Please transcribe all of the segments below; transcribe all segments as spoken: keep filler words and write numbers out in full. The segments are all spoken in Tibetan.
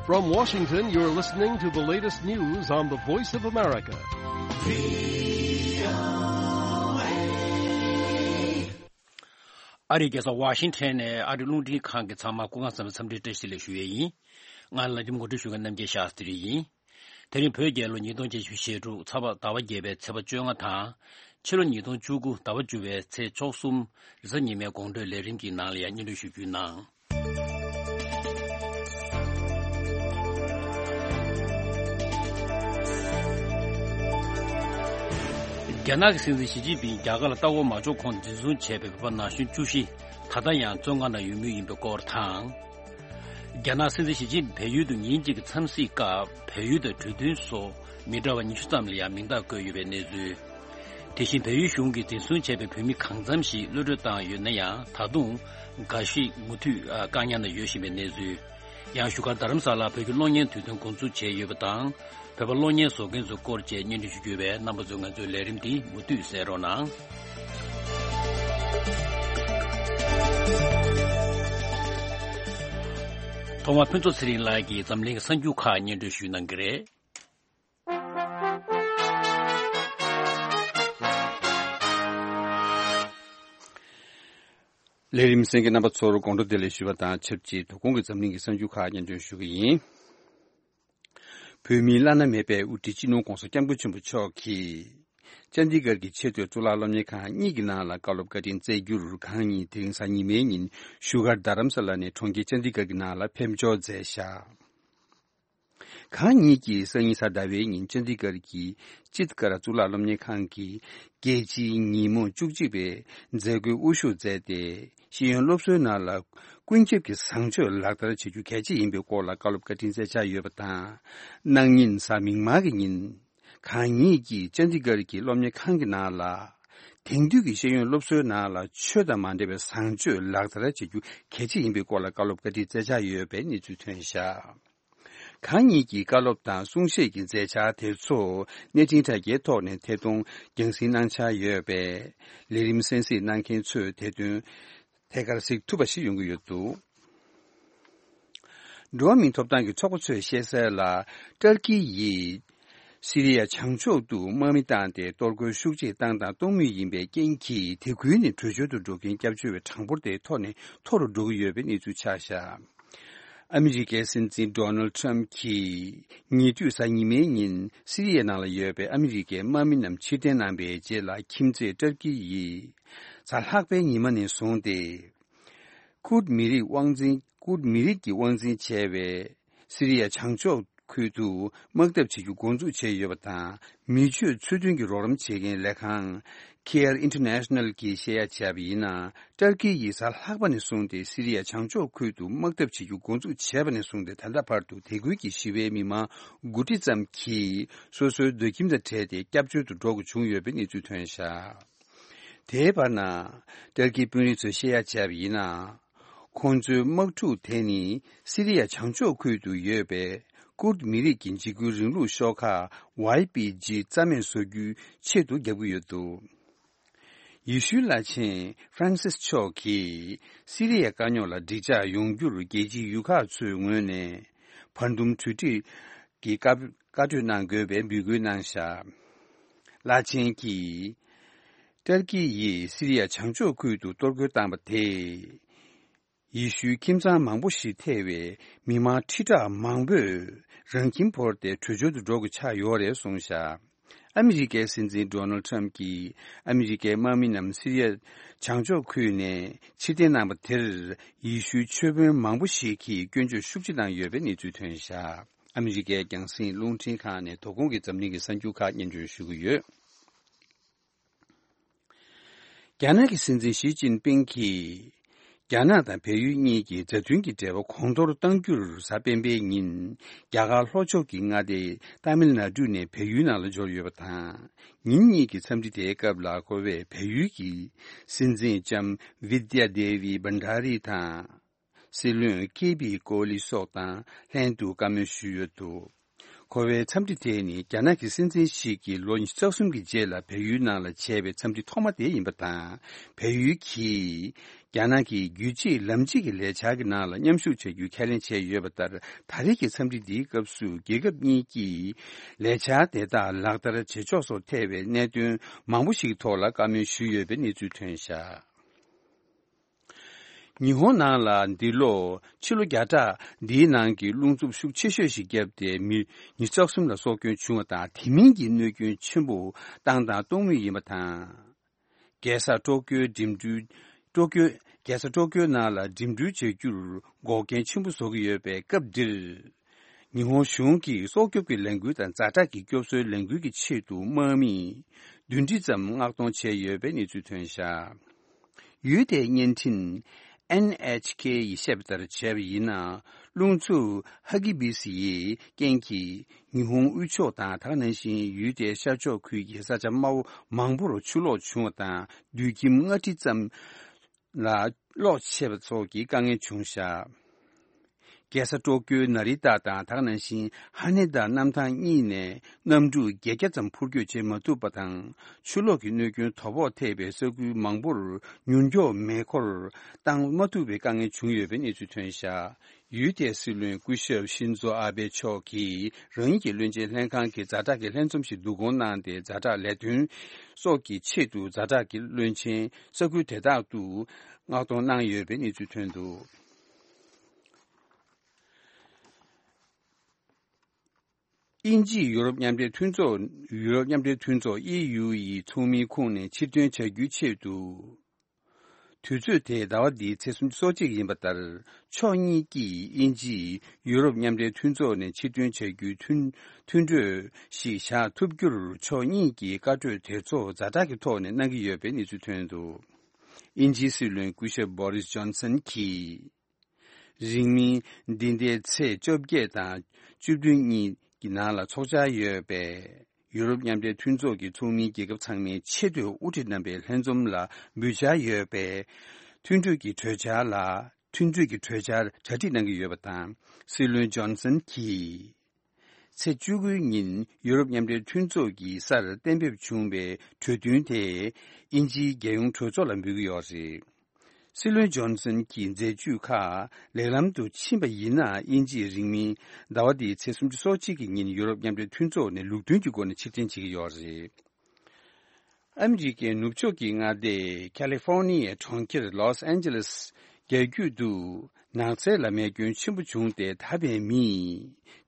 From Washington, you're listening to the latest news on the Voice of America. ཨ་རིའི་རྒྱལ་ས་ཝ་ཤིང་ཊོན་ནས་ཨ་རིའི་རླུང་འཕྲིན་ཁང་གི་ཚང་མ་སྐུ་ཁམས་བཟང་བའི་འཚམས་འདྲིའི་བཀྲ་ཤིས་བདེ་ལེགས་ཞུ་ཡས་ཡིན། ང་ལ་རིམ་ངོ་སྤྲོད་ཞུ་མཁན་རྣམ་རྒྱལ་ཤཱསྟྲི་ཡིན། དེ་རིང་བོད་རྒྱལ་ལོ་ཉིས་སྟོང་བརྒྱད་ཅུ་ཞེ་དྲུག་ཚ་བ་ཟླ་བ་བརྒྱད་པའི་ཚེས་པ་བཅོ་ལྔ་དང་། ཕྱི་ལོ་ཉིས་སྟོང་བཅུ་དགུ་ཟླ་བ་བཅུ་པའི་ཚེས་བཅུ་གསུམ་རེས་གཟའ་ཉི་མའི་དགོང་དྲོའི་ལས་རིམ་གྱི་ནང་ལ་ཡང་སྙན་སྒྲོན་ཞུ་རྒྱུའི་ནང་། རྒྱ་ནག་གི་སྲིད་འཛིན་ཞི་ཅིན་ཕིང་རྒྱ་གར་ལ་ལྟ་སྐོར་མ་འབྱོར་གོང་འཛིན་བཟུང་བྱས་པའི་བོད་པ་ན་གཞོན་བཅུ་བཞི་ད་ལྟ་ཡང་བཙོན་ཁང་ནང་ཡོད་མུས་ཡིན་པའི་སྐོར་དང་། རྒྱ་ནག་སྲིད་འཛིན་ཞི་ཅིན་ཕིང་བལ་ཡུལ་དུ་ཉིན་གཅིག་གི་འཚམས་གཟིགས་སྐབས་བལ་ཡུལ་དང་གྲོས་མཐུན་སོགས་མི་འདྲ་བ་ཉི་ཤུ་ཙམ་ལ་ཡང་མིང་རྟགས་བཀོད་ཡོད་པའི་གནས་ཚུལ། དེ་བཞིན་བལ་ཡུལ་གཞུང་གིས་འཛིན་བཟུང་བྱས་པའི་བོད་མི་གང་འཚམ་ཞིག་གློད་གྲོལ་བཏང་ཡོད་ན་ཡང་ད་དུང་འགའ་ཞིག་མུ་མཐུད་བཀག་ཉར་ནང་ཡོད་བཞིན་པའི་གནས་ཚུལ། ཡང་བཞུགས་སྒར་རྡ་རམ་ས་ལར་བོད་ཀྱི་གློག་བརྙན་དུས་སྟོན་འགོ་འཛུགས་བྱས་ཡོད་པ་དང་། བོད་པ་གློག་བརྙན་བཟོ་མཁན་ཚོའི་སྐོར་བཅས་སྙན་སྒྲོན་ཞུ་རྒྱུ་བས་རྣམ་པ་ཚོས་ང་ཚོའི་ལས་རིམ་འདི་མུ་མཐུད་གསན་རོགས་གནང་། ཐོག་མར་ཕུན་ཚོགས་ཚེ་རིང་ལགས་ཀྱིས་འཛམ་གླིང་གི་གསར་འགྱུར་ཁག་སྙན་སྒྲོན་ཞུ་གནང་གི་རེད། ལས་རིམ་གསན་མཁན་རྣམ་པ་ཚོར་དགོང་དྲོ་བདེ་ལེགས་ཞུ་བ་དང་ཆབས་ཅིག་དོ་དགོང་གི་འཛམ་གླིང་གི་གསར་འགྱུར་ཁག་སྙན་སྒྲོན་ཞུ་གི་ཡིན། བོད་མིའི་བླ་ན་མེད་པའི་དབུ་ཁྲིད་སྤྱི་ནོར་༧གོང་ས་༧སྐྱབས་མགོན་ཆེན་པོ་མཆོག་གིས། ཅན་དི་གྷར་གྱི་ཆེས་མཐོའི་གཙུག་ལག་སློབ་གཉེར་ཁང་གཉིས་ཀྱི་ནང་ལ་བཀའ་སློབ་བཀའ་དྲིན་སྩལ་རྒྱུར་གང་ཉིད་དེ་རིང་གཟའ་ཉི་མའི་ཉིན་བཞུགས་སྒར་རྡ་རམ་ས་ལ་ནས་གྲོང་ཁྱེར་ཅན་དི་གྷར་གྱི་ནང་ལ་ཕེབས་འབྱོར་མཛད་བཞག་གང་ཉིད་ཀྱིས་སང་ཉིན་གཟའ་ཟླ་བའི་ཉིན་ཅན་དི་གྷར་གྱི་ཅིད་ཀར་གཙུག་ལག་སློབ་གཉེར་ཁང་གི་རྒྱལ་སྤྱིའི་ཉིན་མོ་བཅུ་གཅིག་པའི་མཛད་སྒོའི་དབུ་བཞུགས་མཛད་དེ། ཤེས་ཡོན་སློབ་གསོའི་ནང་ལ་ཀུན་ཁྱབ་ཀྱི་བཟང་སྤྱོད་ལག་བསྟར་བྱེད་རྒྱུ་གལ་ཆེ་ཡིན་པའི་སྐོར་ལ་བཀའ་སློབ་བཀའ་དྲིན་སྩལ་འཆར་ཡོད་པ་དང་། གནངས་ཉིན་གཟའ་མིག་དམར་གྱི་ཉིན། གང་ཉིད་ཀྱིས་ཅན་དི་གྷར་གྱི་སློབ་གཉེར་ཁང་གི་ནང་ལ། དེང་དུས་ཀྱི་ཤེས་ཡོན་སློབ་གསོའི་ནང་ལ་ཆོས་དང་མ་འདྲེས་པའི་བཟང་སྤྱོད་ལག་བསྟར་བྱེད་རྒྱུ་གལ་ཆེ་ཡིན་པའི་སྐོར་ལ་བཀའ་སློབ་བཀའ་དྲིན་སྩལ་འཆར་ཡོད་པའི་གནས་ཚུལ་ཐོན་བཞག་གང་ཉིད་ཀྱི་བཀའ་སློབ་དང་གསུང་བཤད་ཀྱི་མཛད་འཆར་དེ་ཚོ་གནས་འཕྲིན་དྲ་རྒྱའི་ཐོག་ནས་ཐད་གཏོང་རྒྱང་སྲིང་གནང་འཆར་ཡོད་པས། ལས་རིམ་གསན་གཟིགས་གནང་མཁན་ཚོས་དེ་དོན་ཐད་ཀར་གཟིགས་ཐུབ་པ་ཞིག་ཡོང་གི་ཡོད་འདུག་འགྲོ་བ་མིའི་ཐོབ་ཐང་གི་ཚོགས་པ་ཚོས་བཤད་གསལ་ལ། ཏར་ཀི་ཡིས་སི་རི་ཡ་བྱང་ཕྱོགས་སུ་དམག་མི་བཏང་སྟེ་གཏོར་རྒོལ་ཤུགས་ཆེ་བཏང་དང་གཏོང་མུས་ཡིན་པའི་རྐྱེན་གྱིས། དེ་ཁུལ་ནས་བྲོས་བྱོལ་དུ་འགྲོ་མཁན་སྐྱབས་བཅོལ་བའི་གྲངས་འབོར་དེ་མཐོ་ནས་མཐོ་རུ་འགྲོ་གི་ཡོད་པའི་གནས་ཚུལ་ཆགས་བཞག་ཨ་མི་རི་ཀའི་སྲིད་འཛིན་ཌོ་ནལ་ཊམ་གྱིས་ཉེ་དུས་གཟའ་ཉི་མའི་ཉིན་སི་རི་ཡའི་ནང་ལ་ཡོད་པའི་ཨ་མི་རི་ཀའི་དམག་མི་རྣམས་ཕྱིར་འཐེན་གནང་པའི་རྗེས་ལ། ཁྱིམ་མཚེས་ཏར་ཀི་ཡིས་གཟའ་ལྷག་པའི་ཉི་མ་ནས་བཟུང་སྟེ། ཀུརྡ་མི་རིགས་དབང་འཛིན། ཀུརྡ་མི་རིགས་ཀྱིས་དབང་འཛིན་བྱས་པའི་སི་རི་ཡ་བྱང་ཕྱོགས་ཁུལ་དུ་དམག་འཐབ་བྱེད་རྒྱུ་འགོ་འཛུགས་བྱས་ཡོད་པ་དང་། མི་ཆོས་ཚུལ་མཐུན་གྱི་རོགས་རམ་བྱེད་མཁན་ལས་ཁང་Care International གྱིས་བཤད་ཡ་བྱས་པ་ཡིན་ན། ཏར་ཀི་ཡིས་གཟའ་ལྷག་པ་ནས་བཟུང་སྟེ་སི་རི་ཡ་བྱང་ཕྱོགས་ཁུལ་དུ་དམག་འཐབ་བྱེད་རྒྱུ་འགོ་འཛུགས་བྱས་པ་ནས་བཟུང་སྟེ། ད་ལྟ་བར་དུ་དེ་ཁུལ་གྱི་ཞི་བའི་མི་མང་དགུ་ཁྲི་ཙམ་གྱིས་སོ་སོའི་སྡོད་ཁྱིམ་དང་བྲལ་ཏེ་སྐྱབས་བཅོལ་དུ་འགྲོ་དགོས་བྱུང་ཡོད་པའི་གནས་ཚུལ་ཐོན་བཞག་དེའི་བར་ན། ཏར་ཀིའི་དཔོན་རིགས་ཚོས་བཤད་ཡ་བྱས་པ་ཡིན་ན། ཁོང་ཚོའི་དམག་འཁྲུག་དེ་ནི་སི་རི་ཡ་བྱང་ཕྱོགས་ཁུལ་དུ་ཡོད་པའི་ཀུརྡ་མི་རིགས་ཀྱི་འཇིགས་སྐུལ་རིང་ལུགས་ཤོག་ཁག་ཝའི་པི་ཇི་རྩ་མེད་བཟོ་རྒྱུའི་ཆེད་དུ་རྒྱབ་ཀྱི་ཡོད་འདུག་ཡེ་ཤུའི་བླ་ཆེན་ཧྥ་རན་སིས་མཆོག་གིས་སི་རི་ཡའི་དཀའ་རྙོག་ལ་འགྲིག་འཇགས་ཡོང་རྒྱུར་རྒྱལ་སྤྱིའི་ཡུལ་ཁག་ཚོའི་ངོས་ནས་བར་འདུམ་གྲོས་འགྲིག་གི་བཀའ་བཀའ་གྲོས་གནང་དགོས་པའི་འབོད་སྐུལ་གནང་བཞག་བླ་ཆེན་གྱིས། ཏར་ཀི་ཡིས་སི་རི་ཡ་བྱང་ཕྱོགས་ཁུལ་དུ་གཏོར་རྒོལ་བཏང་བ་དེས། ཡེ་ཤུའི་ཁྱིམ་ཚང་མང་པོ་ཞིག་ཐེ་བའི་མི་མང་ཁྲི་ཕྲག་མང་པོས་རང་ཁྱིམ་བོར་ཏེ་བྲོས་བྱོལ་དུ་འགྲོ་དགོས་ཆགས་ཡོད་རེད་གསུངས་བཞག་ཨ་མི་རི་ཀའི་སྲིད་འཛིན་ཌོ་ནལ་ཊམ་གྱིས་ཨ་མི་རི་ཀའི་དམག་མི་རྣམས་སི་རི་ཡ་བྱང་ཕྱོགས་ཁུལ་ནས་ཕྱིར་འཐེན་གནང་བ་དེར། ཡེ་ཤུའི་ཆོས་དཔོན་མང་པོ་ཞིག་གིས་སྐྱོན་བརྗོད་ཤུགས་ཆེ་བཏང་ཡོད་པའི་གནས་ཚུལ་ཐོན་བཞག་ཨ་མི་རི་ཀའི་རྒྱང་སྲིང་རླུང་འཕྲིན་ཁང་ནས་དོ་དགོང་གི་འཛམ་གླིང་གི་གསར་འགྱུར་ཁག་སྙན་སྒྲོན་ཞུ་གི་ཡོད། རྒྱ་ནག་གི་སྲིད་འཛིན་ཞི་ཅིན་ཕིང་གིས། རྒྱ་ནག་དང་བལ་ཡུལ་གཉིས་ཀྱི་མཛའ་མཐུན་གྱི་འབྲེལ་བ་གོང་མཐོར་གཏང་རྒྱུར་གཟའ་སྤེན་པའི་ཉིན། རྒྱ་གར་ལྷོ་ཕྱོགས་ཀྱི་མངའ་སྡེ་ཏཱ་མིལ་ནཱ་ཌུ་ནས་བལ་ཡུལ་ནང་ལ་འབྱོར་ཡོད་པ་དང་། ཉིན་གཉིས་ཀྱི་འཚམས་འདྲི་དེའི་སྐབས་ལ་ཁོ་བས་བལ་ཡུལ་གྱི་སྲིད་འཛིན་ལྕམ་བི་དྱ་དེ་བི་བྷན་ཌ་རི་དང་། སྲིད་བློན་ཀེ་པི་ཀོ་ལི་སོགས་དང་ལྷན་དུ་བཀའ་མོལ་ཞུས་ཡོད་འདུག་འཁོར་བའི་འཚམས་འདྲི་དེ་ནི་རྒྱ་ནག་གི་སྲིད་འཛིན་ཞིག་གིས་ལོ་ཉི་ཤུ་རྩ་གསུམ་གྱི་རྗེས་ལ་བལ་ཡུལ་ནང་ལ་བྱས་པའི་འཚམས་འདྲི་ཐོག་མ་དེ་ཡིན་པ་དང་། བལ་ཡུལ་གྱིས་རྒྱ་ནག་གི་རྒྱུད་གཅིག་ལམ་གཅིག་གི་ལས་འཆར་གྱི་ནང་ལ་མཉམ་ཞུགས་བྱ་རྒྱུའི་ཁས་ལེན་བྱས་ཡོད་པ་ལྟར། ད་རེས་ཀྱི་འཚམས་འདྲི་འདིའི་སྐབས་སུ་རྒྱལ་ཁབ་གཉིས་ཀྱིས་ལས་འཆར་དེ་དག་ལག་བསྟར་བྱེད་ཕྱོགས་སོགས་ཐད་པའི་གནད་དོན་མང་པོ་ཞིག་ཐོག་ལ་བཀའ་མོལ་ཞུས་ཡོད་པའི་གནས་ཚུལ་ཐོན་བཞག་ཉི་ཧོང་ནང་ལ་འདི་ལོ་ཕྱི་ལོ་བརྒྱ་ཕྲག་འདིའི་ནང་གི་རླུང་འཚུབ་ཤུགས་ཆེ་ཤོས་ཤིག་བརྒྱབ་སྟེ། མི་ཉི་ཤུ་རྩ་གསུམ་ལ་སྲོག་སྐྱོན་བྱུང་བ་དང་། དེ་མིན་གྱི་གནོད་སྐྱོན་ཆེན་པོ་བཏང་དང་གཏོང་མུས་ཡིན་པ་དང་། རྒྱལ་ས་ཀྲོ་ཀྱོའི་འགྲིམ་འགྲུལ། ཀྲོ་ཀྱོ། རྒྱལ་ས་ཀྲོ་ཀྱོའི་ནང་ལ་འགྲིམ་འགྲུལ་བྱ་རྒྱུར་འགོག་རྐྱེན་ཆེན་པོ་བཟོ་གི་ཡོད་པའི་སྐབས་འདིར། ཉི་ཧོང་གཞུང་གིས་སྲོག་སྐྱོབ་ཀྱི་ལས་འགུལ་དང་ཛ་དྲག་གི་སྐྱོབ་གསོའི་ལས་འགུལ་གྱི་ཆེད་དུ་དམག་མི་བདུན་ཁྲི་ཙམ་མངགས་གཏོང་བྱས་ཡོད་པའི་གནས་ཚུལ་ཐོན་བཞག་ཡུལ་དེའི་བརྙན་འཕྲིན་ཨེན་ཨེཆ་ཁེ་ཡིས་བཤད་པ་ལྟར་བྱས་པ་ཡིན་ན། རླུང་འཚུབ་ཧ་གི་བི་སི་ཡི་རྐྱེན་གྱིས་ཉི་ཧོང་དབུས་ཕྱོགས་དང་། དེ་ག་ནང་བཞིན་ཡུལ་དེའི་ཤར་ཕྱོགས་ཁུལ་གྱི་ས་ཆ་དམའ་བོ་མང་པོར་ཆུ་ལོག་བྱུང་བ་དང་། རྡུལ་ཁྱིམ་ལྔ་ཁྲི་ཙམ་ལ་གློག་ཆད་པ་སོགས་ཀྱི་དཀའ་ངལ་བྱུང་བཞག་རྒྱལ་ས་ཀྲོ་ཀྱོའི་ནཱ་རི་ཏཱ་དང་། དེ་ག་ནང་བཞིན་ཧ་ནེ་ད་གནམ་ཐང་གཉིས་ནས་གནམ་གྲུ་བརྒྱད་བརྒྱ་ཙམ་འཕུར་སྐྱོད་བྱེད་མ་ཐུབ་པ་དང་། ཆུ་ལོག་གི་གནོད་སྐྱོན་དོ་ཕོག་ཐེབས་པའི་ས་ཁུལ་མང་པོར་མྱུར་མགྱོགས་མེ་འཁོར་བཏང་མ་ཐུབ་པའི་དཀའ་ངལ་བྱུང་ཡོད་པའི་གནས་ཚུལ་ཐོན་བཞག་ཡུལ་དེའི་སྲིད་བློན་སྐུ་ཞབས་ཤིན་ཛོ་ཨ་བྷེ་མཆོག་གིས་རང་ཉིད་ཀྱི་བློན་ཆེན་ལྷན་ཁང་གི་ཛ་དྲག་གི་ལྷན་འཛོམས་ཤིག་བསྡུ་སྐོང་གནང་སྟེ། ཛ་དྲག་ལས་དོན་སོགས་ཀྱི་ཆེད་དུ་ཛ་དྲག་གི་བློན་ཆེན་ས་ཁུལ་དེ་དག་ཏུ་མངགས་གཏོང་གནང་ཡོད་པའི་གནས་ཚུལ་ཐོན་འདུག་དབྱིན་ཇིས་ཡུ་རོབ་མཉམ་འབྲེལ་མཐུན་ཚོགས། ཡུ་རོབ་མཉམ་འབྲེལ་མཐུན་ཚོགས་ཨི་ཡུ་ཡི་ཚོགས་མིའི་ཁོངས་ནས་ཕྱིར་འདོན་བྱ་རྒྱུའི་ཆེད་དུ། དུས་ཚོད་དེ་ཟླ་བ་འདིའི་ཚེས་སུམ་ཅུ་སོ་གཅིག་ཡིན་པ་ལྟར། ཕྱོགས་གཉིས་ཀྱིས་དབྱིན་ཇིས་ཡུ་རོབ་མཉམ་འབྲེལ་མཐུན་ཚོགས་ནས་ཕྱིར་འདོན་བྱ་རྒྱུའི་མཐུན་མཐུན་གྲོས་ཤིག་བཞག་ཐུབ་རྒྱུར། ཕྱོགས་གཉིས་ཀྱིས་བཀའ་གྲོས་དེ་ཚོ་ཛ་དྲག་གི་ཐོག་ནས་གནང་གི་ཡོད་པའི་གནས་ཚུལ་ཐོན་འདུག་དབྱིན་ཇིའི་སྲིད་བློན་སྐུ་ཞབས་བྷོ་རིས་ཇོན་སན་གྱིས། རིང་མིན་འདི་ཟླའི་ཚེས་བཅོ་བརྒྱད་དང་བཅུ་བདུན་གཉིས་ཀྱི་ནང་ལ་འཚོགས་འཆར་ཡོད་པའི་ཡུ་རོབ་མཉམ་འབྲེལ་མཐུན་ཚོགས་ཀྱི་ཚོགས་མིའི་རྒྱལ་ཁབ་ཚང་མའི་ཆེས་མཐོའི་དབུ་ཁྲིད་རྣམ་པའི་ལྷན་འཛོམས་ལ་འབུལ་འཆར་ཡོད་པའི་མཐུན་གྲོས་ཀྱི་གྲོས་འཆར་ལ། མཐུན་གྲོས་ཀྱི་གྲོས་འཆར་གྲ་སྒྲིག་གནང་གི་ཡོད་པ་དང་། སྲིད་བློན་ཇོན་སན་གྱིས། ཚེས་བཅུ་དགུའི་ཉིན་ཡུ་རོབ་མཉམ་འབྲེལ་མཐུན་ཚོགས་ཀྱི་སར་གཏན་འབེབས་བྱུང་བའི་གྲོས་མཐུན་དེ་དབྱིན་ཇིའི་རྒྱལ་ཡོངས་གྲོས་ཚོགས་ལ་འབུལ་གྱི་ཡོད་རེད། སྲིད་བློན་ཇོན་སན་གྱི་མཛད་ཇུས་ཁག་ལེགས་ལམ་དུ་ཕྱིན་པ་ཡིན་ན། དབྱིན་ཇིས་རིང་མིན་ཟླ་བ་འདིའི་ཚེས་སུམ་ཅུ་སོ་གཅིག་གི་ཉིན་ཡུ་རོབ་མཉམ་འབྲེལ་མཐུན་ཚོགས་ནས་ལུགས་མཐུན་གྱི་སྒོ་ནས་ཕྱིར་འཐེན་བྱེད་ཀྱི་ཡོད་རེད། ཨ་མི་རི་ཀའི་ནུབ་ཕྱོགས་ཀྱི་མངའ་སྡེ་ཁ་ལི་ཧྥོར་ནི་ཡའི་གྲོང་ཁྱེར་ལོས་ཨན་ཇེ་ལེས་རྒྱལ་རྒྱུད་དུ་ནགས་ཚལ་ལ་མེ་སྐྱོན་ཆེན་པོ་བྱུང་སྟེ། ད་བར་མི་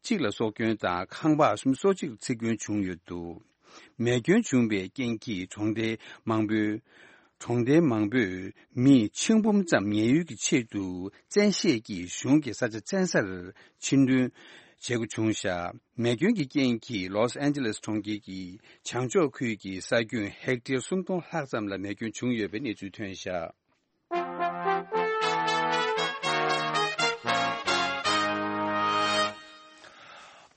གཅིག་ལ་སྲོག་སྐྱོན་དང་ཁང་པ་སུམ་ཅུ་སོ་གཅིག་འཚིག་སྐྱོན་བྱུང་ཡོད་འདུག་མེ་སྐྱོན་བྱུང་བའི་རྐྱེན་གྱིས་གྲོང་སྡེ་མང་པོའི། གྲོང་སྡེ་མང་པོས་མི་ཆིག་འབུམ་ཙམ་ཉེན་གཡོལ་གྱི་ཆེད་དུ་བཙན་ཤེད་ཀྱིས་གཞུང་གི་ས་ཆ་བཙན་སར་ཕྱིར་འདོན་བྱེད་དགོས་བྱུང་བཞག་མེ་སྐྱོན་གྱི་རྐྱེན་གྱིས་ལོས་ཨན་ཇེ་ལེས་གྲོང་ཁྱེར་གྱི་བྱང་ཕྱོགས་ཁུལ་གྱི་ས་ཁྱོན་ཧེག་ཊར་སུམ་སྟོང་ལྷག་ཙམ་ལ་མེ་སྐྱོན་བྱུང་ཡོད་པའི་གནས་ཚུལ་ཐོན་བཞག་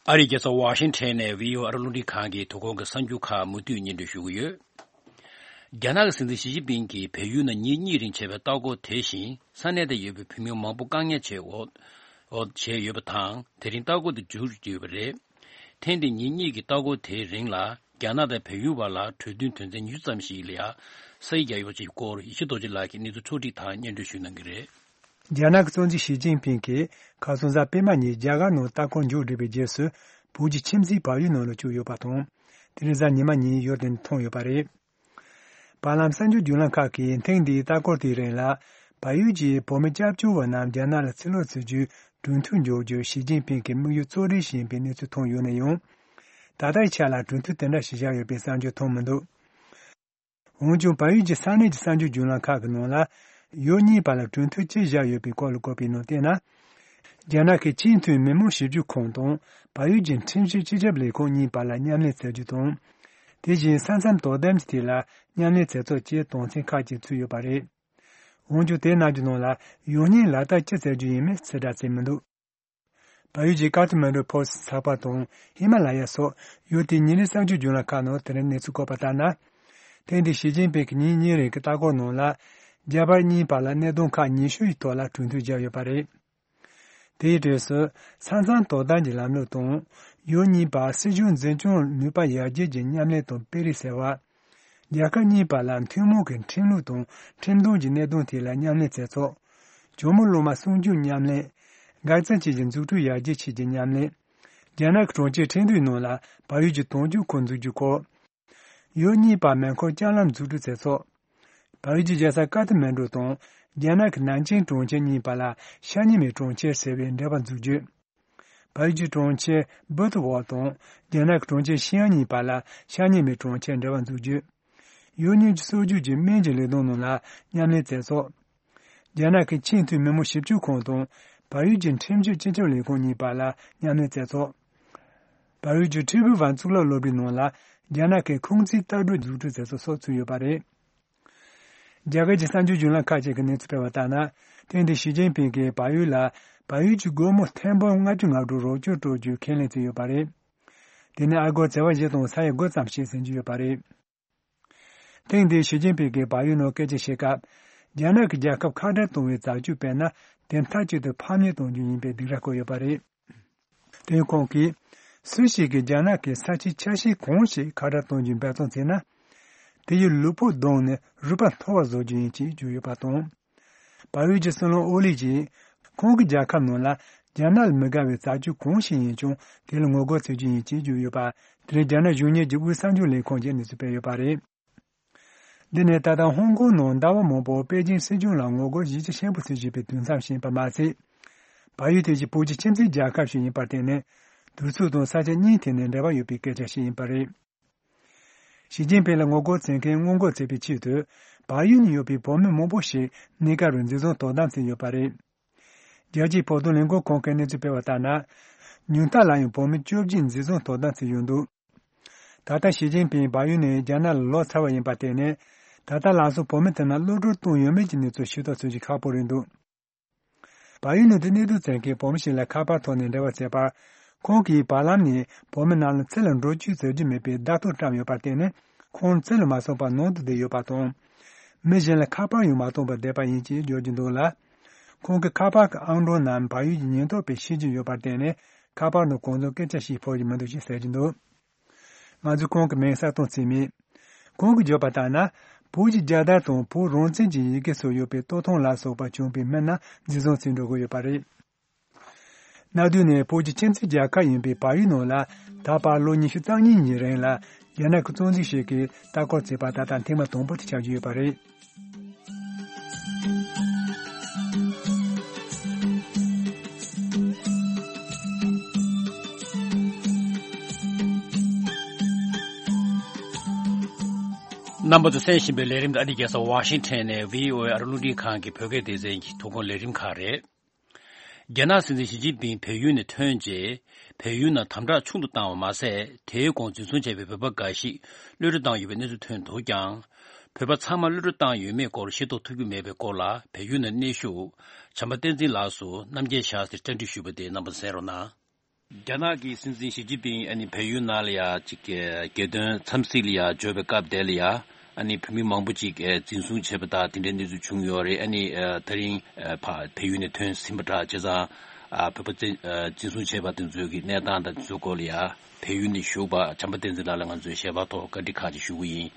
ཨ་རིའི་རྒྱལ་ས་ཝ་ཤིང་ཊོན་ནས་བྷི་ཨོ་ཨེ་རླུང་འཕྲིན་ཁང་གི་དོ་དགོང་གི་གསར་འགྱུར་ཁག་མུ་མཐུད་སྙན་སྒྲོན་ཞུ་གི་ཡོད། རྒྱ་ནག་གི་སྲིད་འཛིན་ཞི་ཅིན་ཕིང་གིས་བལ་ཡུལ་ནང་ཉིན་གཉིས་རིང་བྱས་པའི་ལྟ་སྐོར་དེ་བཞིན། ས་གནས་དེར་ཡོད་པའི་བོད་མི་མང་པོ་བཀག་ཉར་བྱས་འོག་འོག་བྱས་ཡོད་པ་དང་། དེ་རིང་ལྟ་སྐོར་དེ་མཇུག་བསྒྲིལ་ཡོད་པ་རེད། ཐེངས་འདིའི་ཉིན་གཉིས་ཀྱི་ལྟ་སྐོར་དེའི་རིང་ལ། རྒྱ་ནག་དང་བལ་ཡུལ་བར་ལ་གྲོས་མཐུན་དོན་ཚན་ཉི་ཤུ་ཙམ་ཞིག་ལ་ཡ་ས་ཡིག་རྒྱག་ཡོད་པ་ཞིག་སྐོར་ཡེ་ཤེས་རྡོ་རྗེ་ལགས་ཀྱིས་གནས་ཚུལ་འཕྲོ་བསྒྲིགས་དང་སྙན་སྒྲོན་ཞུ་གནང་གི་རེད། རྒྱ་ནག་གི་སྲིད་འཛིན་ཞི་ཅིན་ཕིང་གིས་ཁ་སང་གཟའ་སྤེན་པ་ཉིན་རྒྱ་གར་ནང་ལྟ་སྐོར་མཇུག་བསྒྲིལ་བའི་རྗེས་སུ། བོད་ཀྱི་ཁྱིམ་མཚེས་བལ་ཡུལ་ནང་ལ་བཅུག་ཡོད་པ་དང་། དེ་རིང་གཟའ་ཉི་མ་ཉིན་ཡུལ་དེ་ནས་ཐོན་ཡོད་པ་རེད། བར་ལམ་གསར་འགྱུར་བརྒྱུད་ལམ་ཁག་གིས་ཐེངས་འདིའི་ལྟ་སྐོར་དེའི་རིང་ལ། བལ་ཡུལ་གྱི་བོད་མི་སྐྱབས་བཅོལ་བ་རྣམས་རྒྱ་ནག་ལ་ཕྱིར་ལོག་བྱེད་རྒྱུའི་གྲོས་མཐུན་འཇོག་རྒྱུར་ཞི་ཅིན་ཕིང་གིས་དམིགས་ཡུལ་གཙོ་རེད་བཞིན་པའི་གནས་ཚུལ་ཐོན་ཡོད་ན་ཡང་། ད་ལྟའི་ཆ་ལ་གྲོས་མཐུན་དེ་འདྲ་ཞིག་བཞག་ཡོད་པའི་གསར་འགྱུར་ཐོན་མི་འདུག་འོན་ཀྱང་། བལ་ཡུལ་གྱི་ས་གནས་ཀྱི་གསར་འགྱུར་བརྒྱུད་ལམ་ཁག་གི་ནང་ལ། ཡུལ་གཉིས་བར་ལ་གྲོས་མཐུན་ཅི་བཞག་ཡོད་པའི་སྐོར་ལ་བཀོད་པའི་ནང་བལྟས་ན། རྒྱ་ནག་གི་ཆེས་མཐོའི་མི་དམངས་ཞིབ་འཇུག་ཁང་དང་། བལ་ཡུལ་གྱི་ཁྲིམས་ཞིབ་སྤྱི་ཁྱབ་ལས་ཁུངས་གཉིས་བར་ལ་མཉམ་ལས་བྱ་རྒྱུ་དང་། དེ་བཞིན་ས་མཚམས་དོ་དམ་གྱི་ཐད་ལ་མཉམ་ལས་བྱེད་ཕྱོགས་བཅས་དོན་ཚན་ཁག་ཅིག་ཚུད་ཡོད་པ་རེད། འོན་ཀྱང་། དེ་གནང་རྒྱུ་ནང་ལ་ཡང་སྙིང་ལག་བསྟར་ཅི་བྱ་རྒྱུ་ཡིན་མིན་ཕྱིར་བསྒྲགས་བྱས་མི་འདུག་བལ་ཡུལ་གྱི་ཀ་ཐ་མན་ཌུ་ཕོ་སི་ཊི་ཚགས་པར་དང་། ཧི་མ་ལ་ཡ་སོགས་ཡུལ་དེའི་ཉིན་རེའི་གསར་འགྱུར་བརྒྱུད་ལམ་ཁག་ནང་དེ་རིང་གནས་ཚུལ་བཀོད་པ་ལྟར་ན། ཐེངས་འདིའི་ཞི་ཅིན་ཕིང་གི་ཉིན་གཉིས་རིང་གི་ལྟ་སྐོར་ནང་ལ། རྒྱ་བལ་གཉིས་བར་ལ་གནད་དོན་ཁག་ཉི་ཤུ་ཡི་ཐོག་ལ་གྲོས་མཐུན་བཞག་ཡོད་པ་རེད། དེའི་གྲས་སུ་ས་མཚམས་དོ་དམ་གྱི་ལམ་ལུགས་དང་། ཡུལ་གཉིས་བར་སྲིད་གཞུང་འཛིན་སྐྱོང་ནུས་པ་ཡར་རྒྱས་ཀྱི་མཉམ་ལས་དང་སྤེལ་རེས་ཟེར་བ། རྒྱལ་ཁབ་གཉིས་བར་ལ་ཐུན་མོང་གི་ཁྲིམས་ལུགས་དང་ཁྲིམས་དོན་གྱི་གནད་དོན་ཐད་ལ་མཉམ་ལས་མཛད་ཚུལ། ཇོ་མོ་གླང་མ་སྲུང་སྐྱོབ་མཉམ་ལས། འགག་རྩ་བཅས་ཀྱི་འཛུགས་སྐྲུན་ཡར་རྒྱས་ཆེད་ཀྱི་མཉམ་ལས། རྒྱ་ནག་གི་གྲོང་ཁྱེར་ཁྲིན་ཏུའི་ནང་ལ་བལ་ཡུལ་གྱི་དོན་གཅོད་ཁང་འཛུགས་རྒྱུའི་སྐོར། ཡུལ་གཉིས་བར་མེ་འཁོར་ལྕགས་ལམ་འཛུགས་སྐྲུན་མཛད་ཚུལ། བལ་ཡུལ་གྱི་རྒྱལ་ས་ཀ་ཐ་མན་གྲུ་དང་རྒྱ་ནག་གི་ནན་ཅིང་གྲོང་ཁྱེར་གཉིས་བར་ལ་ཤ་ཉེ་མའི་གྲོང་ཁྱེར་ཟེར་བའི་འབྲེལ་བ་འཛུགས་རྒྱུ། བལ་ཡུལ་གྱི་གྲོང་ཁྱེར་བུ་ཐི་ཝོག་དང་རྒྱ་ནག་གི་གྲོང་ཁྱེར་ཤིའང་གཉིས་བར་ལ་ཤ་ཉེ་མའི་གྲོང་ཁྱེར་འབྲེལ་བ་འཛུགས་རྒྱུ། ཡུལ་གཉིས་ཀྱི་སྲོལ་རྒྱུན་གྱི་སྨན་གྱི་ལས་དོན་ནང་ལ་མཉམ་ལས་མཛད་ཚུལ། རྒྱ་ནག་གི་ཆེས་མཐོའི་མི་དམངས་ཞིབ་དཔྱོད་ཁང་དང་བལ་ཡུལ་གྱི་ཁྲིམས་ཞིབ་སྤྱི་ཁྱབ་ལས་ཁུངས་གཉིས་བར་ལ་མཉམ་ལས་མཛད་ཚུལ། བལ་ཡུལ་གྱི་ཁྲི་ཕུའུ་ཝན་གཙུག་ལག་སློབ་གྲྭའི་ནང་ལ་རྒྱ་ནག་གི་ཁུང་ཙི་ལྟ་གྲུབ་འཛུགས་སྐྲུན་མཛད་ཚུལ་སོགས་ཚུད་ཡོད་པ་རེད། རྒྱ་གར་གྱི་གསར་འགྱུར་བརྒྱུད་ལམ་ཁག་ཅིག་གིས་གནས་ཚུལ་སྤེལ་བ་ལྟར་ན། ཐེངས་འདིར་ཞི་ཅིན་ཕིང་གིས་བལ་ཡུལ་ལ་བལ་ཡུལ་གྱི་སྒོར་མོ་ཐེར་འབུམ་ལྔ་བཅུ་ང་དྲུག་རོགས་སྐྱོར་སྤྲོད་རྒྱུའི་ཁས་ལེན་བྱས་ཡོད་པ་རེད། དེ་ནི་ཨ་སྒོར་བྱེ་བ་བཞི་དང་ས་ཡ་དགུ་ཙམ་ཞིག་ཟིན་གྱི་ཡོད་པ་རེད། ཐེངས་འདིར་ཞི་ཅིན་ཕིང་གིས་བལ་ཡུལ་ནང་སྐད་ཆ་བཤད་སྐབས། རྒྱ་ནག་གིས་རྒྱལ་ཁབ་ཁ་བྲལ་གཏོང་བའི་བྱ་སྤྱོད་སྤེལ་ན་དེ་མཐའ་གཅིག་ཏུ་ཕམ་ཉེས་གཏོང་རྒྱུ་ཡིན་པའི་སྡིགས་ར་བསྐུལ་ཡོད་པ་རེད། དེ་ཡང་ཁོང་གིས། སུ་ཞིག་གིས་རྒྱ་ནག་གི་ས་ཆའི་ཆ་ཤས་གང་ཞིག་ཁ་བྲལ་གཏོང་རྒྱུའི་འབད་བརྩོན་བྱས་ན། དེ་ཡི་ལུས་པོ་བརྡུངས་ནས་རུས་པ་འཐོར་བ་བཟོ་རྒྱུ་ཡིན་ཅེས་བརྗོད་ཡོད་པ་དང་། བལ་ཡུལ་གྱི་སྲིད་བློན་ཨོ་ལི་ཡིས། ཁོང་གི་རྒྱལ་ཁབ་ནང་ལ་རྒྱ་ནག་ལ་མི་དགའ་བའི་བྱ་སྤྱོད་གང་ཞིག་ཡིན་ཀྱང་དེ་ལ་ངོ་རྒོལ་བྱེད་རྒྱུ་ཡིན་ཅེས་བརྗོད་ཡོད་པ། དེ་རིང་རྒྱ་ནག་གཞུང་གཉེར་གྱི་དབུས་གསར་འགྱུར་ལས་ཁང་གིས་གནས་ཚུལ་སྤེལ་ཡོད་པ་རེད། འདི་ནི་ད་ལྟ་ཧོང་ཀོང་ནང་ཟླ་བ་མང་པོར་པེ་ཅིང་སྲིད་གཞུང་ལ་ངོ་རྒོལ་ཡིག་ཆ་ཤན་པ་ཚོས་བྱས་པའི་དུས་མཚམས་ཤིག་ཡིན་པ་མ་ཟད། བལ་ཡུལ་དེ་བཞིན་བོད་ཀྱི་ཁྱིམ་མཚེས་རྒྱལ་ཁབ་ཞིག་ཡིན་པར་བརྟེན་ནས། དུས་ཚོད་དང་ས་ཆ་གཉིས་ཐད་ནས་འབྲེལ་བ་ཡོད་པའི་སྐད་ཆ་ཞིག་ཡིན་པ་རེད། ཞི་ཅིན་ཕིང་ལ་ངོ་རྒོལ་བྱེད་མཁན་སྔོན་འགོག་བྱེད་པའི་ཆེད་དུ། བལ་ཡུལ་ནས་ཡོང་བའི་བོད་མི་མང་པོ་ཞིག་གནས་སྐབས་རུ་འཛིན་བཟུང་དོ་དམ་བྱས་ཡོད་པ་རེད། རྒྱལ་སྤྱིའི་བོད་དོན་ལས་འགུལ་ཁང་གིས་གནས་ཚུལ་སྤེལ་བ་ལྟར་ན། ཉུང་མཐའ་ལ་ཡང་བོད་མི་བཅོ་བརྒྱད་འཛིན་བཟུང་དོ་དམ་བྱས་ཡོད་འདུག་ད་ལྟ་ཞི་ཅིན་ཕིང་བལ་ཡུལ་ནས་རྒྱ་ནག་ལ་ལོག་ཚར་བ་ཡིན་པར་བརྟེན་ནས། ད་ལྟ་ལམ་སང་བོད་མི་དེ་རྣམས་གློད་གྲོལ་བཏང་ཡོད་མེད་ཀྱི་གནས་ཚུལ་ཤེས་རྟོགས་བྱེད་རྒྱུ་ཁག་པོ་རེད་འདུག་བལ་ཡུལ་ནང་དུ་གནས་སྡོད་བྱེད་མཁན་བོད་མི་ཞིག་ལ་ཁ་པར་ཐོག་ནས་འབྲེལ་བ་བྱས་པར། ཁོང་གིས་བར་ལམ་ནས་བོད་མི་རྣམས་ལ་འཚོལ་ལ་འགྲོ་བཅུག་ཟེར་རྒྱུ་མེད་པའི་བརྡ་ཐོ་བཀྲམ་ཡོད་པར་བརྟེན་ནས། ཁོང་འཚོལ་ལ་མ་སོང་བར་ནང་དུ་བསྡད་ཡོད་པ་དང་། མི་གཞན་ལ་ཁ་པར་ཡང་མ་བཏང་བར་བསྡད་པ་ཡིན་ཅེས་བརྗོད་ཀྱི་འདུག་ལ། ཁོང་གི་ཁ་པར་གྱི་ཨང་གྲངས་རྣམས་བལ་ཡུལ་གྱི་ཉེན་རྟོག་པས་ཤེས་ཀྱི་ཡོད་པར་བརྟེན་ནས། ཁ་པར་ནང་གང་དུ་སྐད་ཆ་ཞིག་ཕོག་གི་མི་འདུག་ཅེས་ཟེར་གྱི་འདུག་ང་ཚོས་ཁོང་གི་མིང་གསལ་སྟོན་བྱས་མེད། ཁོང་གིས་བརྗོད་པ་ལྟར་ན། བོད་ཀྱི་རྒྱལ་དར་དང་བོད་རང་བཙན་གྱི་ཡི་གེ་སོགས་ཡོད་པའི་སྟོད་ཐུང་ལ་སོགས་པ་བྱུང་བའི་མི་རྣམས་འཛིན་བཟུང་བྱས་འགྲོ་གི་ཡོད་པ་རེད། གནའ་དུས་ནས་བོད་ཀྱི་ཁྱིམ་མཚེས་རྒྱལ་ཁབ་ཡིན་པའི་བལ་ཡུལ་ནང་ལ། ད་བར་ལོ་ཉི་ཤུ་རྩ་གཉིས་ཀྱི་རིང་ལ། རྒྱ་ནག་གི་བཙོན་འཇུག་ཞིག་གིས་ལྟ་སྐོར་བྱས་པ་ད་ལྟ་ཐེངས་མ་དང་པོ་དེ་ཆགས་ཀྱི་ཡོད་པ་རེད། རྣམ་པ་ཚོས་གསན་བཞིན་པའི་ལས་རིམ་དེ་ཨ་རིའི་རྒྱལ་ས་ཝ་ཤིང་ཊོན་ནས་བྷི་ཨོ་ཨེ་ཨ་རི་རླུང་འཕྲིན་ཁང་གི་བོད་སྐད་སྡེ་ཚན་གྱི་ཐོ་འགོད་ལས་རིམ་ཁག་རེད། རྒྱ་ནག་སྲིད་འཛིན་ཞི་ཅིན་ཕིང་བལ་ཡུལ་ནས་ཐོན་རྗེས། བལ་ཡུལ་ནང་དམ་དྲག་ཆུང་དུ་བཏང་བ་མ་ཟད། དེའི་གོང་འཛིན་བཟུང་བྱས་པའི་བོད་པ་འགའ་ཞིག་གློད་གྲོལ་བཏང་ཡོད་པའི་གནས་ཚུལ་ཐོན་འདུག་ཀྱང་། བོད་པ་ཚང་མ་གློད་གྲོལ་བཏང་ཡོད་མེད་སྐོར་ཤེས་རྟོགས་ཐུབ་ཀྱི་མེད་པའི་སྐོར་ལ། བལ་ཡུལ་ནང་གནས་བཞུགས་བྱམས་པ་བསྟན་འཛིན་ལགས་སུ་རྣམ་རྒྱལ་ཞྭ་སེར་བཅར་འདྲི་ཞུས་པ་དེ་རྣམ་པ་གསན་རོགས་གནང་། རྒྱ་ནག་གི་སྲིད་འཛིན་ཞི་ཅིན་ཕིང་ཨ་ནི་བལ་ཡུལ་ནང་ལ་ཡ་ཅིག་གི་རྒྱལ་དོན་འཚམས་གཟིགས་ལ་ཡ་འབྱོར་བའི་སྐབས་དེ་ལ་ཡ། ཨ་ནི་བོད་མི་མང་པོ་ཅིག་འཛིན་བཟུང་བྱས་པ་དང་དེ་འདྲའི་གནས་ཚུལ་བྱུང་ཡོད་རེད། ཨ་ནི་ད་རིང་ཕ་བལ་ཡུལ་ནས་ཐོན་ཟིན་པ་འདྲ་བྱས་ཙང་། བོད་པ་འཛིན་བཟུང་བྱས་པ་དེ་ཚོའི་གི་གནས་སྟངས་དང་དེ་ཚོའི་སྐོར་ལ་ཡ། བལ་ཡུལ་ནས་བཞུགས་པ་བྱམས་པ་བསྟན་འཛིན་ལགས་ལ་ང་ཚོས་ཞལ་པར་ཐོག་བཀའ་འདྲི་ཁག་ཅིག་ཞུ་གི་ཡིན།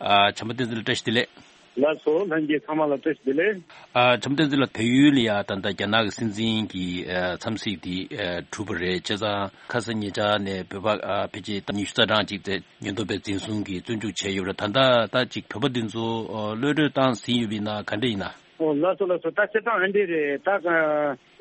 བྱམས་པ་བསྟན་འཛིན་ལགས་བཀྲ་ཤིས་བདེ་ལེགས། ལགས་སོ། ལྷན་རྒྱས་ཚང་མ་ལ་བཀྲ་ཤིས་བདེ་ལེགས། ཨ། བྱམས་བསྟན་འཛིན་ལགས། བལ་ཡུལ་ལ་ཡ་ད་ལྟ་རྒྱ་ནག་གི་སྲིད་འཛིན་གྱི་ཨ་འཚམས་གཟིགས་དེ་ཨ་གྲུབ་པ་རེད། བྱས་ཙང་ཁ་སང་ཉེ་ཆར་ནས་བོད་པ་ཨ་ཕལ་ཆེར་ཉི་ཤུ་རྩ་གྲངས་ཅིག་དེ་ཉེན་རྟོག་པས་འཛིན་བཟུང་གིས་བཙོན་འཇུག་བྱས་ཡོད་རེད། ད་ལྟ་ད་ཅིག་བོད་པ་འདི་ཚོ་ཨ་གློད་གྲོལ་བཏང་ཟིན་ཡོད་པ་ཡིན་ན་ག་འདྲ་ཡིན་ན། ཨོ་ལགས་སོ་ལགས་སོ། ད་སྤྱིར་བཏང་ཨ་འདྲ་རེད། ད་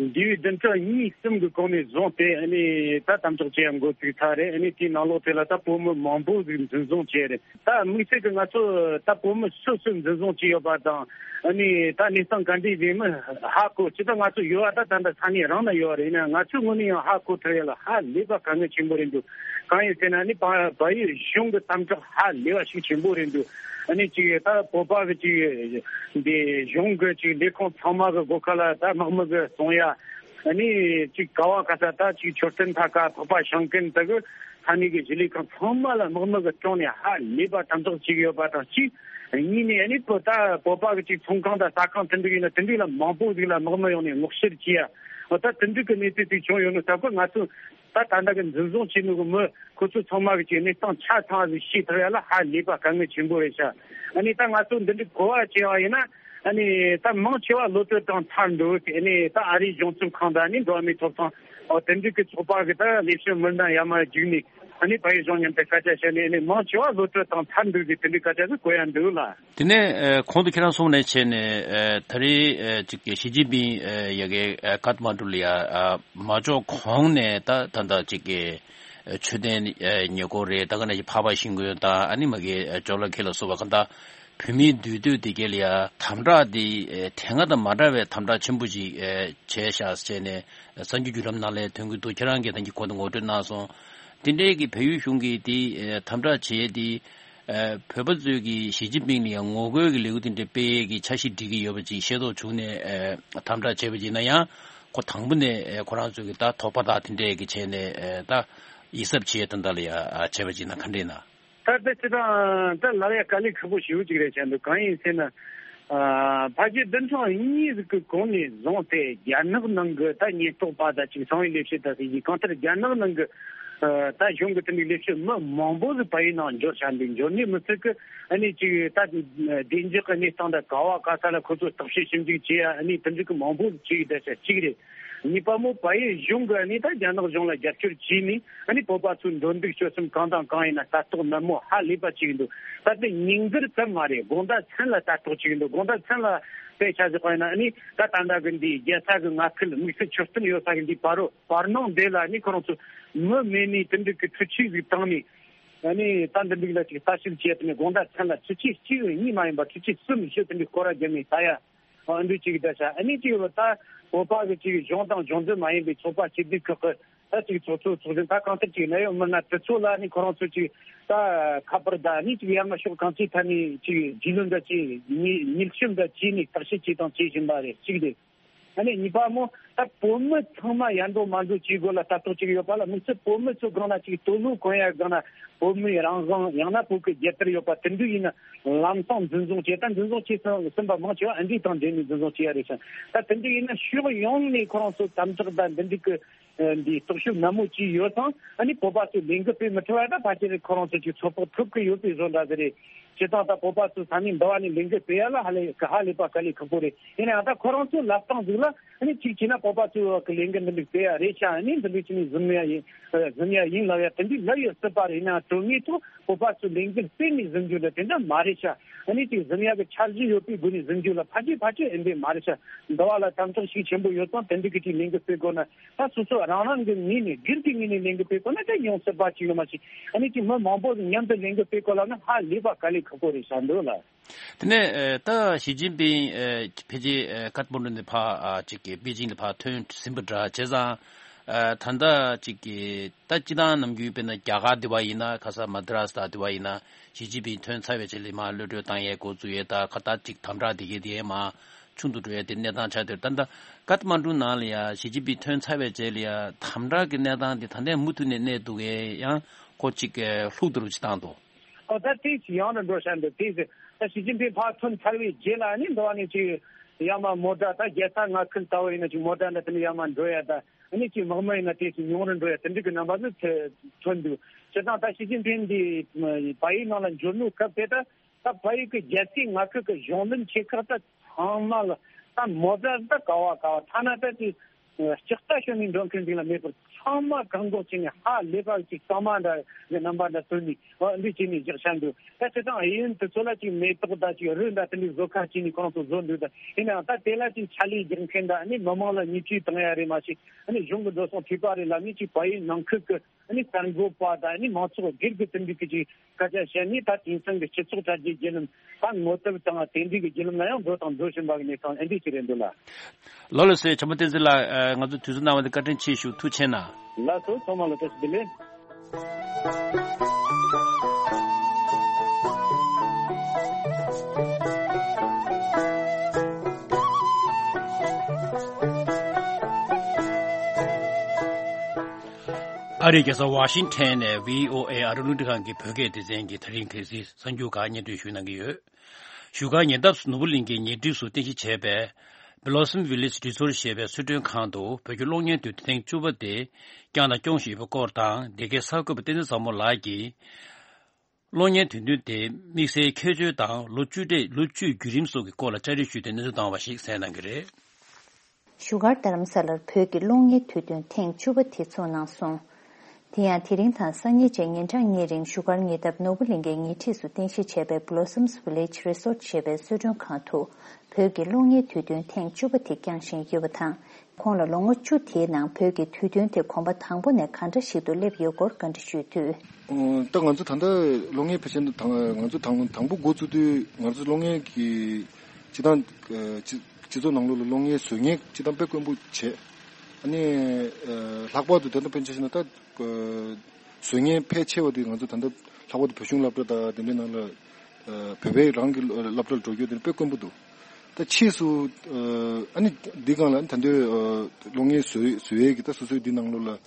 འདས་པའི་བདུན་ཕྲག་གཉིས་གསུམ་གྱི་གོང་ནས་བཟུང་སྟེ་ཨ་ནི་ད་དམ་དྲག་བྱེད་ཡ་འགོ་ཚུགས་ཚར་རེད། ཨ་ནི་དེའི་ནང་ལོགས་དེ་ལ་ད་བོད་མི་མང་པོ་ཟིག་འཛིན་བཟུང་བྱས་རེད། ད་དམིགས་བསལ་གྱི་ང་ཚོ་ད་བོད་མི་སུ་སུ་འཛིན་བཟུང་བྱས་ཡོད་པ་དང་། ཨ་ནི་ད་གནས་སྟངས་ག་འདྲ་ཡིན་མིན་ཧ་གོ། སྤྱིར་བཏང་ང་ཚོ་ཡོད་པ་ད་ད་ལྟ་ས་གནས་རང་ན་ཡོད་པ་རེད། ཡིན་ན་ང་ཚོའི་ངོས་ནས་ཡང་ཧ་གོ་ཐུབ་ཡ་ལ་ཧ་ལས་པ་དཀའ་ངལ་ཆེན་པོ་རེད་འདུག་གང་ཡིན་ཟེར་ན་ཨ་ནི་བལ་བལ་ཡུལ་གཞུང་གི་དམ་དྲག་ཧ་ལས་པ་ཞིག་ཆེན་པོ་རེད་འདུག་ཨ་ནི་ཅིག་ད་བོད་པ་གི་ཅིག་འདི་གཞུང་གི་ཅིག་ལས་ཁུངས་ཚང་མ་གི་སྒོ་ཁ་ལ་ད་དམག་མི་གི་སོང་ཡ། ཨ་ནི་ཅིག་ག་བ་ག་ས་ད་ཅིག་མཆོད་རྟེན་མཐའ་ཁ་འཕགས་པ་ཞིང་ཀུན་དེ་གི་ས་གནས་ཀྱི་གཞིས་ལས་ཁང་ཚང་མ་ལ་དམག་མི་གི་དྲུང་ནས་ཧ་ལས་པ་དམ་དྲག་བྱེད་ཀྱི་ཡོད་པ་དང་གཅིག་གཉིས་ནས་ཨ་ནི་བོད་ད་བོད་པ་གི་ཅིག་ཚོང་ཁང་དང་ཟ་ཁང་དེ་འདྲ་ཡིན་ན་དེ་འདྲ་ལ་མང་པོ་ཟིག་ལ་དམག་མི་ཡོང་ནས་སྔོག་བཤེར་བྱེད་ཡ། ད་དེ་འདྲ་གི་གནས་ཚུལ་ཅིག་བྱུང་ཡོད་ནོ་ད་ཁོ་ང་ཚོ་ད་ད་ལྟ་གི་འཛིན་བཟུང་བྱས་ནོ་གི་མི་ཁོ་ཚོ་ཚང་མ་གི་ཅིག་གནས་སྟངས་ཆ་ཚང་ཞིག་ཤེས་ཐུབ་ཡ་ལ་ཧ་ལས་པ་དཀའ་ངལ་ཆེན་པོ་རེད་ཤག་ཨ་ནི་ད་ང་ཚོ་འདི་འདྲའི་གོ་བ་བྱས་པ་ཡིན་ན། ཨ་ནི་ད་མང་ཆེ་བ་གློད་གྲོལ་དང་ཚར་འདུག་ཨ་ནི་ད་ཨ་རིའི་གཞུང་ཚབ་ཁང་དང་ཨ་ནི་འགྲོ་བ་མིའི་ཐོབ་ཐང་འོ་དེ་འདྲ་གི་ཚོགས་པ་གི་ད་ལས་བྱེད་མི་སྣ་ཡར་མར་བརྒྱུགས་ནས་ཨ་ནི་བལ་ཡུལ་གཞུང་མཉམ་དུ་སྐད་ཆ་བཤད་ནས་ཨ་ནི་མང་ཆེ་བ་གློད་གྲོལ་དང་ཚར་འདུག་ཟེར་དེ་འདྲའི་སྐད་ཆ་ཟིག་གོ་ཡ་འདུག་ལ། དེ་ནས་ཨ་གོང་དུ་ཁྱེད་རང་གསུངས་ནས་བྱས་ནས་ཨ་ད་རེས་ཨ་ཅིག་གི་ཞི་ཅིན་ཕིང་ཨ་ཡ་གི་ཨ་ཀཏ་མན་ཌུ་ལ་ཡ་ཨ་མ་འབྱོར་གོང་ནས་ད་ད་ད་ཅིག་གི་ཨ་མཆོད་རྟེན་ཨ་ཉེ་འཁོར་རེད། ད་ག་ནང་བཞིན་འཕགས་པ་ཤིང་ཀུན་དང་ཨ་ནི་མ་གི་ཨ་ཇོ་ལ་ཁེ་ལ་སོགས་པ་གང་ལྟར་བོད་མིའི་འདུས་སྡོད་དེ་ག་ལ་ཡ་དམ་དྲག་དེ་ཨ་དེ་སྔ་དང་མ་འདྲ་བའི་དམ་དྲག་ཆེན་པོ་ཅིག་ཨ་བྱས་ཤག་ཟེར་ནས་གསར་འགྱུར་བརྒྱུད་ལམ་ནང་ལ་ཐོན་གྱི་འདུག་ཁྱེད་རང་གིས་ད་གིན་གོང་དུ་ངོ་སྤྲོད་གནང་སོང་། དེ་འདྲའི་གི་བལ་ཡུལ་གཞུང་གིས་དེ་ཨ་དམ་དྲག་བྱས་དེ། ཨ་བོད་པ་ཚོས་ཀྱིས་ཞི་ཅིན་ཕིང་ལ་ཡང་ངོ་རྒོལ་གྱི་ལས་འགུལ་དེ་འདྲ་སྤེལ་ཡས་ཀྱི་འཆར་གཞི་སྒྲིག་གི་ཡོད་པ་ཅིག་ཤེས་རྟོགས་བྱུང་ནས་ཨ་དམ་དྲག་བྱས་པ་ཅིག་ཡིན་ན་ཡང་ཁོ་དང་པོ་ནས་ཨ་ཁོ་རང་ཚོས་ཀྱི་ད་དོགས་པ་དག་དེ་འདྲས་ཀྱི་བྱས་ནས་ཨ་ད་ཡིད་གཟབ་བྱས་ད་ལྟ་ལ་ཡ་ཨ་བྱས་པ་ཅིག་ཡིན་ན་ག་འདྲས་ན། ད་ལྟ་སྤྱིར་བཏང་ད་ལབ་ཡ་དཀའ་ལས་ཁག་པོ་ཞེ་པོ་ཅིག་རེད་བྱས་འདུག་གང་ཡིན་ཟེར་ན། ཨ་ཕལ་ཆེར་བདུན་ཕྲག་གཉིས་ཟིག་གི་གོང་ནས་བཟུང་སྟེ་རྒྱ་ནག་ནང་གི་ད་ཉེན་རྟོག་པ་དང་ཅིག་གསང་བའི་ལས་བྱེད་དང་ཟེར་གྱི་གང་ལྟར་རྒྱ་ནག་ནང་གི་ཨ་ད་གཞུང་གི་དེ་འདྲའི་ལས་བྱེད་མི་མང་པོ་ཟིག་བལ་ཡུལ་ནང་འབྱོར་བཞག་འདུག་འབྱོར་ནས་མི་ཚད་ཀི་ཨ་ནི་ཅིག་ད་བདེ་འཇགས་ཀྱི་གནས་སྟངས་དང་ག་བ་ག་ས་ལ་ཁོ་ཚོ་བརྟག་དཔྱད་ཞིབ་འཇུག་བྱེད་ཡ་ཨ་ནི་དེ་འདྲ་གི་མང་པོ་ཟིག་བྱེད་ཀྱི་བསྡད་ཤག་གཅིག་རེད། གཉིས་པ་མོ་བལ་ཡུལ་གཞུང་གི་ཨ་ནི་ད་རྒྱ་ནག་གཞུང་ལ་རྒྱབ་སྐྱོར་བྱས་ནས་ཨ་ནི་བོད་པ་ཚོའི་འགྲོ་འདུག་སྤྱོད་གསུམ་གང་དང་གང་ཡིན་ན་ལྟ་རྟོག་ནན་མོ་ཧ་ལས་པ་བྱེད་ཀྱི་འདུག་ད་ལྟ་ཉིན་དཀར་ཙམ་མ་རེད། དགོང་དག་མཚན་ལ་ལྟ་རྟོག་བྱེད་ཀྱི་འདུག་དགོང་དག་མཚན་ལ་དཔེ་ཆ་བཞག་པ་ཡིན་ན་ཨ་ནི་ད་ད་ལྟ་གི་འདི་རྒྱལ་ས་གི་མངའ་ཁུལ་དམིགས་བསལ་མཆོད་རྟེན་ཡོད་ས་གི་འདི་བར་རོ་བར་སྣང་འདི་ལ་ཨ་ནི་ཁོ་རང་ཚོ་མི་མེད་ནས་དེ་འདྲ་གི་འཕྲུལ་ཆས་ཟིག་བཏང་ནས་ཨ་ནི་ད་འདི་འདྲ་ལ་ཅིག་ལྟ་ཞིབ་བྱས་ཏེ་ནས་དགོང་དག་མཚན་ལ་འཕྲུལ་ཆས་གཅིག་གཉིས་མ་ཡིན་པ་འཕྲུལ་ཆས་གསུམ་བཞི་དེ་འདྲ་སྐོར་ར་བརྒྱབ་ནས་ལྟ་ཡ། ཨ་འདི་གཅིག་ད་ཤ་ཨ་ནི་གཅིག་ལ་ད་བོད་པ་གི་གཅིག་གཞུང་དང་གཞུང་འབྲེལ་མ་ཡིན་པའི་ཚོགས་པ་སྐྱིད་སྡུག་ཁག་གི་ད་གཅིག་ཚོགས་གཙོ་ཚོགས་གཞོན་ད་གང་ལྟར་གཅིག་གནད་ཡོད་མི་སྣ་དེ་ཚོ་ལ་ནི་ཁོ་རང་ཚོ་གཅིག་ད་ཁ་པར་ད་ནི་གཅིག་ཡང་ན་ཕྱོགས་གང་ཅིའི་ཐད་ནས་གཅིག་རྒྱུས་ལོན་འདྲ་བྱས་ཉིལ་ཉིལ་ཞིབ་འདྲ་བྱས་ནས་བརྟག་དཔྱད་བྱས་དང་བྱེད་བཞིན་པ་རེད་གཅིག་རེད། ཨ་ནི་གཉིས་པ་མོ་ད་བོད་མི་ཚང་མ་ཡར་འགྲོ་མར་འགྲོ་བྱེད་དགོས་ལ་ལྟ་རྟོག་ཅིག་ཡོད་པ་ལ་དམིགས་བསལ་བོད་མི་ཚོ་སྒང་ལ་གཅིག་སྟོད་ལུང་གོན་ཡ་སྒང་ལ་བོད་མིའི་རང་དབང་ཡང་ན་བོད་ཀྱི་རྒྱལ་དར་ཡོད་པ་དེ་འདྲ་ཡིན་ན། ལམ་སང་འཛིན་བཟུང་བྱས་ད་འཛིན་བཟུང་བྱས་ཟིན་པ་མང་ཆེ་བ་ཨ་འདི་དང་འབྲེལ་ནས་འཛིན་བཟུང་བྱས་ཡ་རེད་ཤག་ད་དེ་འདྲ་ཡིན་ན་ཕྱོགས་ཡོངས་ནས་ཁོ་རང་ཚོ་དམ་དྲག་དང་འདི་འདྲ་གི་འདི་རྟོག་ཞིབ་ནན་མོ་བྱས་ཡོད་ཙང་ཨ་ནི་བོད་པ་ཚོས་ལས་འགུལ་སྤེལ་མི་ཐུབ་པ་ད་ཕལ་ཆེར་ཁོ་རང་ཚོ་ཅིག་ཚོད་དཔག་ཐུབ་ཀྱི་ཡོད་པའི་བཟོ་འདྲ་ཟིག་རེད། བྱས་ཙང་ད་བོད་པ་ཚོས་ས་གནས་འདི་བ་ནས་ལས་འགུལ་སྤེལ་ཡ་ལ་ཧ་ལས་ཧ་ལས་པ་དཀའ་ལས་ཁག་པོ་རེད། ཡིན་ནའང་ད་ཁོ་རང་ཚོའི་ལབ་སྟངས་ཟིག་ལ་ཨ་ནི་གཅིག་བྱས་ན་བོད་པ་ཚོས་གི་ལས་འགུལ་འདི་འདྲ་སྤེལ་ཡ་རེད་ཤག་ཨ་ནི་འདི་འདྲ་བྱས་ནས་གཟིམ་ཡ་ཡིན་གཟིམ་ཡ་ཡིན་ལབ་ཡ་དེ་འདྲའི་ལབ་ཡོད་སྲིད་པ་རེད། ཡིན་ནའང་དོན་དངོས་ཐོག་བོད་པ་ཚོས་ལས་འགུལ་སྤེལ་ནས་གཟིམ་རྒྱུ་འདྲ་དེ་འདྲ་མ་རེད་ཤག་ཨ་ནི་ཅིག་གཟིམ་ཡག་གི་འཆར་གཞི་ཡོད་པའི་སྒོ་ནས་གཟིམ་རྒྱུ་ལ་ཕལ་ཆེར་ཕལ་ཆེར་ཨེ་འདྲས་མ་རེད་ཤག་འདི་བ་ལ་དམ་དྲག་ཤུགས་ཆེན་པོ་ཡོད་ཙང་དེ་འདྲ་གི་ཅིག་ལས་འགུལ་སྤེལ་དགོས་ན་ད་སོ་སོ་རང་རང་གི་ངོས་ནས་སྒེར་གྱི་ངོས་ནས་ལས་འགུལ་སྤེལ་དགོས་ན་ད་ཡོང་སྲིད་པ་ཅིག་ཡོད་མ་ཞིག་ཨ་ནི་ཅིག་མི་མང་པོ་མཉམ་དུ་ལས་འགུལ་སྤེལ་དགོས་ལབ་ན་ཧ་ལས་པ་དཀའ་ལས་ཁག་པོ་རེད་ཤག་འདུག་ལ། དེ་ནས་ཨ་ད་ཞི་ཅིན་ཕིང་ཨ་ཕལ་ཆེར་ཨ་ཀཏ་མན་ཌུ་ནས་ཕར་ཨ་ཅིག་གི་པེ་ཅིང་ལ་ཕར་ཐོན་ཟིན་པ་འདྲ་བྱས་ཙང་ཨ་ད་ལྟ་ཅིག་གི་ད་སྤྱི་བཏང་ནམ་རྒྱུན་དཔེར་ན་རྒྱ་གར་འདི་བ་ཡིན་ན་ཁ་ས་མ་དི་རཱས་ད་འདི་བ་ཡིན་ན་ཞི་ཅིན་ཕིང་ཐོན་ཚར་བའི་རྗེས་ལ་མར་གློད་གྲོལ་བཏང་ཡས་འགོ་བཙུགས་ཡས་ད་ཁ་ད་ཅིག་དམ་དྲག་འདི་གས་འདི་གས་མར་ཆུང་དུ་འགྲོ་ཡས་དེ་གནས་སྟངས་ཆགས་དེར་ད་ལྟ་ཀཏ་མན་ཌུ་ནང་ལ་ཡ་ཞི་ཅིན་ཕིང་ཐོན་ཚར་བའི་རྗེས་ལ་ཡ་དམ་དྲག་གི་གནས་སྟངས་འདི་ད་ལྟའི་མུ་མཐུད་ནས་གནས་འདུག་གས་ཡང་ཁོ་ཅིག་གི་ལྷུག་ཏུ་རུ་ཅིག་བཏང་འདུག་ཨོ་ད་དེ་ཞིག་ཡང་ལ་འགྲོ་བཞིན་འདུག་དེ་ཟེར་ད་ཞི་ཅིན་ཕིང་ཕར་ཐོན་ཚར་བའི་རྗེས་ལ་ནི་འདི་བ་ནས་ཅིག་ཡར་མར་མོ་ཊ་ད་རྒྱལ་ས་མངའ་ཁུལ་ལྟ་བུ་ཡིན་ན་ཅིག་མོ་ཊ་འདྲ་དེ་ནས་ཡར་མར་འགྲོ་ཡ་ད་ཨ་ནི་ཅིག་དམག་མི་ཡིན་ན་དེ་ཅིག་ཉུང་རུ་འགྲོ་ཡ་དེ་འདྲ་གི་རྣམ་པ་ཟིག་ཐོན་འདུག་བྱས་ཙང་ད་ཞི་ཅིན་ཕིང་འདི་བལ་ཡུལ་ནང་ལ་འབྱོར་ནོ་སྐབས་དེ་ད་ད་བལ་ཡུལ་གི་རྒྱལ་སའི་མངའ་ཁུལ་གི་གཞུང་འཛིན་ཆེ་ཁག་ད་ཚང་མ་ལ་ད་མོ་ཊ་ད་ག་བ་ག་བ་ཐ་ན་ད་ཅིག་ལྕགས་རྟ་ཞོན་ནས་འགྲོ་མཁན་ཅིག་ལ་མེད་པར་ཚང་མ་བཀག་འགོག་བྱས་ནས་ཧ་ལས་པ་ཅིག་གཙང་མ་འདྲ་གི་རྣམ་པ་འདྲ་བཏོན་ནས་འོ་འདི་བྱས་ནས་བཞག་བཞག་འདུག་ད་སྤྱིར་བཏང་གཡས་གཡོན་དེ་ཚོ་ལ་ཅིག་མེ་ཏོག་འདྲ་ཅིག་རོལ་འདྲ་དེ་འདྲའི་བཟོ་ཁ་བྱས་ནས་ཁོང་ཚོ་བཟོ་འདུག་ད་ཡིན་ནའང་ད་དེ་ལ་ཅིག་ཕྱག་ལས་རྒྱག་མཁན་འདྲ་ཨ་ནི་མི་མང་ལ་བརྙས་བཅོས་བཏང་ཡ་རེད་མ་གཞི་ཨ་ནི་གཞུང་གི་འགྲོ་སོང་ཐོས་པ་རེད་ལབ་ནས་ཅིག་བལ་ཡུལ་ནང་ཁུལ་གི་ཨ་ནི་གསར་འགོད་པ་དང་ཨ་ནི་མང་ཚོགས་སྒེར་གྱི་དེ་འདྲའི་གི་ཅིག་སྐད་ཆ་བཤད་ནས་ད་དེང་སང་གི་སྤྱི་ཚོགས་དྲ་རྒྱའི་བརྒྱུད་ལམ་ད་ངོ་དེབ་དང་དེ་འདྲའི་གི་བརྒྱུད་ལམ་ལ་ཡང་འགྲོ་དང་འགྲོ་བཞིན་པ་གི་གནས་སྟངས་ཨེ་འདྲ་ཞིག་རེད་འདུག་ལ། ལགས་ལགས་སེ་ཆེན་པོ་བསྟན་འཛིན་ལགས། ཨ་ང་ཚོ་དུས་ཚོད་གནང་བ་དེ་བཀའ་དྲིན་ཆེ་ཞུ། ཐུགས་རྗེ་ཆེ་གནང་། ལགས་སོ། ཚང་མ་ལ་བཀྲ་ཤིས་བདེ་ལེགས། ཨ་རིའི་རྒྱལ་ས་ཝ་ཤིང་ཊོན་ནས་བྷི་ཨོ་ཨེ་ཨ་རི་རླུང་འཕྲིན་ཁང་གི་བོད་སྐད་སྡེ་ཚན་གྱི་དེ་རིང་གལ་སྲིད་གསར་འགྱུར་ཁག་སྙན་སྒྲོན་ཞུ་གནང་གི་ཡོད། བཞུགས་སྒར་ཉེ་འདབས་ནོར་བུ་གླིང་གི་ཉེ་འཁྲིས་སུ་རྟེན་གཞི་བྱས་པའི་ Blossom Village Resort ཞེས་པའི་གསོལ་མགྲོན་ཁང་དུ་བོད་ཀྱི་གློག་བརྙན་དུས་སྟོན་ཐེངས་བཅུ་པ་དེ་བསྐྱངས་དང་སྐྱོང་བཞིན་ཡོད་པའི་སྐོར་དང་། འདི་གའི་གསར་འགོད་པ་བསྟན་འཛིན་བཟང་མོ་ལགས་ཀྱིས། གློག་བརྙན་དུས་སྟོན་དེ་དམིགས་བསལ་ཁྱད་ཆོས་དང་ལོ་བཅུ་གྲས་ལོ་བཅུའི་བརྒྱུད་རིམ་སོགས་ཀྱི་སྐོར་ལ་བཅར་འདྲི་ཞུས་ཏེ་གནས་ཚུལ་བཏང་བ་ཞིག་གསན་གནང་གི་རེད། བཞུགས་སྒར་རྡ་རམ་ས་ལར་བོད་ཀྱི་གློག་བརྙན་དུས་སྟོན་ཐེངས་བཅུ་པ་དེ་ཚོགས་གནང་སོང་། དེ་ཡང་དེ་རིང་དང་སང་ཉིན་བཅས་ཉིན་གྲངས་གཉིས་རིང་བཞུགས་སྒར་ཉེ་འདབས་ནོར་བུ་གླིང་གའི་ཉེ་འཁྲིས་སུ་རྟེན་གཞི་བྱས་པའི་Blossoms Village Resort ཞེས་པའི་གསོལ་མགྲོན་ཁང་དུ་བོད་ཀྱི་གློག་བརྙན་དུས་སྟོན་ཐེངས་བཅུ་པ་དེ་བསྐྱངས་བཞིན་ཡོད་པ་དང་། ཁོང་ལ་ལོ་ངོ་བཅུ་དེའི་ནང་བོད་ཀྱི་དུས་སྟོན་དེ་གོམ་པ་དང་པོ་ནས་ག་འདྲ་ཞིག་ཏུ་སླེབས་ཡོད་སྐོར་བཀའ་འདྲི་ཞུས་དུས། ཨོ། ད་ང་ཚོ་ད་ལྟ་གློག་བརྙན་ཕལ་ཆེར་དང་ང་ཚོ་དང་དང་པོ་འགོ་བཙུགས་དུས་ང་ཚོ་གློག་བརྙན་གྱི་སྤྱི་བཏང་སྤྱི་སྤྱི་ཚོགས་ནང་ལོགས་ལ་གློག་བརྙན་བཟོ་མཁན་སྤྱི་བཏང་དཔེ་དཀོན་པོ་བྱས། ཨ་ནི་ལྷག་པར་དུ་ད་ལྟ་ཕན་ཆད་ཕྱིན་ན་ད་བཟོ་མཁན་ཕལ་ཆེ་བ་དེ་ང་ཚོ་ད་ལྟ་ལྷག་པར་དུ་བོད་གཞུང་སློབ་གྲྭ་དང་དེ་འདྲའི་ནང་ལ་བོད་པའི་རང་གི་སློབ་གྲྭར་འགྲོ་རྒྱུ་དེ་དཔེ་དཀོན་པོ་འདུག་ད་ཕྱིས་སུ་ཨ་ནི་འདི་སྒང་ལ་ད་ལྟའི་གློག་བརྙན་བཟོ་བཟོ་ཡས་ཀྱི་ད་སོ་སོའི་འདི་ནང་ལོགས་ལ་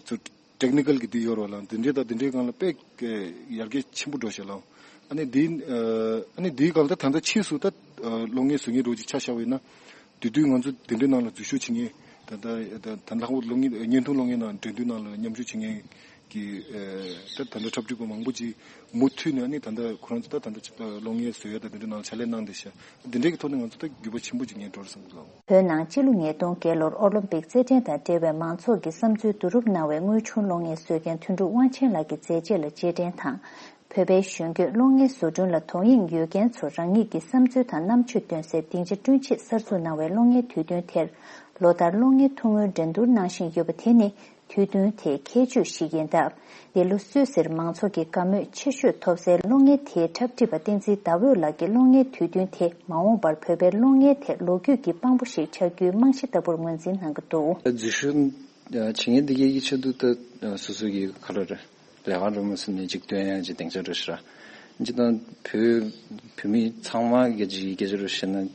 ཚུར་ཊེག་ནི་ཀལ་གྱི་འདི་ཡོད་རོགས་ལ་འདི་འདྲའི་ད་འདི་འདྲའི་སྒང་ལ་དཔེ་ཡར་རྒྱས་ཆེན་པོ་འགྲོ་ཤག་ལ། ཨ་ནི་འདི་ཨ་ནི་འདིའི་སྒང་ལ་ད་ད་ལྟ་ཕྱིས་སུ་ད་གློག་བརྙན་བཟོ་མཁན་འདྲ་བོ་ཅིག་ཆ་བཞག་པ་ཡིན་ན། དེ་དུས་ང་ཚོ་དེ་འདྲའི་ནང་ལ་འཛུལ་ཞུགས་བྱེད་མཁན་ད་ད་ད་ད་ལྷག་པར་གློག་བརྙན་བརྙན་ཐུང་གློག་བརྙན་ནང་འགྲན་བསྡུར་ནང་ལ་མཉམ་ཞུགས་བྱེད་མཁན་གྱི་ད་ད་ལྟ་འཁྲབ་ཁྲིད་པ་མང་པོ་ཅིག་མུ་མཐུད་ནས་ཨ་ནི་ད་ལྟ་ཁོ་རང་ཚོ་ད་ད་ལྟ་གློག་བརྙན་བཟོ་ཡ་ད་དེ་འདྲའི་ནང་ལ་ཕྱག་ལས་གནང་བསྡད་ཤག་དེ་འདྲའི་གི་ཐོག་ནས་ང་ཚོ་ད་འགྱུར་བ་ཆེན་པོ་ཅིག་ངས་འགྲོ་རེད་བསམ་གྱི་འདུག་བོད་ནང་སྤྱི་ལོ་ཉིས་སྟོང་བརྒྱད་ལོར་ཨོ་ལིམ་པིག་རྩེད་འགྲན་དང་འབྲེལ་བའི་མང་ཚོགས་ཀྱི་བསམ་ཚུལ་བསྡུ་རུབ་གནང་བའི་དངོས་བྱུང་གློག་བརྙན་བཟོ་མཁན་དོན་གྲུབ་དབང་ཆེན་ལགས་ཀྱི་མཛད་རྗེས་ལ་རྗེས་དྲན་དང་། བོད་པའི་གཞོན་སྐྱེས་གློག་བརྙན་བཟོ་སྐྲུན་ལ་དོ་དབྱིངས་ཡོད་མཁན་ཚོར་རང་ཉིད་ཀྱི་བསམ་ཚུལ་དང་རྣམ་དཔྱོད་འདོན་སའི་སྡིངས་ཆ་བསྐྲུན་ཆེད་གསར་འཛུགས་གནང་བའི་གློག་བརྙན་དུས་སྟོན་དེར། ལོ་ལྟར་གློག་བརྙན་ཐུང་ངུའི་འགྲན་བསྡུར་གནང་བཞིན་ཡོད་པ་དེ་ནི། དུས་སྟོན་དེའི་ཁྱད་ཆོས་ཤིག་ཡིན་སྟབས། འདི་ལོ་སུད་སིར་མང་ཚོགས་ཀྱི་དགའ་མོས་ཆེ་ཤོས་ཐོབ་སའི་གློག་བརྙན་དེའི་འཁྲབ་ཁྲིད་པ་བསྟན་འཛིན་ཟླ་འོད་ལགས་ཀྱིས་གློག་བརྙན་དུས་སྟོན་དེ་མ་འོངས་པར་བོད་པའི་གློག་བརྙན་དེ་ལོ་རྒྱུས་ཀྱི་དཔང་པོ་ཞིག་ཆགས་རྒྱུའི་རྨང་གཞི་ལྟ་བུར་ངོས་འཛིན་གནང་གི་འདུག་འཛུལ་ཞུགས་བྱེད་མཁན་འདི་གའི་ཆེད་དུ་ད་སོ་སོ་གི་ག་ལ་རེད། ལས་ཀ་འགྲོ་མ་སོང་ནས་ཅིག་སྟོན་ཡ་ཅིག་སྡིངས་ཆ་འགྲོ་ཤི་ར། ཅི་དང་བོད་བོད་མི་ཚང་མ་གི་ཅིག་སྐད་ཆ་རུ་བཤད་ན།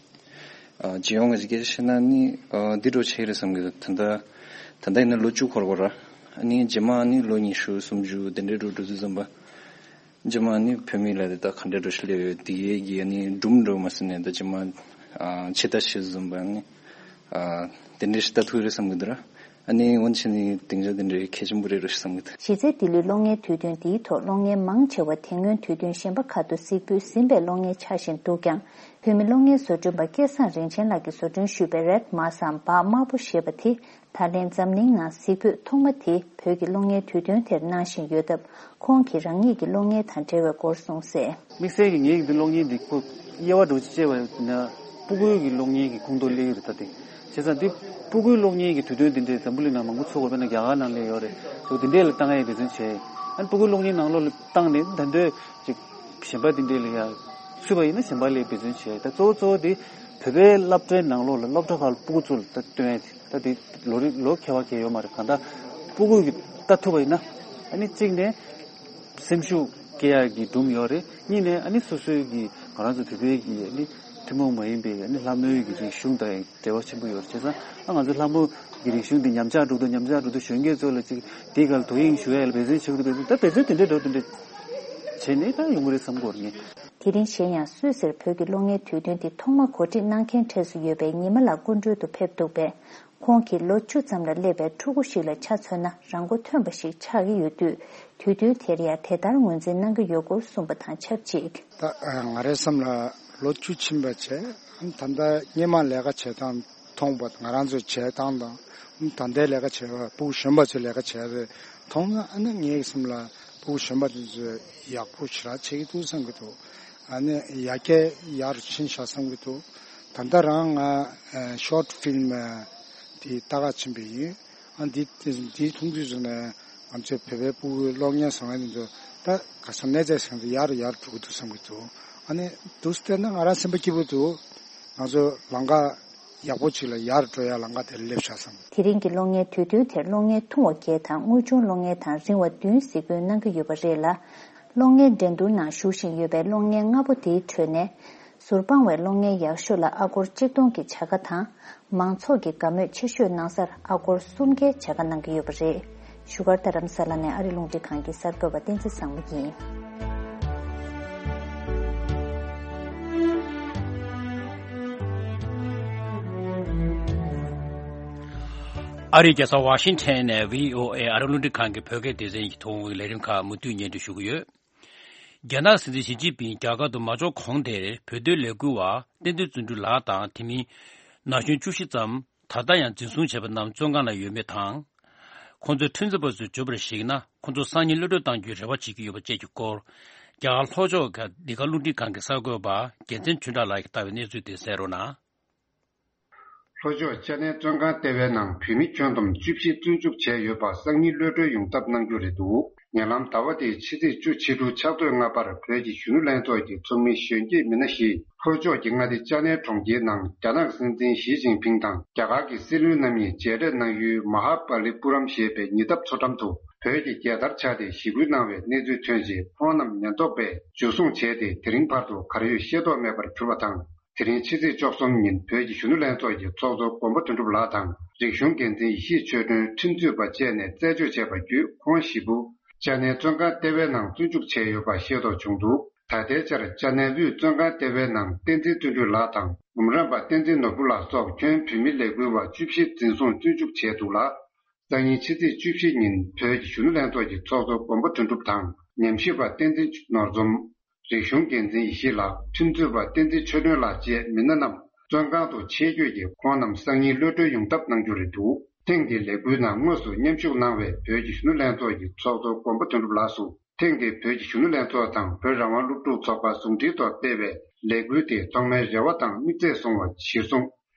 ཨ་སྤྱི་ཡོངས་ཀྱི་སྐད་ཆ་བཤད་ན་ནི་ཨ་འདི་འགྲོ་ཆེ་རེད་བསམ་གི་འདུག་ད་ལྟ་ད་ལྟ་ཡིན་ན་ལོ་བཅུ་འཁོར་གོ་ར། ཨ་ནི་རྗེས་མ་ནི་ལོ་ཉི་ཤུ་སུམ་ཅུ་དེ་འདྲའི་འགྲོ་འགྲོ་དུས་ཙམ་པ། རྗེས་མ་ནི་བོད་མི་ལ་དེ་ད་ག་འདྲའི་འགྲོ་ཤི་ལེ་ཡོད་དེ་གའི་གི་ཨ་ནི་སྒྲུང་འགྲོ་མ་སོང་ནས་ད་རྗེས་མ་ཨ་ཆེ་ད་ཤི་ཙམ་པ་ནི་ཨ་དེ་འདྲའི་ཤི་ད་ཐུག་རེད་བསམ་གི་འདུག་ར། ཨ་ནི་འོན་ཆེ་ནི་སྡིངས་ཆ་དེ་འདྲའི་གལ་ཆེན་པོ་རེད་རོ་ཞེས་བསམ་གི་འདུག་གཞི་རྩའི་ལྡི་ལིའི་གློག་བརྙན་དུས་སྟོན་འདིའི་ཐོག་གློག་བརྙན་མང་ཆེ་བ་དེ་སྔོན་དུས་སྟོན་གཞན་པ་ཁག་ཏུ་གཟིགས་འབུལ་ཟིན་པའི་གློག་བརྙན་ཆགས་བཞིན་འདུག་ཀྱང་། བོད་མི་གློག་བརྙན་བཟོ་སྐྲུན་པ་སྐལ་བཟང་རིན་ཆེན་ལགས་ཀྱིས་བཟོ་སྐྲུན་ཞུས་པའི་རེད་མ་སམ་བག་དམར་པོ་ཞེས་པ་དེ་ད་ལན་འཛམ་གླིང་ནང་གཟིགས་འབུལ་ཐོག་མ་དེ་བོད་ཀྱི་གློག་བརྙན་དུས་སྟོན་དེར་གནང་བཞིན་ཡོད་སྟབས། ཁོང་གིས་རང་ཉིད་ཀྱི་གློག་བརྙན་དང་འབྲེལ་བའི་སྐོར་གསུངས་གསལ། དམིགས་བསལ་གྱི་ངའི་འདི་གློག་བརྙན་འདི་ཁོ་དབྱེ་བ་འགྲོ་ཅི་བྱས་པ་ཡིན་ན་སྤུ་གུའི་གི་གློག་བརྙན་གྱི་ཁུངས་གཏོགས་སླེབས་ཡོད་རེད་ད་དེ། བྱས་ཙང་འདི་སྤུ་གུའི་གློག་བརྙན་གྱི་དུས་སྟོན་འདི་འདྲའི་འཛམ་བུ་གླིང་ནང་མང་པོ་ཚོགས་པ་དཔེར་ན་རྒྱ་གར་ནང་སླེབས་ཡོད་རེད། སོ་འདི་འདྲས་ལ་བཏང་ཡས་འབད་བརྩོན་བྱས། ཨ་ནི་སྤུ་གུའི་གློག་བརྙན་ནང་ལོགས་ལ་བཏང་ནས་ད་འདོད་ཅིག་གཞན་པ་འདི་འདྲས་ལ་ཡ་ཚུད་པ་ཡིན་ན་གཞན་པ་ལ་འབད་བརྩོན་བྱས། ད་གཙོ་བོ་གཙོ་བོ་དེ་བོད་པའི་སློབ་གྲྭའི་ནང་ལོགས་ལ་སློབ་གྲྭ་ཁག་ལ་སྤུ་གུ་ཚོ་ལ་ད་སྟོན་ཡས་དེ་ད་དེ་ལོ་རེ་ལོ་ཁྱད་པར་གང་ཡོད་མ་རེད། གང་ལྟར་སྤུ་གུ་གི་ལྟ་ཐུབ་པ་ཡིན་ན་ཨ་ནི་གཅིག་ནས། སེམས་ཤུགས་སྐྱེ་ཡག་གི་སྒྲུང་ཡོད་རེད། གཉིས་ནས་ཨ་ནི་སོ་སོའི་གི་ང་རང་ཚོ་བོད་པའི་གི་ཨ་ནི་ཐུན་མོང་མ་ཡིན་པའི་ཨ་ནི་ལྷ་མོའི་གི་རིག་གཞུང་དང་འབྲེལ་བ་ཆེན་པོ་ཡོད་རེད། བྱས་ཙང་ཨ་ང་ཚོ་ལྷ་མོ་གི་རིག་གཞུང་འདི་ཉམས་ཆག་འགྲོ་འདུག་ཉམས་ཆག་འགྲོ་འདུག་གཞོན་སྐྱེས་ཚོ་ལ་ཅིག་དེའི་སྒང་ལ་དོ་དབྱིངས་ཞུ་ཡག་ལ་འབད་བརྩོན་བྱེད་དགོས་འདུག་ད་འབད་བརྩོན་དེ་འདྲའི་འགྲོ་དེ་འདྲ་བྱས་ནས་ད་ཡོང་གི་རེད་བསམ་གྱི་ཡོད་རེད་ངས། དེ་རིང་གཞན་ཡང་སུད་སིར་བོད་ཀྱི་གློག་བརྙན་དུས་སྟོན་འདི་ཐོག་མ་གོ་སྒྲིག་གནང་མཁན་གྲས་སུ་ཡོད་པའི་ཉི་མ་ལགས་སྐུ་མགྲོན་དུ་ཕེབས་འདུག་པས། ཁོང་གིས་ལོ་བཅུ་ཙམ་ལ་སླེབས་པའི་ཕྲུ་གུ་ཞིག་ལ་ཆ་མཚོན་ན་རང་མགོ་ཐོན་པ་ཞིག་ཆགས་ཀྱི་ཡོད་དུས། དུས་སྟོན་དེར་ཡང་དེ་ལྟར་ངོས་འཛིན་གནང་གི་ཡོད་སྐོར་གསུངས་པ་དང་ཆབས་ཅིག་ད་ང་རའི་བསམ་ལ་ལོ་བཅུ་ཕྱིན་པ་བྱས། ད་ལྟ་སྔོན་མ་ལས་ཀ་བྱེད་སྟངས་མཐོང་པ་ང་རང་ཚོའི་བྱེད་སྟངས་དང་། ད་ལྟའི་ལས་ཀ་བྱེད་པ་ཕྲུ་གུ་གཞོན་པ་ཚོའི་ལས་ཀ་བྱེད་རེད་མཐོང་ན་ཨ་ནི་ངའི་བསམ་ལ་ཕྲུ་གུ་གཞོན་པ་དེ་ཚོས་ཡག་པོ་ཞེ་དྲག་བྱེད་ཀྱི་འདུག་བསམ་གྱི་འདུག་ཨ་ནི་ཡར་རྒྱས་ཡར་ཕྱིན་ཤག་བསམ་གྱི་འདུག་ད་ལྟ་རང་ང་ཤོར་ཕིལམ་དེ་ལྟ་ག་ཕྱིན་པ་ཡིན། ཨ་འདི་འདིའི་མཐོང་ཚུལ་བཟུང་ནས་ང་ཚོའི་བོད་པའི་ཕྲུ་གུའི་གློག་བརྙན་བཟོ་མཁན་དེ་ཚོ་ད་ག་ས་གནས་ཚད་ཟིན་ཏེ་ཡར་ཡར་འགྲོ་གི་འདུག་བསམ་གྱི་འདུག་ཨ་ནི་འདུག་སེ་བལྟས་ན་ང་རང་སེམས་པ་སྐྱིད་པོ་འདུག་ང་ཚོ་ལམ་ཁ་ཡག་པོ་ཅིག་ལ་ཡར་འགྲོ་ཡ་ལམ་ཁ་དེར་སླེབས་ཤག་བསམ། དེ་རིང་གི་གློག་བརྙན་དུས་སྟོན་དེར་གློག་བརྙན་ཐུང་བ་བརྒྱད་དང་དངོས་བྱུང་གློག་བརྙན་དང་རིང་བ་བདུན་གཟིགས་འབུལ་གནང་གི་ཡོད་པ་རེད་ལ། གློག་བརྙན་འགྲན་བསྡུར་ནང་ཞུགས་བཞིན་ཡོད་པའི་གློག་བརྙན་ལྔ་པོ་དེའི་ཁྲོད་ནས། ཟུར་དཔང་བའི་གློག་བརྙན་ཡག་ཤོས་ལ་ཨ་སྒོར་གཅིག་སྟོང་གི་བྱ་དགའ་དང་། མང་ཚོགས་ཀྱི་དགའ་མོས་ཆེ་ཤོས་གནང་སར་ཨ་སྒོར་སུམ་བརྒྱའི་བྱ་དགའ་གནང་གི་ཡོད་པ་རེད། བཞུགས་སྒར་རྡ་རམ་ས་ལ་ནས་ཨ་རི་རླུང་འཕྲིན་ཁང་གི་གསར་འགོད་པ་བསྟན་འཛིན་བཟང་མོ་ཡིན། ཨ་རིའི་རྒྱལ་ས་ཝ་ཤིང་ཊོན་ནས་བྷི་ཨོ་ཨེ་ཨ་རི་རླུང་འཕྲིན་ཁང་གི་བོད་སྐད་སྡེ་ཚན་གྱི་ཐོག་ལས་རིམ་ཁག་མུ་མཐུད་སྙན་སྒྲོན་ཞུ་གི་ཡོད། རྒྱ་ནག་སྲིད་འཛིན་ཞི་ཅིན་ཕིང་རྒྱ་གར་དུ་མ་འབྱོར་གོང་དེར་བོད་དོན་ལས་འགུལ་བ་བསྟན་འཛིན་བརྩོན་འགྲུས་ལགས་དང་དེ་མིན་ན་གཞོན་བཅུ་བཞི་ཙམ་ད་ལྟ་ཡང་འཛིན་བཟུང་བྱས་པ་རྣམས་བཙོན་ཁང་ན་ཡོད་མེད་དང་། ཁོང་ཚོས་ཁྲིམས་རྩོད་པ་ཚོས་བརྗོད་པར་གཞིགས་ན་ཁོང་ཚོ་སང་ཉིན་གློད་གྲོལ་གཏང་རྒྱུའི་རེ་བ་བྱེད་ཀྱི་ཡོད་པ་བཅས་ཀྱི་སྐོར། རྒྱ་གར་ལྷོ་ཕྱོགས་ཀྱི་འདི་ག་རླུང་འཕྲིན་ཁང་གི་གསར་འགོད་པ་རྒྱལ་མཚན་ཆོས་གྲགས་ལགས་ཀྱིས་བཏང་བའི་གནས་ཚུལ་དེ་གསན་རོགས་གནང་། ལྷོ་ཕྱོགས་ཅ་ནའི་བཙོན་ཁང་ལྟེ་བའི་ནང་བོད་མི་ཁྱོན་བསྡོམས་བཅུ་བཞི་བཙོན་འཇུག་བྱས་ཡོད་པ་སང་ཉིན་གློད་གྲོལ་ཡོང་ཐབས་གནང་རྒྱུ་རེད་འདུག་ཉེ་ལམ་ཟླ་བ་འདིའི་ཕྱི་ཚེས་བཅུ་ཕྱི་དྲོ་ཕྱག་ཚོད་ལྔ་པར་བོད་ཀྱི་གཞོན་ནུ་ལྷན་ཚོགས་ཀྱི་ཚོགས་མི་གཞོན་སྐྱེས་མི་སྣ་བཞིས་ལྷོ་ཕྱོགས་ཀྱི་མངའ་སྡེ་ཅ་ནའི་གྲོང་ཁྱེར་ནང་རྒྱ་ནག་སྲིད་འཛིན་ཞི་ཅིན་ཕིང་དང་རྒྱ་གར་གྱི་སྲིད་བློན་རྣམ་གཉིས་མཇལ་འཕྲད་གནང་ཡུལ་མ་ཧཱ་པ་ལི་པུ་རམ་ཞེས་པའི་ཉེ་འདབས་མཚོ་འགྲམ་དུ་བོད་ཀྱི་རྒྱལ་དར་འཕྱར་ཏེ་ཞི་རྒོལ་གནང་བའི་གནས་ཚུལ་ཐོན་རྗེས་ཁོང་རྣམས་ཉེན་རྟོག་པས་འཇུ་བཟུང་བྱས་ཏེ་དེ་རིང་བར་དུ་གར་ཡོད་ཤེས་རྟོགས་མེད་པར་གྱུར་བ་དང་། དེ་རིང་ཕྱི་ཚེས་བཅུ་གསུམ་ཉིན་བོད་ཀྱི་གཞོན་ནུ་ལྷན་ཚོགས་ཀྱི་ཚོགས་གཙོ་མགོན་པོ་དོན་གྲུབ་ལགས་དང་རིག་གཞུང་འགན་འཛིན་ཡེ་ཤེས་ཆོས་སྒྲོན་ཁྲིམས་རྩོད་པ་བཅས་ནས་རྩད་གཅོད་བྱས་པ་བརྒྱུད་ཁོང་བཞི་པོ་ཅ་ནའི་བཙོན་ཁང་ལྟེ་བའི་ནང་བཙོན་འཇུག་བྱས་ཡོད་པ་ཤེས་རྟོགས་བྱུང་འདུག་ད་ལྟའི་ཆར་ཅ་ནའི་དབུས་བཙོན་ཁང་ལྟེ་བའི་ནང་བསྟན་འཛིན་བརྩོན་འགྲུས་ལགས་དང་འབུམ་རམས་པ་བསྟན་འཛིན་ནོར་བུ་ལགས་སོགས་ཁྱོན་བོད་མི་ལས་འགུལ་བ་བཅུ་བཞི་འཛིན་བཟུང་བཙོན་འཇུག་བྱས་འདུག་ལ། སང་ཉིན་ཕྱི་ཚེས་བཅུ་བཞི་ཉིན་བོད་ཀྱི་གཞོན་ནུ་ལྷན་ཚོགས་ཀྱི་ཚོགས་གཙོ་མགོན་པོ་དོན་གྲུབ་དང་ཉམས་ཞིབ་པ་བསྟན་འཛིན་ནོར་འཛོམས། རིག་གཞུང་འགན་འཛིན་ཡེ་ཤེས་ལགས། ཁྲིམས་རྩོད་པ་བསྟན་འཛིན་ཆོས་སྒྲོན་ལགས་བཅས་མི་སྣ་རྣམས་བཙོན་ཁང་དུ་ཆེད་བསྐྱོད་ཀྱིས་ཁོང་རྣམས་སང་ཉིན་གློད་གྲོལ་ཡོང་ཐབས་གནང་རྒྱུ་རེད་འདུག་ཐེངས་འདིའི་ལས་འགུལ་ནང་དངོས་སུ་མཉམ་ཞུགས་གནང་བའི་བོད་ཀྱི་གཞོན་ནུ་ལྷན་ཚོགས་ཀྱི་ཚོགས་གཙོ་མགོན་པོ་དོན་གྲུབ་ལགས་སུ་ཐེངས་འདིའི་བོད་ཀྱི་གཞོན་ནུ་ལྷན་ཚོགས་དང་བོད་རང་དབང་སློབ་ཕྲུག་ཚོགས་པ་ཟུང་འབྲེལ་ཐོག་སྤེལ་བའི་ལས་འགུལ་དེ་ཐོག་མའི་རེ་བ་དང་དམིགས་ཚད་བཟུང་བ་གཞིར་བཟུང་།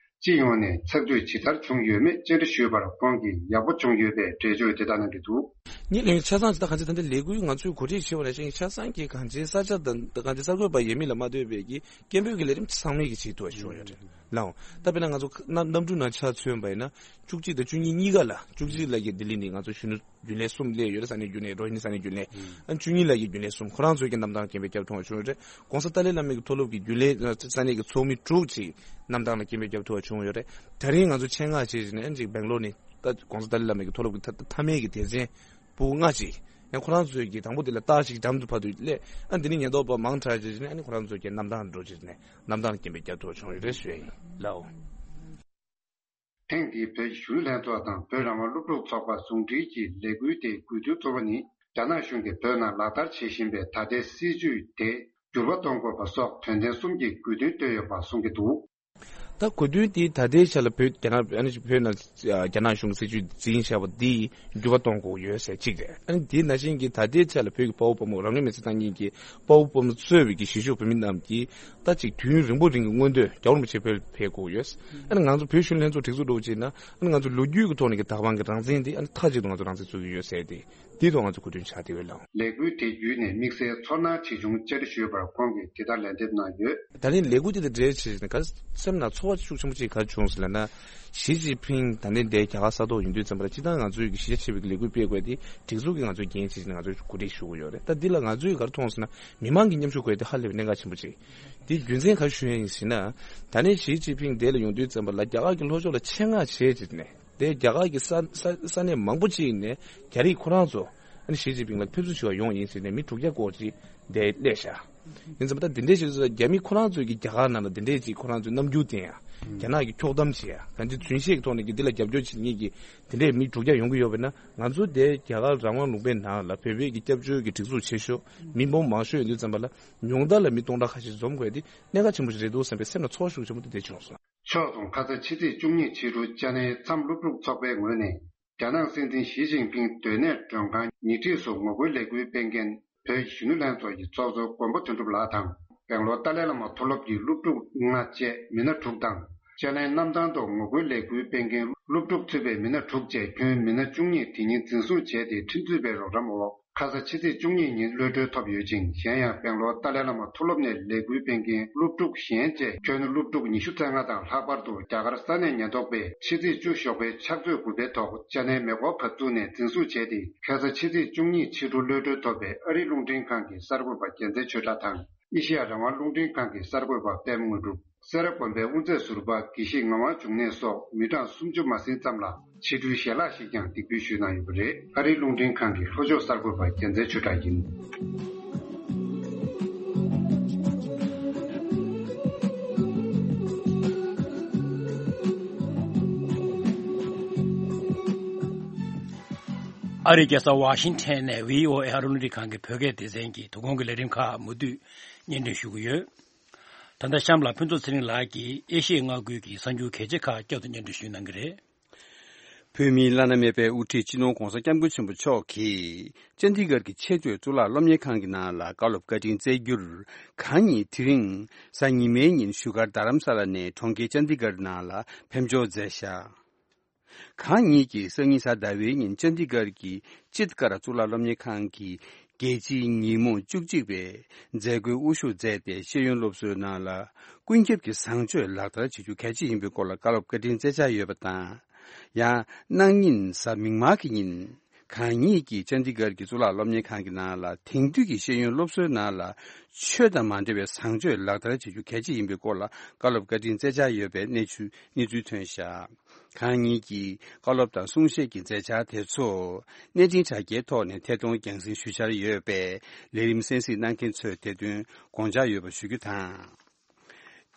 སྤྱི་ཡོངས་ནས་ཚགས་ཚུད་ཇི་ལྟར་བྱུང་ཡོད་མེད་བཅར་འདྲི་ཞུས་པར་ཁོང་གིས་ཡག་པོ་བྱུང་ཡོད་པའི་འགྲེལ་བརྗོད་དེ་ལྟར་གནང་གི་འདུག་ངས་ལན་ཆ་ཚང་ཇི་ལྟར་གང་ཅི་ད་ལྟ་ལས་འགུལ་ང་ཚོས་གོ་སྒྲིག་བྱས་པ་ནང་བཞིན་ཆ་ཚང་གི་གང་ཅི་ས་ཆ་དང་གང་ཅི་གསར་འགོད་པ་ཡས་མས་ལ་མ་ལྟོས་པའི་གི་སྐད་འབོད་ཀྱི་ལས་རིམ་ཚང་མས་ཀྱི་བྱེད་ཐུབ་པ་བྱུང་ཡོད་རེད་ལགས། ད་དཔེར་ན་ང་ཚོ་གནམ་གནམ་གྲུ་ནང་ཆ་མཚོན་པ་ཡིན་ན་བཅུ་གཅིག་དང་བཅུ་གཉིས་གཉིས་ཀ་ལ་བཅུ་གཅིག་ལ་གི་ལྡི་ལི་ནས་ང་ཚོ་གཞོན་ནུ་རྒྱུན་ལས་གསུམ་སླེབས་ཡོད་རེད། ས་གནས་རྒྱུན་ལས་རོ་ཧི་ནི་ས་གནས་རྒྱུན་ལས་ཨ་བཅུ་གཉིས་ལ་གི་རྒྱུན་ལས་གསུམ་ཁོ་རང་ཚོའི་གི་རྣམ་ཐར་རྒན་པའི་སྐྱབས་མཐོང་བ་བྱུང་ཡོད་རེད། ྋགོང་ས་ཏཱ་ལའི་བླ་མའི་གི་མཐོ་སློབ་ཀྱི་རྒྱུན་ལས་ས་གནས་ཀྱི་ཚོགས་མི་དྲུག་ཅིག་རྣམ་ཐར་ལ་རྒན་པའི་སྐྱབས་མཐོང་བ་བྱུང་ཡོད་རེད། དེ་རིང་ང་ཚོ་ཆེད་མངགས་བྱས་ནས་ཅིག་སྦེང་ལོར་ནས་ད་ྋགོང་ས་ཏཱ་ལའི་བླ་མའི་གི་མཐོ་སློབ་ཀྱི་མཐའ་མཐའ་མའི་གི་སྡེ་ཚན་པོ་ལྔ་ཅིག་ཡང་ཁོ་རང་ཚོའི་གི་དང་པོ་དེ་ལ་རྟགས་ཅིག་འགྲམ་དུ་ཕར་དུ་སླེབས། ཨ་འདི་ནི་ཉེན་རྟོག་པ་མང་དྲགས་བྱས་ནས་ཨ་ནི་ཁོ་རང་ཚོའི་གི་རྣམ་ཐར་འགྲོ་བྱས་ནས་རྣམ་ཐར་ལ་རྒན་པའི་སྐྱབས་མཐོང་བ་བྱུང་ཡོད་རེད་ཞུ་ཡ་ཡིན་ལགས། ཐེངས་འདིའི་བོད་ཀྱི་གཞོན་ནུ་ལྷན་ཚོགས་དང་བོད་རང་དབང་སློབ་ཕྲུག་ཚོགས་པ་ཟུང་འབྲེལ་གྱི་ལས་འགུལ་དེའི་དགོས་འདུན་གཙོ་བོ་ནི་རྒྱ་ནག་གཞུང་གིས་བོད་ནང་ལག་བསྟར་བྱེད་བཞིན་པའི་ད་ལྟའི་སྲིད་བྱུས་དེ་འགྱུར་བ་གཏོང་དགོས་པ་སོགས་དོན་ཚན་གསུམ་གྱི་དགོས་འདུན་བཏོན་ཡོད་པ་གསུང་གི་འདུག་ད་དགོས་འདུན་དེ་ད་ལྟའི་ཆ་ལ་བོད་རྒྱ་ནག་ཨ་ནི་བོད་ནང་རྒྱ་ནག་གཞུང་གི་སྲིད་བྱུས་འཛིན་བཞག་པ་འདི་འགྱུར་བ་གཏོང་དགོས་ཡོད་ཟེར་གཅིག་རེད། ཨ་ནི་དེ་ནང་བཞིན་གྱི་ད་ལྟའི་ཆ་ལ་བོད་ཀྱི་དཔའ་བོ་དཔའ་མོ་རང་ལུས་མེ་སྲེག་བཏང་མཁན་གྱི་དཔའ་བོ་དཔའ་མོ་གཙོས་པའི་གི་གཞིས་བཞུགས་བོད་མི་རྣམས་ཀྱིས་ད་ཅིག་དུས་ཡུན་རིང་པོ་རིང་གི་མངོན་འདོད་རྒྱལ་བ་རིན་པོ་ཆེ་བོད་ཕེབས་དགོས་ཡོད། ཨ་ནི་ང་ཚོ་བོད་གཞོན་ལྷན་ཚོགས་སྒྲིག་འཛུགས་འགྲོ་བ་བྱས་ན་ཨ་ནི་ང་ཚོ་ལོ་རྒྱུས་ཀྱི་ཐོག་ནས་ཀྱི་དྭགས་པང་གི་རང་བཙན་དེ་ཨ་ནི་མཐའ་གཅིག་ཏུ་ང་ཚོ་རང་བཙན་རྩོད་ཀྱི་ཡོད་ཟེར་ཏེ་འདི་ཐོག་ང་ཚོ་གོ་སྒྲིག་བྱ་དེ་བས་ལགས། ལས་འགུལ་དེ་བརྒྱུད་ནས་དམིགས་བསལ་ཚོར་སྣང་ཇི་བྱུང་བཅར་འདྲི་ཞུས་པར་ཁོང་གིས་དེ་ལྟར་ལན་འདེབས་གནང་ཡོད། ད་ནི་ལས་འགུལ་དེ་དང་འབྲེལ་བྱས་ནས་ག་སེམས་ནང་ཚོར་བ་ཤུགས་ཆེན་པོ་ཅིག་ག་བྱུང་ཟེར་ལབ་ན། ཞི་ཅིན་ཕིང་ད་ནི་འདིར་རྒྱ་གར་ས་ཐོག་ཡོང་དུས་ཙམ་པ་ལ་སྤྱིར་བཏང་ང་ཚོའི་གི་གཞི་རྒྱ་ཆེ་བའི་གི་ལས་འགུལ་སྤེལ་དགོས་དེ་སྒྲིག་འཛུགས་ཀྱིས་ང་ཚོར་འགན་བྱས་ནས་ང་ཚོར་གོ་སྒྲིག་ཞུ་གི་ཡོད་རེད། ད་འདི་ལ་ང་ཚོས་ག་རེ་མཐོང་ཟེར་ན་མི་མང་གི་མཉམ་ཞུགས་དགོས་དེ་ཧ་ལས་པའི་གནད་འགག་ཆེན་པོ་ཅིག་དེའི་རྒྱུ་མཚན་ག་རེ་ཞུ་ཡ་ཡིན་ཟེར་ན། ད་ནི་ཞི་ཅིན་ཕིང་འདིར་ལ་ཡོང་དུས་ཙམ་པ་ལ་རྒྱ་གར་གྱི་ལྷོ་ཕྱོགས་ལ་ཆེད་མངགས་བྱས་བྱས་ནས་དེ་རྒྱ་གར་གྱི་ས་ས་ས་གནས་མང་པོ་ཅིག་ནས་རྒྱ་རིགས་ཁོ་རང་ཚོ་ཨ་ནི་ཞི་ཅིན་ཕིང་ལ་ཕེབས་བསུ་ཞུ་བ་ཡོང་ཡིན་ཟེར་ནས་མི་དྲུག་བརྒྱ་སྐོར་ཅིག་འདིར་སླེབས་ཤག་ཡིན་ཙང་ད་འདི་འདྲའི་ཞིག་རྒྱ་མི་ཁོ་རང་ཚོས་ཀྱི་རྒྱ་གར་ནང་ལ་འདི་འདྲའི་ཅིག་ཁོ་རང་ཚོའི་རྣམ་འགྱུར་བསྟན་ཡ། རྒྱ་ནག་གི་ཁྱོག་གཏམ་བྱེད་ཡ། གང་ཅི་རྫུན་བཤད་ཀྱི་ཐོག་ནས་ཀྱི་འདི་ལ་རྒྱབ་སྐྱོར་བྱེད་མཁན་གྱི་འདི་འདྲའི་མི་དྲུག་བརྒྱ་ཡོང་གི་ཡོད་པས་ན་ང་ཚོ་དེ་རྒྱ་གར་རང་དབང་ལུང་པའི་ནང་ལ་བོད་པའི་གི་སྐྱབས་བཅོལ་གྱི་སྒྲིག་འཛུགས་ཆེ་ཤོས་མི་འབོར་མང་ཤོས་ཡོད་དུས་ཙམ་པ་ལ་ཉུང་མཐའ་ལ་མི་སྟོང་ཕྲག་ཁ་ཤས་འཛོམས་དགོས་དེ་གནད་འགག་ཆེན་པོ་ཞིག་རེད་འདུག་བསམ་པའི་སེམས་ལ་ཚོར་བ་ཤུགས་ཆེན་པོ་དེ་འདྲ་བྱུང་སོང་། ཕྱོགས་མཚུངས་ཁ་ས་ཕྱི་ཚེས་བཅུ་གཉིས་ཕྱི་དྲོ་ཅ་ནའི་མཚམས་སློབ་ཕྲུག་ཚོགས་པའི་ངོས་ནས་རྒྱ་ནག་སྲིད་འཛིན་ཞི་ཅིན་ཕིང་སྡོད་གནས་མགྲོན་ཁང་ཉེ་འཁྲིས་སུ་ངོ་རྒོལ་ལས་འགུལ་སྤེལ་མཁན་བོད་ཀྱི་གཞོན་ནུ་ལྷན་ཚོགས་ཀྱི་ཚོགས་གཙོ་མགོན་པོ་དོན་གྲུབ་ལགས་དང་སྦེང་ལོར་ཏཱ་ལའི་བླ་མ་མཐོ་སློབ་ཀྱི་སློབ་ཕྲུག་ལྔ་བཅས་མི་སྣ་དྲུག་དང་། ཅ་ནའི་གནམ་ཐང་དུ་ངོ་རྒོལ་ལས་འགུལ་སྤེལ་མཁན་སློབ་ཕྲུག་ཚུད་པའི་མི་སྣ་དྲུག་བཅས་ཁྱོན་མི་སྣ་བཅུ་གཉིས་དེ་ཉིན་འཛིན་བཟུང་བྱས་ཏེ་ཁྲིམས་རྩོད་པའི་རོགས་རམ་འོག་ཁ་ས་ཕྱི་ཚེས་བཅུ་གཉིས་ཉིན་གློད་གྲོལ་ཐོབ་ཡོད་ཅིང་། གཞན་ཡང་སྦེང་ལོར་ཏཱ་ལའི་བླ་མ་མཐོ་སློབ་ནས་ལས་འགུལ་སྤེལ་མཁན་སློབ་ཕྲུག་གཞན་བཅས་ཁྱོན་སློབ་ཕྲུག་ཉི་ཤུ་རྩ་ལྔ་དང་། ལྷག་པར་དུ་རྒྱ་གར་ས་གནས་ཉེན་རྟོག་པས་ཕྱི་ཚེས་བཅུ་ཞོགས་པའི་ཕྱག་ཚོད་དགུ་པའི་ཐོག་ཅ་ནའི་མེ་འཁོར་བབས་ཚུགས་ནས་འཛིན་བཟུང་བྱས་ཏེ། ཁ་ས་ཕྱི་ཚེས་བཅུ་གཉིས་ཕྱི་དྲོ་གློད་གྲོལ་ཐོབ་པའི་ཨ་རིའི་རླུང་འཕྲིན་ཁང་གི་གསར་འགོད་པ་རྒྱལ་མཚན་ཆོས་གྲགས་དང་། ཨེ་ཤེ་ཡ་རང་དབང་རླུང་འཕྲིན་ཁང་གི་གསར་འགོད་པ་པད་མ་དངོས་གྲུབ། སེ་ར་དགོན་པའི་དབུ་མཛད་ཟུར་པ་དགེ་བཤེས་ངག་དབང་འབྱུང་གནས་སོགས་མི་གྲངས་སུམ་ཅུ་མ་ཟིན་ཙམ་ལ་ཕྱི་དྲོའི་ཞལ་ལག་ཞིག་ཀྱང་འདེགས་འབུལ་ཞུས་གནང་ཡོད་པ་རེད། ཨ་རིའི་རླུང་འཕྲིན་ཁང་གི་ལྷོ་ཕྱོགས་གསར་འགོད་པ་རྒྱལ་མཚན་ཆོས་གྲགས་ཡིན། ཨ་རིའི་རྒྱལ་ས་ཝ་ཤིང་ཊོན་ནས་བྷི་ཨོ་ཨེ་ཨ་རི་རླུང་འཕྲིན་ཁང་གི་བོད་སྐད་སྡེ་ཚན་གྱི་དོ་དགོང་གི་ལས་རིམ་ཁག་མུ་མཐུད་སྙན་སྒྲོན་ཞུ་གི་ཡོད། ད་ལྟ་གཤམ་ལ་ཕུན་ཚོགས་ཚེ་རིང་ལགས་ཀྱིས་ཨེ་ཤི་ཡའི་མངའ་ཁུལ་གྱི་གསར་འགྱུར་གལ་ཆེ་ཁག་བསྐྱར་དུ་སྙན་སྒྲོན་ཞུ་གནང་གི་རེད། བོད་མིའི་བླ་ན་མེད་པའི་དབུ་ཁྲིད་སྤྱི་ནོར་༧གོང་ས་༧སྐྱབས་མགོན་ཆེན་པོ་མཆོག་གིས་ཅན་དི་གྷར་གྱི་ཆེས་མཐོའི་གཙུག་ལག་སློབ་གཉེར་ཁང་གི་ནང་ལ་བཀའ་སློབ་བཀའ་དྲིན་སྩལ་རྒྱུར། གང་ཉིད་དེ་རིང་གཟའ་ཉི་མའི་ཉིན་བཞུགས་སྒར་རྡ་རམ་ས་ལ་ནས་གྲོང་ཁྱེར་ཅན་དི་གྷར་ནང་ལ་ཕེབས་འབྱོར་མཛད་བཞག་གང་ཉིད་ཀྱིས་སང་ཉིན་གཟའ་ཟླ་བའི་ཉིན་ཅན་དི་གྷར་གྱི་ཅིད་ཀར་གཙུག་ལག་སློབ་གཉེར་ཁང་གི་རྒྱལ་སྤྱིའི་ཉིན་མོ་བཅུ་གཅིག་པའི་མཛད་སྒོའི་དབུ་བཞུགས་མཛད་དེ། ཤེས་ཡོན་སློབ་གསོའི་ནང་ལ་ཀུན་ཁྱབ་ཀྱི་བཟང་སྤྱོད་ལག་བསྟར་བྱེད་རྒྱུ་གལ་ཆེ་ཡིན་པའི་སྐོར་ལ་བཀའ་སློབ་བཀའ་དྲིན་སྩལ་འཆར་ཡོད་པ་དང་། ཡང་གནངས་ཉིན་གཟའ་མིག་དམར་གྱི་ཉིན། གང་ཉིད་ཀྱིས་ཅན་དི་གྷར་གྱི་གཙུག་ལག་སློབ་གཉེར་ཁང་གི་ནང་ལ་དེང་དུས་ཀྱི་ཤེས་ཡོན་སློབ་གསོའི་ནང་ལ་ཆོས་དང་མ་འབྲེལ་བའི་བཟང་སྤྱོད་ལག་བསྟར་བྱེད་རྒྱུ་གལ་ཆེ་ཡིན་པའི་སྐོར་ལ་བཀའ་སློབ་བཀའ་དྲིན་སྩལ་འཆར་ཡོད་པའི་གནས་ཚུལ་གནས་ཚུལ་ཐོན་བཞག་གང་ཉིད་ཀྱིས་བཀའ་སློབ་དང་གསུང་བཤད་ཀྱི་མཛད་འཆར་དེ་ཚོ་གནས་འཕྲིན་དྲ་རྒྱའི་ཐོག་ནས་ཐད་གཏོང་རྒྱང་སྲིང་ཞུ་འཆར་ཡོད་པས། ལས་རིམ་གསན་གཟིགས་གནང་མཁན་ཚོས་དེ་དོན་དགོངས་འཇགས་ཡོད་པ་ཞུ་རྒྱུ་དང་།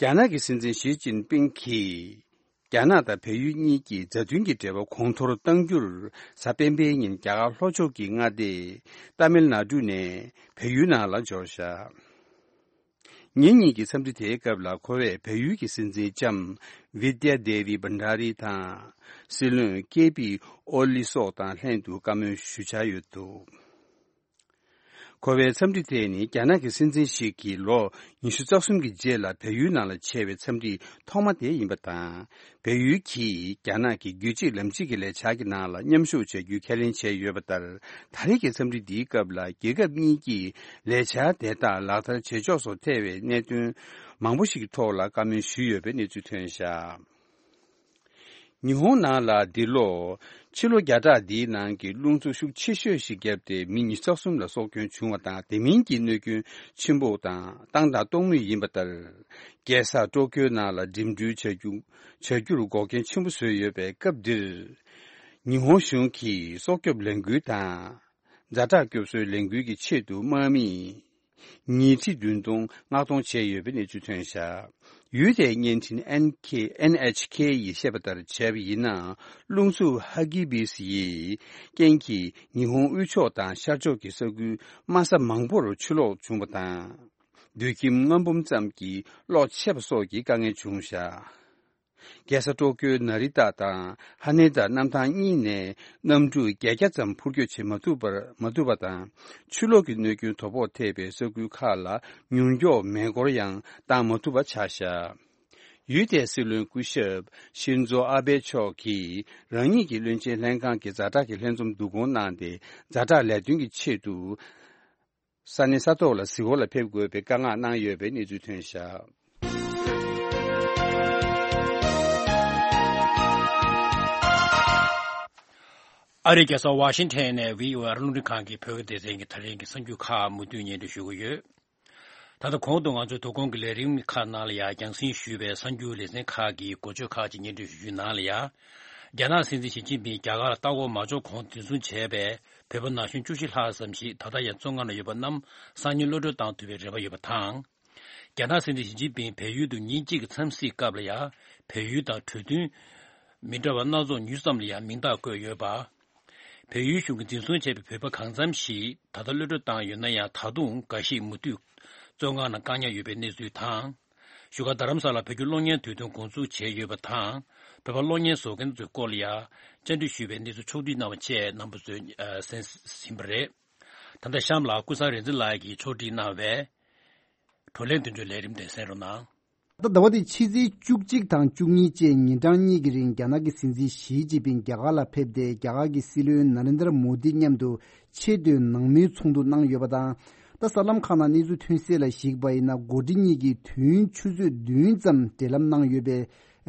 རྒྱ་ནག་གི་སྲིད་འཛིན་ཞི་ཅིན་ཕིང་གིས། རྒྱ་ནག་དང་བལ་ཡུལ་གཉིས་ཀྱི་མཛའ་མཐུན་གྱི་འབྲེལ་བ་གོང་མཐོར་གཏང་རྒྱུར། གཟའ་སྤེན་པའི་ཉིན་རྒྱ་གར་ལྷོ་ཕྱོགས་ཀྱི་མངའ་སྡེ་ཏཱ་མིལ་ནཱ་ཌུ་ནས་བལ་ཡུལ་ནང་ལ་འབྱོར་བཞག་ཉིན་གཉིས་ཀྱི་འཚམས་འདྲི་དེའི་སྐབས་ལ། ཁོ་བས་བལ་ཡུལ་གྱི་སྲིད་འཛིན་ལྕམ་བི་དྱ་དེ་བི་བྷན་ཌ་རི་དང་། སྲིད་བློན་ཀེ་པི་ཨོ་ལི་སོགས་དང་ལྷན་དུ་བཀའ་མོལ་ཞུ་འཆར་ཡོད་འདུག་ཁོ་བའི་འཚམས་འདྲི་དེ་ནི་རྒྱ་ནག་གི་སྲིད་འཛིན་ཞིག་གིས་ལོ་ཉི་ཤུ་རྩ་གསུམ་གྱི་རྗེས་ལ་བལ་ཡུལ་ནང་ལ་བྱས་པའི་འཚམས་འདྲི་ཐོག་མ་དེ་ཡིན་པ་དང་། བལ་ཡུལ་གྱིས་རྒྱ་ནག་གི་རྒྱུད་གཅིག་ལམ་གཅིག་གི་ལས་འཆར་གྱི་ནང་ལ་མཉམ་ཞུགས་བྱ་རྒྱུའི་ཁས་ལེན་བྱས་ཡོད་པ་ལྟར། ད་རེས་ཀྱི་འཚམས་འདྲི་འདིའི་སྐབས་ལ་རྒྱལ་ཁབ་གཉིས་ཀྱིས་ལས་འཆར་དེ་དག་ལག་བསྟར་བྱེད་ཕྱོགས་སོགས་ཐེ་བའི་གནད་དོན་མང་པོ་ཞིག་གི་ཐོག་ལ་བཀའ་མོལ་ཞུས་ཡོད་པའི་གནས་ཚུལ་ཐོན་བཞག་ཉི་ཧོང་ནང་ལ་འདི་ལོ་ཕྱི་ལོ་བརྒྱ་ཕྲག་འདིའི་ནང་གི་རླུང་འཚུབ་ཤུགས་ཆེ་ཤོས་ཤིག་བརྒྱབ་སྟེ་མི་ཉི་ཤུ་རྩ་གསུམ་ལ་སྲོག་སྐྱོན་བྱུང་བ་དང་། དེ་མིན་གྱི་གནོད་སྐྱོན་ཆེན་པོ་དང་བཏང་དང་གཏོང་མུས་ཡིན་པ་ལྟར། རྒྱལ་ས་ཏོ་ཀྱོའི་ནང་ལ་འགྲིམ་འགྲུལ་བྱ་རྒྱུ་བྱ་རྒྱུར་འགོག་རྐྱེན་ཆེན་པོ་བཟོས་ཡོད་པའི་སྐབས་འདིར། ཉི་ཧོང་གཞུང་གིས་སྲོག་སྐྱོབ་ལས་འགུལ་དང་། ཛ་དྲག་སྐྱོབ་གསོའི་ལས་འགུལ་གྱི་ཆེད་དུ་དམག་མི་ཉིས་ཁྲི་བདུན་སྟོང་མངགས་གཏོང་བྱས་ཡོད་པའི་གནས་ཚུལ་ཐོན་བཞག་ཡུལ་དེའི་བརྙན་འཕྲིན་ཨེན་ཁེ་ཨེན་ཨེཆ་ཁེ་ཡིས་བཤད་པ་ལྟར་བྱས་པ་ཡིན་ན། རླུང་འཚུབ་ཧ་གི་བིས་ཡི་རྐྱེན་གྱིས་ཉི་ཧོང་དབུས་ཕྱོགས་དང་ཤར་ཕྱོགས་ཀྱི་ས་ཁུལ་དམའ་ས་མང་པོར་ཆུ་ལོག་བྱུང་བ་དང་། རྡུལ་ཁྱིམ་མངར་འབུམ་ཙམ་གྱི་གློག་ཆད་པ་སོགས་ཀྱི་དཀའ་ངལ་བྱུང་བཞག་རྒྱལ་ས་ཏོ་ཀྱོའི་ན་རི་ཏ་དང་ཧ་ནེ་ད་གནམ་ཐང་གཉིས་ནས་གནམ་གྲུ་བརྒྱད་བརྒྱ་ཙམ་འཕུར་སྐྱོད་བྱེད་མ་ཐུབ་པར་མ་ཐུབ་པ་དང་། ཆུ་ལོག་གི་གནོད་སྐྱོན་དོ་ཕོག་ཐེབས་པའི་ས་ཁུལ་ཁག་ལ་མྱུར་མགྱོགས་མེ་འཁོར་ཡང་བཏང་མ་ཐུབ་པ་ཆགས་བཞག་ཡུལ་དེའི་སྲིད་བློན་སྐུ་ཞབས་ཤིན་ཛོ་ཨ་བྷེ་མཆོག་གིས་རང་ཉིད་ཀྱི་བློན་ཆེན་ལྷན་ཁང་གི་ཛ་དྲག་གི་ལྷན་འཛོམས་བསྡུ་སྐོང་གནང་སྟེ། ཛ་དྲག་ལས་དོན་གྱི་ཆེད་དུ། ས་གནས་ས་ཐོག་ལ་གཟིགས་སྐོར་ལ་ཕེབས་དགོས་པའི་བཀའ་མངགས་གནང་ཡོད་པའི་གནས་ཚུལ་ཐོན་བཞག་ཨ་རིའི་རྒྱལ་ས་ཝ་ཤིང་ཊོན་ནས་བྷི་ཨོ་ཨེ་རླུང་འཕྲིན་ཁང་གི་བོད་སྐད་སྡེ་ཚན་གྱི་ད་རིང་གི་གསར་འགྱུར་ཁག་མུ་མཐུད་སྙན་སྒྲོན་ཞུ་གི་ཡོད། ད་ལྟ་གོང་དུ་ང་ཚོའི་དོ་དགོང་གི་ལས་རིམ་ཁག་ནང་ལ་ཡང་རྒྱང་སྲིང་ཞུས་པའི་གསར་འགྱུར་ལེ་ཚན་ཁག་གི་འགོ་བརྗོད་ཁག་ཅིག་སྙན་སྒྲོན་ཞུ་རྒྱུའི་ནང་ལ་ཡང་། རྒྱ་ནག་སྲིད་འཛིན་ཞི་ཅིན་ཕིང་རྒྱ་གར་ལ་ལྟ་སྐོར་མ་འབྱོར་གོང་འཛིན་བཟུང་བྱས་པའི་བོད་པ་ན་གཞོན་བཅུ་བཞི་ལྷག་ཙམ་ཞིག་ད་ལྟ་ཡང་བཙོན་ཁང་ནང་ཡོད་པ་རྣམས་སང་ཉིན་གློད་གྲོལ་བཏང་ཐུབ་པའི་རེ་བ་ཡོད་པ་དང་། རྒྱ་ནག་སྲིད་འཛིན་ཞི་ཅིན་ཕིང་བལ་ཡུལ་དུ་ཉིན་གཅིག་གི་འཚམས་གཟིགས་སྐབས་ལ་ཡང་། བལ་ཡུལ་དང་གྲོས་མཐུན་མི་འདྲ་བ་སྣ་ཚོགས་ཉུང་ཙམ་ལ་ཡང་མིང་རྟགས་བཀོད་ཡོད་པ། བལ་ཡུལ་གཞུང་གིས་འཛིན་བཟུང་བྱས་པའི་བོད་པ་གང་འཚམ་ཞིག་ད་ལྟ་གློད་གྲོལ་བཏང་ཡོད་ན་ཡང་། ད་དུང་འགའ་ཞིག་མུ་མཐུད་བཙོན་ཁང་ནང་བཀག་ཉར་ཡོད་པའི་གནས་ཚུལ་དང་། བཞུགས་སྒར་རྡ་རམ་ས་ལར་བོད་བརྒྱུད་གློག་བརྙན་དུས་སྟོན་འགོ་འཛུགས་བྱས་ཡོད་པ་དང་། བོད་པར་གློག་བརྙན་བཟོ་མཁན་ཚོའི་སྐོར་ལ་ཡང་བཅར་འདྲི་ཞུས་པའི་གནས་ཚུལ་ཕྱོགས་བསྒྲིགས་གནང་བ་བཅས་རྣམ་པ་ཚོས་གསན་ཟིན་པ་རེད། ད་ལྟ་གཤམ་ལ་ཀུན་བཟང་རིག་འཛིན་ལགས་ཀྱིས་ཕྱོགས་བསྒྲིགས་གནང་བའི་བགྲོ་གླེང་དོན་གཅོད་ལས་རིམ་དེ་གསན་རོགས་གནང་། ད་ཟླ་བ་འདིའི་ཕྱི་ཚེས་བཅུ་གཅིག་དང་བཅུ་གཉིས་བཅས་ཉིན་གྲངས་གཉིས་ཀྱི་རིང་རྒྱ་ནག་གི་སྲིད་འཛིན་ཞི་ཅིན་ཕིང་རྒྱ་གར་ལ་ཕེབས་ཏེ། རྒྱ་གར་གྱི་སྲིད་བློན་ན་རེན་དྲ་མོ་དི་མཉམ་དུ་ཆེས་མཐོའི་ནང་མིའི་ཚོགས་འདུ་གནང་ཡོད་པ་དང་། ད་གསར་ལམ་ཁག་ནང་གནས་ཚུལ་ཐོན་གསལ་ལ་གཞིགས་པ་ཡིན་ན། འགོ་ཁྲིད་གཉིས་ཀྱིས་དུས་ཡུན་ཆུ་ཚོད་བདུན་ཙམ་འབྲེལ་ལམ་གནང་ཡོད་པའི་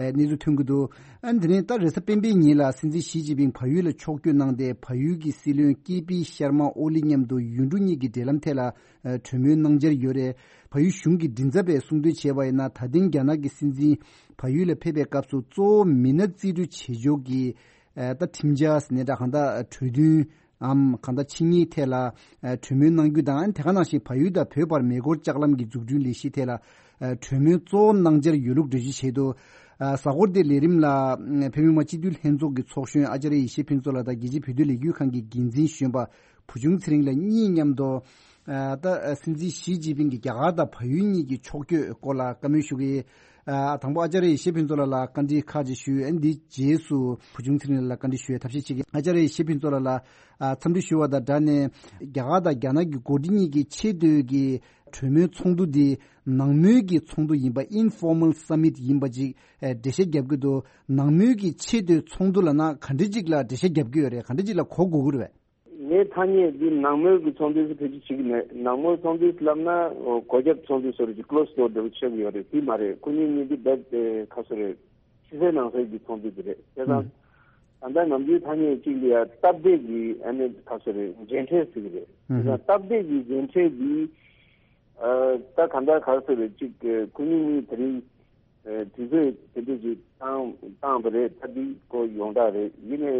གནས་ཚུལ་ཐོན་གྱི་འདུག་ཨ་དེ་ནས་ད་རེས་གཟའ་སྤེན་པའི་ཉིན་ལ་སྲིད་འཛིན་ཞི་ཅིན་ཕིང་བལ་ཡུལ་ལ་ཕྱོགས་བསྐྱོད་གནང་སྟེ། བལ་ཡུལ་གྱི་སྲིད་བློན་ཀེ་པི་ཤར་མ་ཨོ་ལི་མཉམ་དུ་ཡུལ་གྲུ་གཉིས་ཀྱི་འབྲེལ་ལམ་ཐད་ལ་གྲོས་མོལ་གནང་འཆར་ཡོད་རེད། བལ་ཡུལ་གཞུང་གི་མགྲིན་ཚབ་པས་གསུངས་དོན་བྱས་པ་ཡིན་ན། ད་ཐེངས་རྒྱ་ནག་གི་སྲིད་འཛིན་བལ་ཡུལ་ལ་ཕེབས་པའི་སྐབས་སུ་གཙོ་བོ་མི་སྣ་རྩིས་སྤྲོད་བྱེད་ཕྱོགས་ཀྱི་ཨ་ད་ཁྲིམས་འཆར་ཟེར་ནའི་འདྲ། གང་ལྟར་གྲོས་མཐུན་འམ་གང་ལྟར་ཆིངས་ཡིག་ཐད་ལ་ཨ་གྲོས་མོལ་གནང་རྒྱུ་དང་། དེ་ག་ནང་བཞིན་བལ་ཡུལ་དང་བོད་བར་མེ་འཁོར་ལྕགས་ལམ་གྱི་འཛུགས་སྐྲུན་ལས་གཞི་ཐད་ལ་ཨ་གྲོས་མོལ་གཙོ་བོ་གནང་འཆར་ཡོད་ལུགས་འགྲེལ་བརྗོད་བྱས་འདུག་ཨ་གཟའ་འཁོར་འདིའི་ལས་རིམ་ལ་བོད་མི་མང་སྤྱི་འཐུས་ལྷན་ཚོགས་ཀྱི་ཚོགས་གཞོན་ཨ་ཅཱརྱ་ཡེ་ཤེས་ཕུན་ཚོགས་ལགས་དང་རྒྱལ་སྤྱིའི་བོད་དོན་ལས་འགུལ་ཁང་གི་འགན་འཛིན་གཞོན་པ་བུ་ཆུང་ཚེ་རིང་ལགས་གཉིས་མཉམ་དུ། ཨ་ད་སྲིད་འཛིན་ཞི་ཅིན་ཕིང་གིས་རྒྱ་གར་དང་བལ་ཡུལ་གཉིས་ཀྱི་ཕྱོགས་བསྐྱོད་སྐོར་ལ་བཀའ་མོལ་ཞུ་གི་ཡིན། ཨ་དང་པོ་ཨ་ཅཱརྱ་ཡེ་ཤེས་ཕུན་ཚོགས་ལགས་ལ་བཀའ་འདྲི་ཁག་ཅིག་ཞུས། ཨ་ནི་འདིའི་རྗེས་སུ་བུ་ཆུང་ཚེ་རིང་ལགས་ལ་བཀའ་འདྲི་ཞུ་ཡའི་ཐབས་ཤེས་བྱེད་ཀྱི་ཡིན། ཨ་ཅཱརྱ་ཡེ་ཤེས་ཕུན་ཚོགས་ལགས་ལ་ཨ་འཚམས་འདྲི་ཞུ་བ་དང་སྦྲགས་ནས། རྒྱ་གར་དང་རྒྱ་ནག་གི་འགོ་ཁྲིད་གཉིས་ཀྱི་ཆེས་མཐོའི་གི་གྲོས་མོལ་ཚོགས་འདུ་འདི་ནང་མོལ་གྱི་ཚོགས་འདུ་ཡིན་པ། Informal Summit ཡིན་པ་ཅིག་ཨ་འགྲེལ་བཤད་རྒྱབ་ཀྱི་འདུག་ནང་མོལ་གྱི་ཆེས་མཐོའི་ཚོགས་འདུ་ལབ་ན་ག་འདྲ་ཅིག་ལ་འགྲེལ་བཤད་རྒྱབ་ཀྱི་ཡོད་རེད། ག་འདྲ་ཅིག་ལ་གོ་དགོས་ཀྱི་རེད་པས། ངའི་ཐ་སྙད་འདི་ནང་མོལ་གྱི་ཚོགས་འདུ་ཟེར་ཕལ་ཆེར་བྱེད་ཀྱི་མེད། ནང་མོལ་ཚོགས་འདུ་ལབ་ན་སྒོ་རྒྱབ་ཚོགས་འདུ་བཟོ་འདྲ་ཅིག་closed door འདྲ་པོ་ཆགས་ཀྱི་ཡོད་རེད། དེ་མ་རེད། ཁོ་གཉིས་གཉིས་འདི་རྦད་དེ་ཁ་སོ་རེད། ཕྱི་གསལ་ནང་གསལ་གྱི་ཚོགས་འདུ་དེ་རེད། བྱས་ཙང་ད་ལྟ་ནམ་རྒྱུན་ཐ་སྙད་གཅིག་ལ་ཡ་སྟབས་བདེ་གི་ཨ་ནི་ཁ་སོ་རེད། མཇལ་འཕྲད་ཟེར་གྱི་རེད། བྱས་ཙང་སྟབས་བདེ་གི་མཇལ་འཕྲད་འདི་ཨ་ད་ག་འདྲ་ཁ་སོ་རེད། གཅིག་ཁོ་གཉིས་གཉིས་དེ་རིང་ཨ་དུས་ཚོད་དེ་འདྲ་ཅིག་བཏང་བཏང་བ་རེད། ད་འདི་ཁོ་ཡོངས་གྲགས་རེད། ཡིན་ནའི་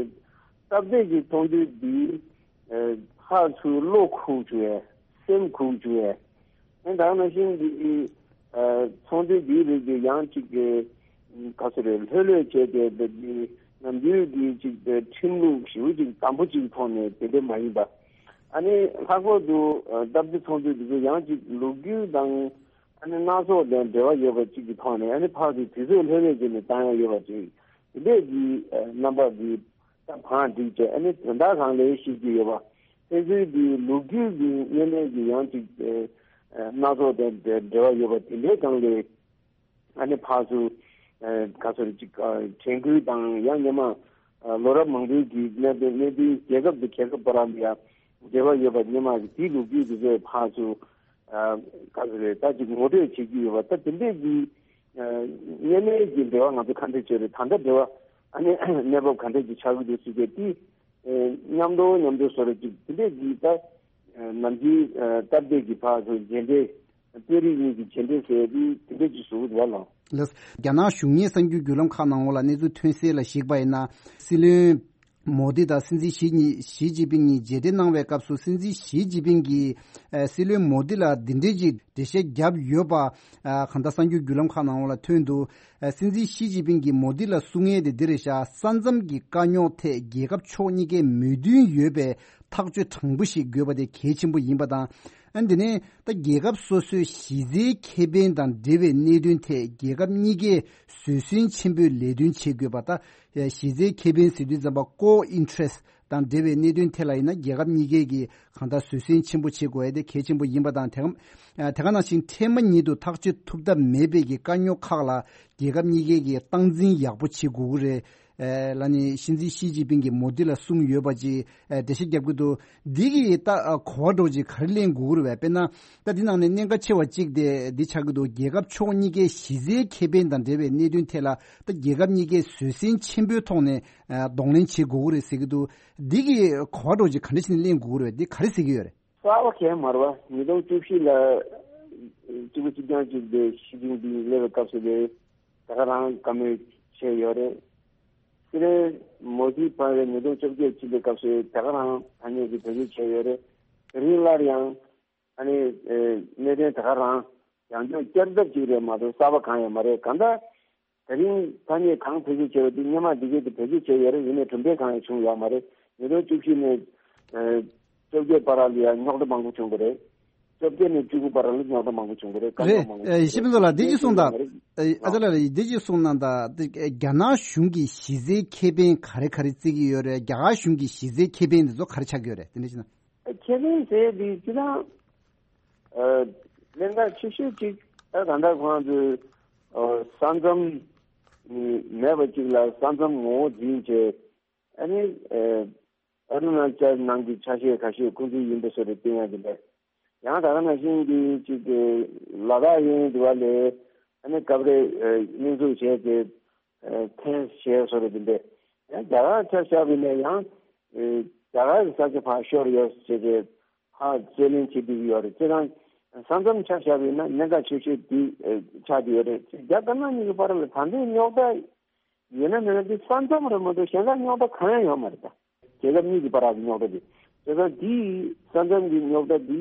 སྟབས་བདེ་གི་ཚོགས་འདུ་འདི་ཨ་ཧ་ཚུར་བློ་ཁུག་བཅུག་ཡས། སེམས་ཁུག་བཅུག་ཡས། ཨ་ད་ག་ནང་བཞིན་གྱི་ཨ་ཚོགས་འདུ་འདིའི་རིགས་ཀྱི་ཡང་གཅིག་གི་ག་ཚོད་རེད། ལྷོད་ལྷོད་བྱས་ཏེ་འདི་ནམ་རྒྱུན་གྱི་གཅིག་ཁྲིམས་ལུགས་ཞེ་པོ་ཅིག་དམ་པོ་ཅིག་ཐོག་ནས་དེ་འདྲ་མ་ཡིན་པ། ཨ་ནི་ལྷག་པར་དུ་ཨ་སྟབས་བདེ་ཚོགས་འདུ་འདི་ཚོ་ཡང་གཅིག་ལོ་རྒྱུས་དང་ཨ་ནི་སྣ་ཚོགས་དང་འབྲེལ་བ་ཡོད་པ་ཅིག་གི་ཐོག་ནས། ཨ་ནི་ཕར་ཚུར་དུས་ཚོད་ལྷོད་ལྷོད་བྱས་ནས་བཏང་ཡ་ཡོད་པ་ཅིག་དེ་འདྲས་ཀྱི་ཨ་རྣམ་པ་འདི་ད་བང་སྒྲིག་བྱས། ཨ་ནི་དོན་དག་གང་ལ་ཤེས་ཀྱི་ཡོད་པ། ཕན་ཚུན་གྱི་ལོ་རྒྱུས་ཀྱི་སྔོན་གནས་ཀྱི་ཡང་ཅིག་ཨ་སྣ་ཚོགས་དང་འབྲེལ་བ་ཡོད་པ་དེ་འདྲའི་སྒང་ལ་ཨ་ནི་ཕར་ཚུར་ཨ་ག་ཚོད་རེད་ཅིག་ཨ་དྲན་སྐུལ་དང་། ཡང་སྔོན་མ་ཨ་ལོ་རབས་མང་པོའི་གི་གནད་དོན་གནད་དོན་རྒྱལ་ཁབ་དང་རྒྱལ་ཁབ་བར་ལ་ཡང་འབྲེལ་བ་ཡོད་པ། སྔོན་མ་གི་དེའི་ལོ་རྒྱུས་དེ་ཚོ་ཕར་ཚུར་ཨ་ག་ཚོད་རེད། ད་ཅིག་ངོ་སྤྲོད་བྱེད་ཀྱི་ཡོད་པ། ད་དེ་འདྲའི་གི་ཨ་སྔོན་མའི་གི་འབྲེལ་བ་ང་ཚོ་ག་འདྲ་བྱས་རེད། ད་ལྟ་འབྲེལ་བ་ཨ་ནི་གནས་བབ་ག་འདྲ་ཅིག་ཆགས་ཀྱི་འདུག་ཟེར་གྱི་དེ། ཨེ་མཉམ་དུ་མཉམ་དུ་བཟོ་འདྲ་ཅིག་དེ་འདྲས་ཀྱི་ད་ཨེ་ནམ་རྒྱུན་ཨེ་སྟབས་བདེ་གི་ཕར་ཚུར་མཇལ་འཕྲད། དཔོན་རིགས་གཉིས་ཀྱི་མཇལ་འཕྲད་ཟེར་དུས་དེ་འདྲས་ཅིག་བཟོ་གི་འདུག་བ་ལགས། ལགས། རྒྱ་ནག་གཞུང་གཉེར་གསར་འགྱུར་བརྒྱུད་ལམ་ཁག་ནང་ལོགས་ལ་གནས་ཚུལ་ཐོན་གསལ་ལ་གཞིགས་པ་ཡིན་ན། སྲིད་བློན་མོ་དི་དང་སྲིད་འཛིན་ཞི་གཉིས་ཞི་ཅིན་ཕིང་གཉིས་མཇལ་འཕྲད་གནང་བའི་སྐབས་སུ། སྲིད་འཛིན་ཞི་ཅིན་ཕིང་གིས་ཨེ་སྲིད་བློན་མོ་དི་ལ་འདི་འདྲས་ཅིག་འགྲེལ་བཤད་བརྒྱབ་ཡོད་པ། ཨ་གང་ལྟར་གསར་འགྱུར་བརྒྱུད་ལམ་ཁག་ནང་ལོགས་ལ་ཐོན་འདུག་ཨ་སྲིད་འཛིན་ཞི་ཅིན་ཕིང་གིས་མོ་དི་ལ་གསུང་ཡས་དེ་འདི་རེད་ཤག་ས་མཚམས་ཀྱི་དཀའ་རྙོག་ཐད་རྒྱལ་ཁབ་ཕྱོགས་གཉིས་ཀའི་མོས་མཐུན་ཡོད་པའི་ཐག་གཅོད་དྲང་པོ་ཞིག་དགོས་པ་དེ་གལ་ཆེན་པོ་ཡིན་པ་དང་། ཨ་འདི་ནས་ད་རྒྱལ་ཁབ་སོ་སོའི་གཞི་རྩའི་ཁེ་ཕན་དང་འབྲེལ་བའི་གནད་དོན་ཐད་རྒྱལ་ཁབ་གཉིས་ཀས་བཟོད་བསྲན་ཆེན་པོས་ལས་དོན་བྱེད་དགོས་པ། ད་གཞི་རྩའི་ཁེ་ཕན་ཟེར་དུས་ཙམ་པ་core interest དང་འབྲེལ་བའི་གནད་དོན་ཐད་ལ་ཡིན་ན། རྒྱལ་ཁབ་གཉིས་ཀས་ཀྱིས་གང་ལྟར་བཟོད་བསྲན་ཆེན་པོ་བྱེད་དགོས་ཡ་དེ་གལ་ཆེན་པོ་ཡིན་པ་དང་། དེ་ག་དེ་ག་ནང་བཞིན་འཕྲལ་མ་ཉིད་དུ་ཐག་གཅོད་ཐུབ་ཐབས་མེད་པའི་གི་དཀའ་རྙོག་ཁག་ལ་རྒྱལ་ཁབ་གཉིས་ཀས་ཀྱིས་སྟངས་འཛིན་ཡག་པོ་བྱེད་དགོས་ཀྱི་རེད། ཨེ་ལ་ནི་སྲིད་འཛིན་ཞི་ཅིན་ཕིང་གིས་མོ་དི་ལ་གསུངས་ཡོད་པ་ཅིག་ཨེ་འགྲེལ་བཤད་རྒྱབ་ཀྱི་འདུག་འདི་གི་ད་ཨ་གོ་བ་འདྲ་ཅིག་ག་རེ་ལེན་དགོས་ཀྱི་རེད་པས། དཔེར་ན་ད་འདི་ནང་ནས་གནད་འགག་ཆེ་བ་གཅིག་དེ་འདི་ཆགས་ཀྱི་འདུག་རྒྱལ་ཁབ་ཕྱོགས་གཉིས་ཀའི་གཞི་རྩའི་ཁེ་ཕན་དང་འབྲེལ་བའི་གནད་དོན་ཐད་ལ་ད་རྒྱལ་ཁབ་གཉིས་ཀས་བཟོད་བསྲན་ཆེན་པོའི་ཐོག་ནས་ཨ་གདོང་ལེན་བྱེད་དགོས་ཀྱི་རེད་ཟེར་གྱི་འདུག་འདི་གི་གོ་བ་འདྲ་ཅིག་ག་འདྲ་བྱས་ནས་ལེན་དགོས་ཀྱི་རེད། འདི་ག་རེ་ཟེར་གྱི་ཡོད་རེད། གསར་པ་གང་ཡང་མ་རེད་པ། ཉིས་སྟོང་བཅུ་བཞི་ལ་གཅིག་པ་གཅིག་རྐྱང་གཅིག་དེ་ཞི་ཅིན་ཕིང་སླེབས་པའི་སྐབས་སུ་ལས་ད་ག་རང་བཀའ་མོལ་བྱས་ཡོད་རེད། སྲིད་བློན་མོ་དི་ཕར་ཉིས་སྟོང་བཅོ་བརྒྱད་ཕྱིན་པའི་སྐབས་སུ་ད་ག་རང་ཐ་སྙད་ཀྱི་བེད་སྤྱོད་བྱས་ཡོད་རེད། དེ་རིང་སླར་ཡང་ཨ་ནི་ཨེ་གནད་དོན་ད་ག་རང་ཡང་བསྐྱར་བསྐྱར་ལྡབ་ཅིག་རེད་མ་གཏོགས་གསར་པ་གང་ཡང་མ་རེད། གང་ལྟར་དེ་རིང་ཐ་སྙད་གང་བེད་སྤྱོད་བྱས་པ་དེ་སྔོན་མ་འདི་གས་དེ་བེད་སྤྱོད་བྱས་ཡོད་རེད། ཡིན་ནའི་གྲུབ་འབྲས་གང་ཡང་བྱུང་ཡོད་མ་རེད། ཉིས་སྟོང་བཅུ་བཞི་ནས་ཨེ་བཅོ་བརྒྱད་བར་ལ་ཡང་རྙོག་དྲ་མང་པོ་བྱུང་གི་རེད། བཅོ་བརྒྱད་ནས་བཅུ་དགུ་བར་ལ་རྙོག་དྲ་མང་པོ་བྱུང་གི་རེད། དཀའ་རྙོག་རེད། མང་པོ་ཨེ་བྱུང་ཡེ་ཤེས་ཕུན་ཚོགས་ལགས། འདི་ཅིག་གསུངས་དང་། ཨེ་ཨ་ཅག་ལགས་ལ་འདི་ཅིག་གསུངས་གནང་དང་། དེ་རྒྱ་ནག་གཞུང་གི་གཞི་རྩའི་ཁེ་ཕན་ག་རེ་ག་རེ་བརྩི་གི་ཡོད་རེད། རྒྱ་གར་གཞུང་གི་གཞི་རྩའི་ཁེ་ཕན་འདི་ཚོ་ག་རེ་ཆགས་ཀྱི་ཡོད་རེད། དེ་འདྲ་ཞིག་ན། ཁེ་ཕན་ཟེར་དེ་སྤྱིར་བཏང་ཨ་གནད་འགག་ཆེ་ཤོས་གཅིག་ད་ད་ལྟ་ཁོང་ཚོས་ཨ་ས་མཚམས་མེད་པ་གཅིག་ལ་ས་མཚམས་ངོ་བོ་འཛིན་བྱས། ཨ་ནི་ཨ་ཨ་རུ་ན་ཅལ་ནང་གི་ཆ་ཤས་ཁ་ཤས་ཁོང་ཚོའི་ཡིན་པ་བཟོ་འདྲ་བསྟན་ཡ་དེ་འདྲ། ཡང་ད་ག་ནང་བཞིན་གྱི་གཅིག་གི་ལ་དྭགས་ཡིན་འདི་བ་ལས་ཨ་ནི་སྐབས་རེ་ཨ་སྙོན་འཛུགས་བྱས་ཏེ་ཨ་འཐེན་བྱས་བཟོ་འདྲ་དེ་འདྲ། ཡང་རྒྱ་གར་ཆ་བཞག་པ་ཡིན་ན་ཡང་ཨ་རྒྱ་གར་གྱི་ས་ཆ་ཕར་ཤོར་ཡོད་ཟེར་ཏེ་ཕར་རྩོད་ལེན་བྱེད་བསྡད་ཀྱི་ཡོད་རེད། བྱས་ཙང་ས་མཚམས་ཆ་བཞག་པ་ཡིན་ན་གནད་འགག་ཆེ་ཤོས་འདི་ཨ་ཆགས་བསྡད་ཡོད་རེད། རྒྱ་དཀར་ནག་གཉིས་ཀྱི་བར་ལ་ད་ལྟའི་རྙོག་དྲ་ཡོད་ན་མེད་ན་དེ་ས་མཚམས་རེད་མ་གཏོགས་གཞན་དག་རྙོག་དྲ་གང་ཡང་ཡོད་མ་རེད། ད་རྒྱལ་ཁབ་གཉིས་ཀྱི་བར་གྱི་རྙོག་དྲ་དེ། བྱས་ཙང་དེའི་ས་མཚམས་ཀྱི་རྙོག་དྲ་དེ་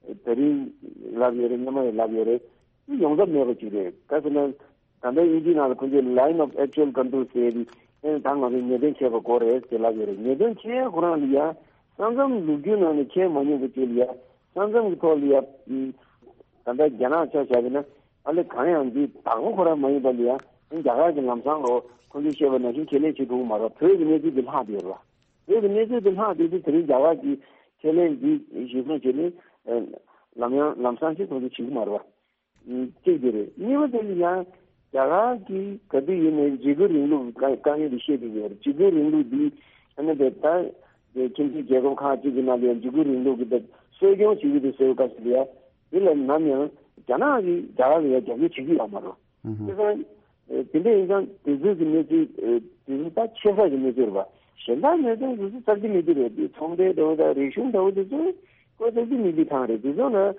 ད་རིང་ལབ་ཡོད་རེད། སྔོན་མ་ཡང་ལབ་ཡོད་རེད། དེ་ཡོང་ཐབས་མེད་པ་ཅིག་རེད། ག་ཟེར་ན་ ད་ལྟ་དབྱིན་ཇིའི་ནང་ལ་ཁོང་ཚོས་line of actual control ཟེར་ཏེ། ཨེ་ད་ང་ཚོས་ཉེས་དོན་འཁྱེར་བ་དགོས་རེད་ཟེར་ལབ་ཡོད་རེད། ཉེས་དོན་འཁྱེར་ཁོ་རང་ལ་ཡ་ས་མཚམས་ལོ་རྒྱུས་ནང་ནས་འཁྱེར་མ་མྱོང་བའི་ཅིག་ལ་ཡ། ས་མཚམས་ཀྱི་ཐོག་ལ་ཡ། ད་ལྟ་རྒྱ་ནག་ཆ་བཞག་པ་ཡིན་ན། ཨ་ལེ་གང་ཡང་འདི་བདག་པོ་ཁོ་རང་མ་ཡིན་པ་ལ་ཡ། རྒྱ་གར་གྱི་ལམ་སང་ལོ་ཁོང་ཚོས་བཤད་པ་ནང་བཞིན་ཁས་ལེན་བྱེད་ཐུབ་ཀྱི་མ་རེད། བོད་ཀྱི་གནས་ཚུལ་འདི་ལྷག་བསྡད་ཡོད་རེད་བ། བོད་ཀྱི་གནས་ཚུལ་འདི་ལྷག་བསྡད་དུས་དེ་རིང་རྒྱ་གར་གྱིས་ཁས་ལེན་འདི་གཞི་བཟུང་བྱས་ནས། ལམ་ཡང་ལམ་སང་ཞིག་ཁོང་ཚོས་བྱེད་ཀྱི་མ་རེད་བ། གཅིག་དེ་རེད། གཉིས་པ་དེ་ནི་ཡང་རྒྱ་གར་གྱིས་ག་དུས་ཡིན་ནའི་འཇིགས་སྐུལ་རིང་ལུགས་དཀའ་དཀའ་ངལ་དེ་བཤད་ཀྱི་ཡོད་རེད། འཇིགས་སྐུལ་རིང་ལུགས་འདི་ཨ་ནི་དེ་ལྟར་ཁྱིམ་མཚེས་རྒྱལ་ཁབ་ཁག་ཅིག་གི་ནང་ལ་ཡང་འཇིགས་སྐུལ་རིང་ལུགས་ཀྱི་དེ་གསོ་སྐྱོང་བྱེད་ཀྱི་འདུག་ཟེར་བའི་སྐབས་སུ་ཡང་དེ་ལ་ནམ་ཡང་རྒྱ་ནག་གིས་རྒྱ་གར་ལ་ཡང་རྒྱབ་སྐྱོར་བྱེད་ཀྱི་ཡོད་མ་རེད། ཨུ་ཧུ། དེ་ཙང་དེ་ཚོའི་གི་གནས་ཚུལ་དེ་ཚོ་ད་ཆེ་ས་གི་གནས་ཚུལ་རེད་པ། གཞན་དག་གནད་དོན་དེ་ཚོ་རྩ་ཆེ་མི་འདུག་རེད། དེ་ཚོང་འབྲེལ་འདྲ་བོ་དང་རིག་གཞུང་འདྲ་བོ་དེ་ཚོ་ཁོ་རྩ་ཆེ་མི་འདུག་ཐང་རེད། དེ་ཚོ་ལ། ཨ།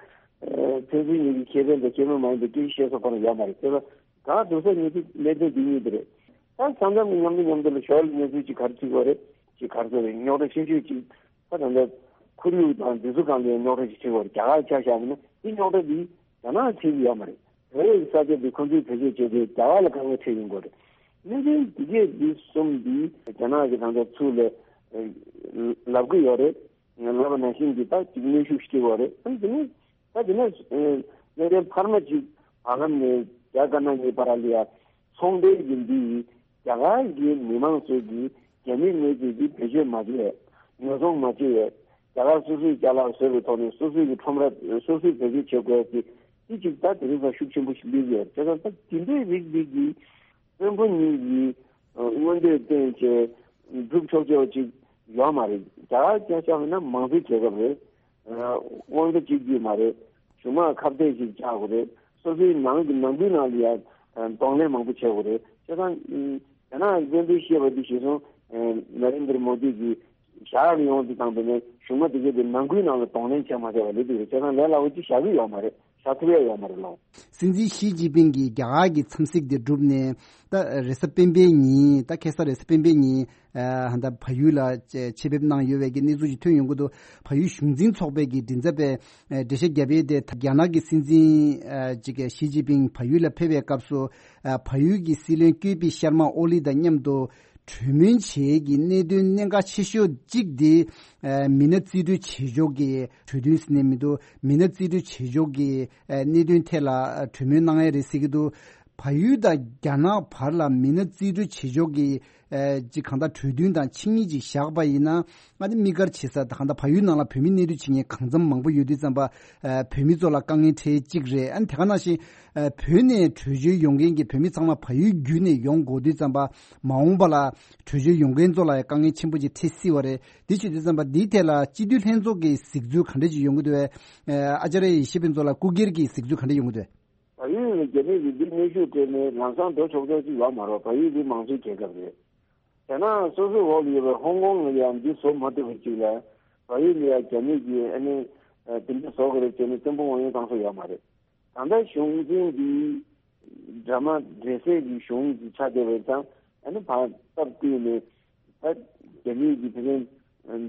ཕན་ཚུན་གཉིས་ཀྱི་ཁེ་ཕན་དང་ཁེ་ཕན་མ་ཡིན་པའི་སྐད་ཆ་བཤད་ས་ཁོ་རང་ཡོད་མ་རེད། དེ་ལ་གང་འདུག་ས་གནས་ཚུལ་གནད་དོན་འདི་གཉིས་དེ་རེད། ད་ས་མཚམས་ཀྱི་མཉམ་དུ་མཉམ་དུ་ལ་ཞོར་ལ་གནས་ཚུལ་ཅིག་ག་རེ་བྱེད་དགོས་རེད། ཅིག་ག་རེ་ཟེར་རེད། རྙོག་དྲ་ཆེ་ཤོས་ཅིག་ད་ད་ལྟ་ཁོར་ཡུག་དང་འདི་ཚོ་སྒང་ལ་རྙོག་དྲ་ཅིག་ཆེ་བ་རེད། རྒྱ་གར་ཆ་བཞག་པ་ན་འདི་རྙོག་དྲ་འདི་རྒྱ་ནག་ཆེ་གི་ཡོད་མ་རེད། བོད་ཡིག་ས་ཆ་འདི་ཁོང་ཚོས་བེད་སྤྱོད་བྱས་ཏེ་རྒྱ་གར་ལ་དཀའ་ངལ་འཕྲད་ཡོང་གི་རེད། གནད་དོན་འདི་གས་འདི་གསུམ་འདི་རྒྱ་ནག་གི་ད་ལྟ་ཚུར་ལ་ལབ་གི་ཡོད་རེད། ལབ་པ་ནང་བཞིན་གྱི་ད་ཅིག་གནོན་ཤུགས་ཤིག་སྐྱེ་བ་རེད། ཨ་ནི་དེ་ནས་ད་དེ་ནས་གནད་དོན་འཕར་མ་ཅིག་བར་ལམ་ནས་རྒྱ་དཀར་ནག་གཉིས་བར་ལ་ཡ་ཚོང་འབྲེལ་གྱི་འདི་ཡིས་རྒྱ་གར་གྱི་མི་མང་ཚོས་ཀྱི་རྒྱ་མི་དངོས་རྫས་ཀྱི་བེད་སྤྱོད་མ་བྱས། ཉོ་ཚོང་མ་བྱས། རྒྱ་གར་སོ་སོའི་ཅ་ལག་བཟོས་པའི་ཐོག་ནས་སོ་སོའི་གི་ཁྲོམ་ར་སོ་སོས་བེད་སྤྱོད་བྱེད་དགོས་ཀྱི་འདི་ཅིག་ད་དེ་རིང་ཙམ་ཤུགས་ཆེན་པོ་ཞིག་སླེབས་ཡོད། བྱས་ཙང་ད་དེ་འདྲའི་རིགས་འདི་གི་དཔོན་པོ་གཉིས་ཀྱིས་མངོན་འདོད་བསྟན་བྱས་སྒྲུབ་ཆོག་ཆོག་ཅིག་ཡོད་མ་རེད། རྒྱ་གར་སྐད་ཆ་ཡིན་ན་མང་གཙོའི་རྒྱལ་ཁབ་རེད། དབང་ཆ་གཅིག་སྡུད་མ་རེད། གཞུང་དམངས་ཁ་གཏད་ཅིག་བཅག་དགོས་རེད། སོ་སོའི་ནང་གི་ནང་ཁུལ་ནང་ལ་ཡང་གདོང་ལེན་མང་པོ་བྱེད་དགོས་རེད། བྱས་ཙང་རྒྱ་ནག་གི་དཔོན་པོས་བཤད་པ་འདི་གཞི་བཟུང་ནཱ་རེན་དར་མོ་དི་གིས་བཞག་ཡོང་དུས་ཙམ་པ་ནས་གཞུང་མང་དེ་གས་དེ་ནང་ཁུལ་ནང་ལ་གདོང་ལེན་བྱས་མ་བྱས་པ་ལས་འདུག་རེད། བྱས་ཙང་ལས་སླ་བོ་ཅིག་བཞག་གི་ཡོད་མ་རེད། བཞག་ཐུབ་ཡ་ཡོད་མ་རེད་ལགས། སྲིད་འཛིན་ཞི་ཅིན་ཕིང་གིས་རྒྱ་གར་གྱི་འཚམས་གཟིགས་དེ་བསྒྲུབས་ནས་ད་རེས་གཟའ་སྤེན་པའི་ཉིན། ད་ཁ་སང་རེས་གཟའ་སྤེན་པའི་ཉིན། ཨ། ཧ་ད་བལ་ཡུལ་ལ་ཆེད་ཕེབས་གནང་ཡོད་པའི་གི་གནས་ཚུལ་ཞིག་ཐོན་ཡོང་གི་འདུག་བལ་ཡུལ་གཞུང་འཛིན་ཚོགས་པའི་གི་མགྲིན་ཚབ་པས་འགྲེལ་བཤད་བརྒྱབ་ཡས་དེ། རྒྱ་ནག་གི་སྲིད་འཛིན་ཨ་ཅིག་ཞི་ཅིན་ཕིང་བལ་ཡུལ་ལ་ཕེབས་པའི་སྐབས་སུ། ཨ། བལ་ཡུལ་གྱི་སྲིད་བློན་ཀེ་པི་ཤར་མ་ཨོ་ལི་དང་མཉམ་དུ་གྲོས་མོལ་བྱེད་ཀྱི་གནད་དོན་གནད་འགག་ཆེ་ཤོས་གཅིག་དེ། ཨ། མི་སྣ་རྩིས་སྤྲོད་བྱེད་ཕྱོགས་ཀྱི་གྲོས་མཐུན་ཟེར་ནས་མི་འདུག་མི་སྣ་རྩིས་སྤྲོད་བྱེད་ཕྱོགས་ཀྱི་ཨ་གནད་དོན་ཐད་ལ་གྲོས་མོལ་གནང་ཡ་རེད་ཟེར་གྱི་འདུག་བལ་ཡུལ་དང་རྒྱ་ནག་བར་ལ་མི་སྣ་རྩིས་སྤྲོད་བྱེད་ཕྱོགས་ཀྱི་ཨ་ཅིག་གང་ལྟར་གྲོས་མཐུན་དང་ཆིངས་ཡིག་ཅིག་བཞག་པ་ཡིན་ན། ཨ་ནི་དམིགས་བཀར་བྱེད་ས་ད་གང་ལྟར་བལ་ཡུལ་ནང་ལ་བོད་མི་གནས་སྡོད་བྱེད་མཁན་གང་འཚམ་མང་པོ་ཡོད་དུས་ཙམ་པ། ཨ་བོད་མི་ཚོ་ལ་དཀའ་ངལ་འཕྲད་གཅིག་རེད། ཨ་ནི་དེ་ག་ནང་བཞིན་ཨ་བོད་ནས་བྲོས་བྱོལ་ཡོང་མཁན་གྱི་བོད་མི་ཚང་མ་བལ་ཡུལ་བརྒྱུད་ནས་ཡོང་དགོས་དུས་ཙམ་པ། མ་འོངས་པ་ལ་བྲོས་བྱོལ་ཡོང་མཁན་ཚོ་ལ་དཀའ་ངལ་ཆེན་པོ་ཅིག་འཕྲད་སྲིད་པ་རེད། དེ་བྱེད་དུས་ཙམ་པ་འདིའི་ཐད་ལ་སྤྱི་འཐུས་ལྷན་ཚོགས་ཀྱི་གཟིགས་ཚུལ་ག་འདྲ་ཅིག་ཡོང་གི་འདུག་བས། ཨ་ཨ་ཅཱརྱ་ཡེ་ཤེས་ཕུན་ཚོགས་ལགས་སྐུ་སྒེར་གྱི་གཟིགས་ཚུལ་ག་འདྲ་ཡོང་གི་འདུག་བས། བལ་ཡུལ་ནས་རྒྱ་མི་གིས་འདི་གནོན་ཤུགས་སྤྲད་ནས་ལམ་སང་འགྲོ་ཆོག་ཆོག་ཅིག་ཡོད་མ་རེད། བལ་ཡུལ་འདི་མང་གཙོའི་རྒྱལ་ཁབ་རེད། རྒྱ་ནག་སོ་སོའི་འོག་ལ་ཡོད་པའི་ཧོང་ཀོང་ལ་ཡང་འདི་བཟོ་མ་ཐུབ་པ་ཅིག་ལ། བལ་ཡུལ་ལ་ཡང་རྒྱ་མི་གིས་ཨ་ནི་ཨ་དེ་འདྲ་བཟོ་དགོས་རེད་ཟེར་ནས་བཙན་པོ་དབང་ཡོད་བཏང་ས་ཡོད་མ་རེད། ད་ལྟ་གཞུང་འཛིན་འདི་འདྲ་མ་འདྲ་སའི་གི་གཞུང་གི་ཆ་དེ་བས་ཙང་ཨ་ནི་ཕར་སྟབས་བསྟུན་ནས་ད་རྒྱ་མི་གི་དེ་རིང་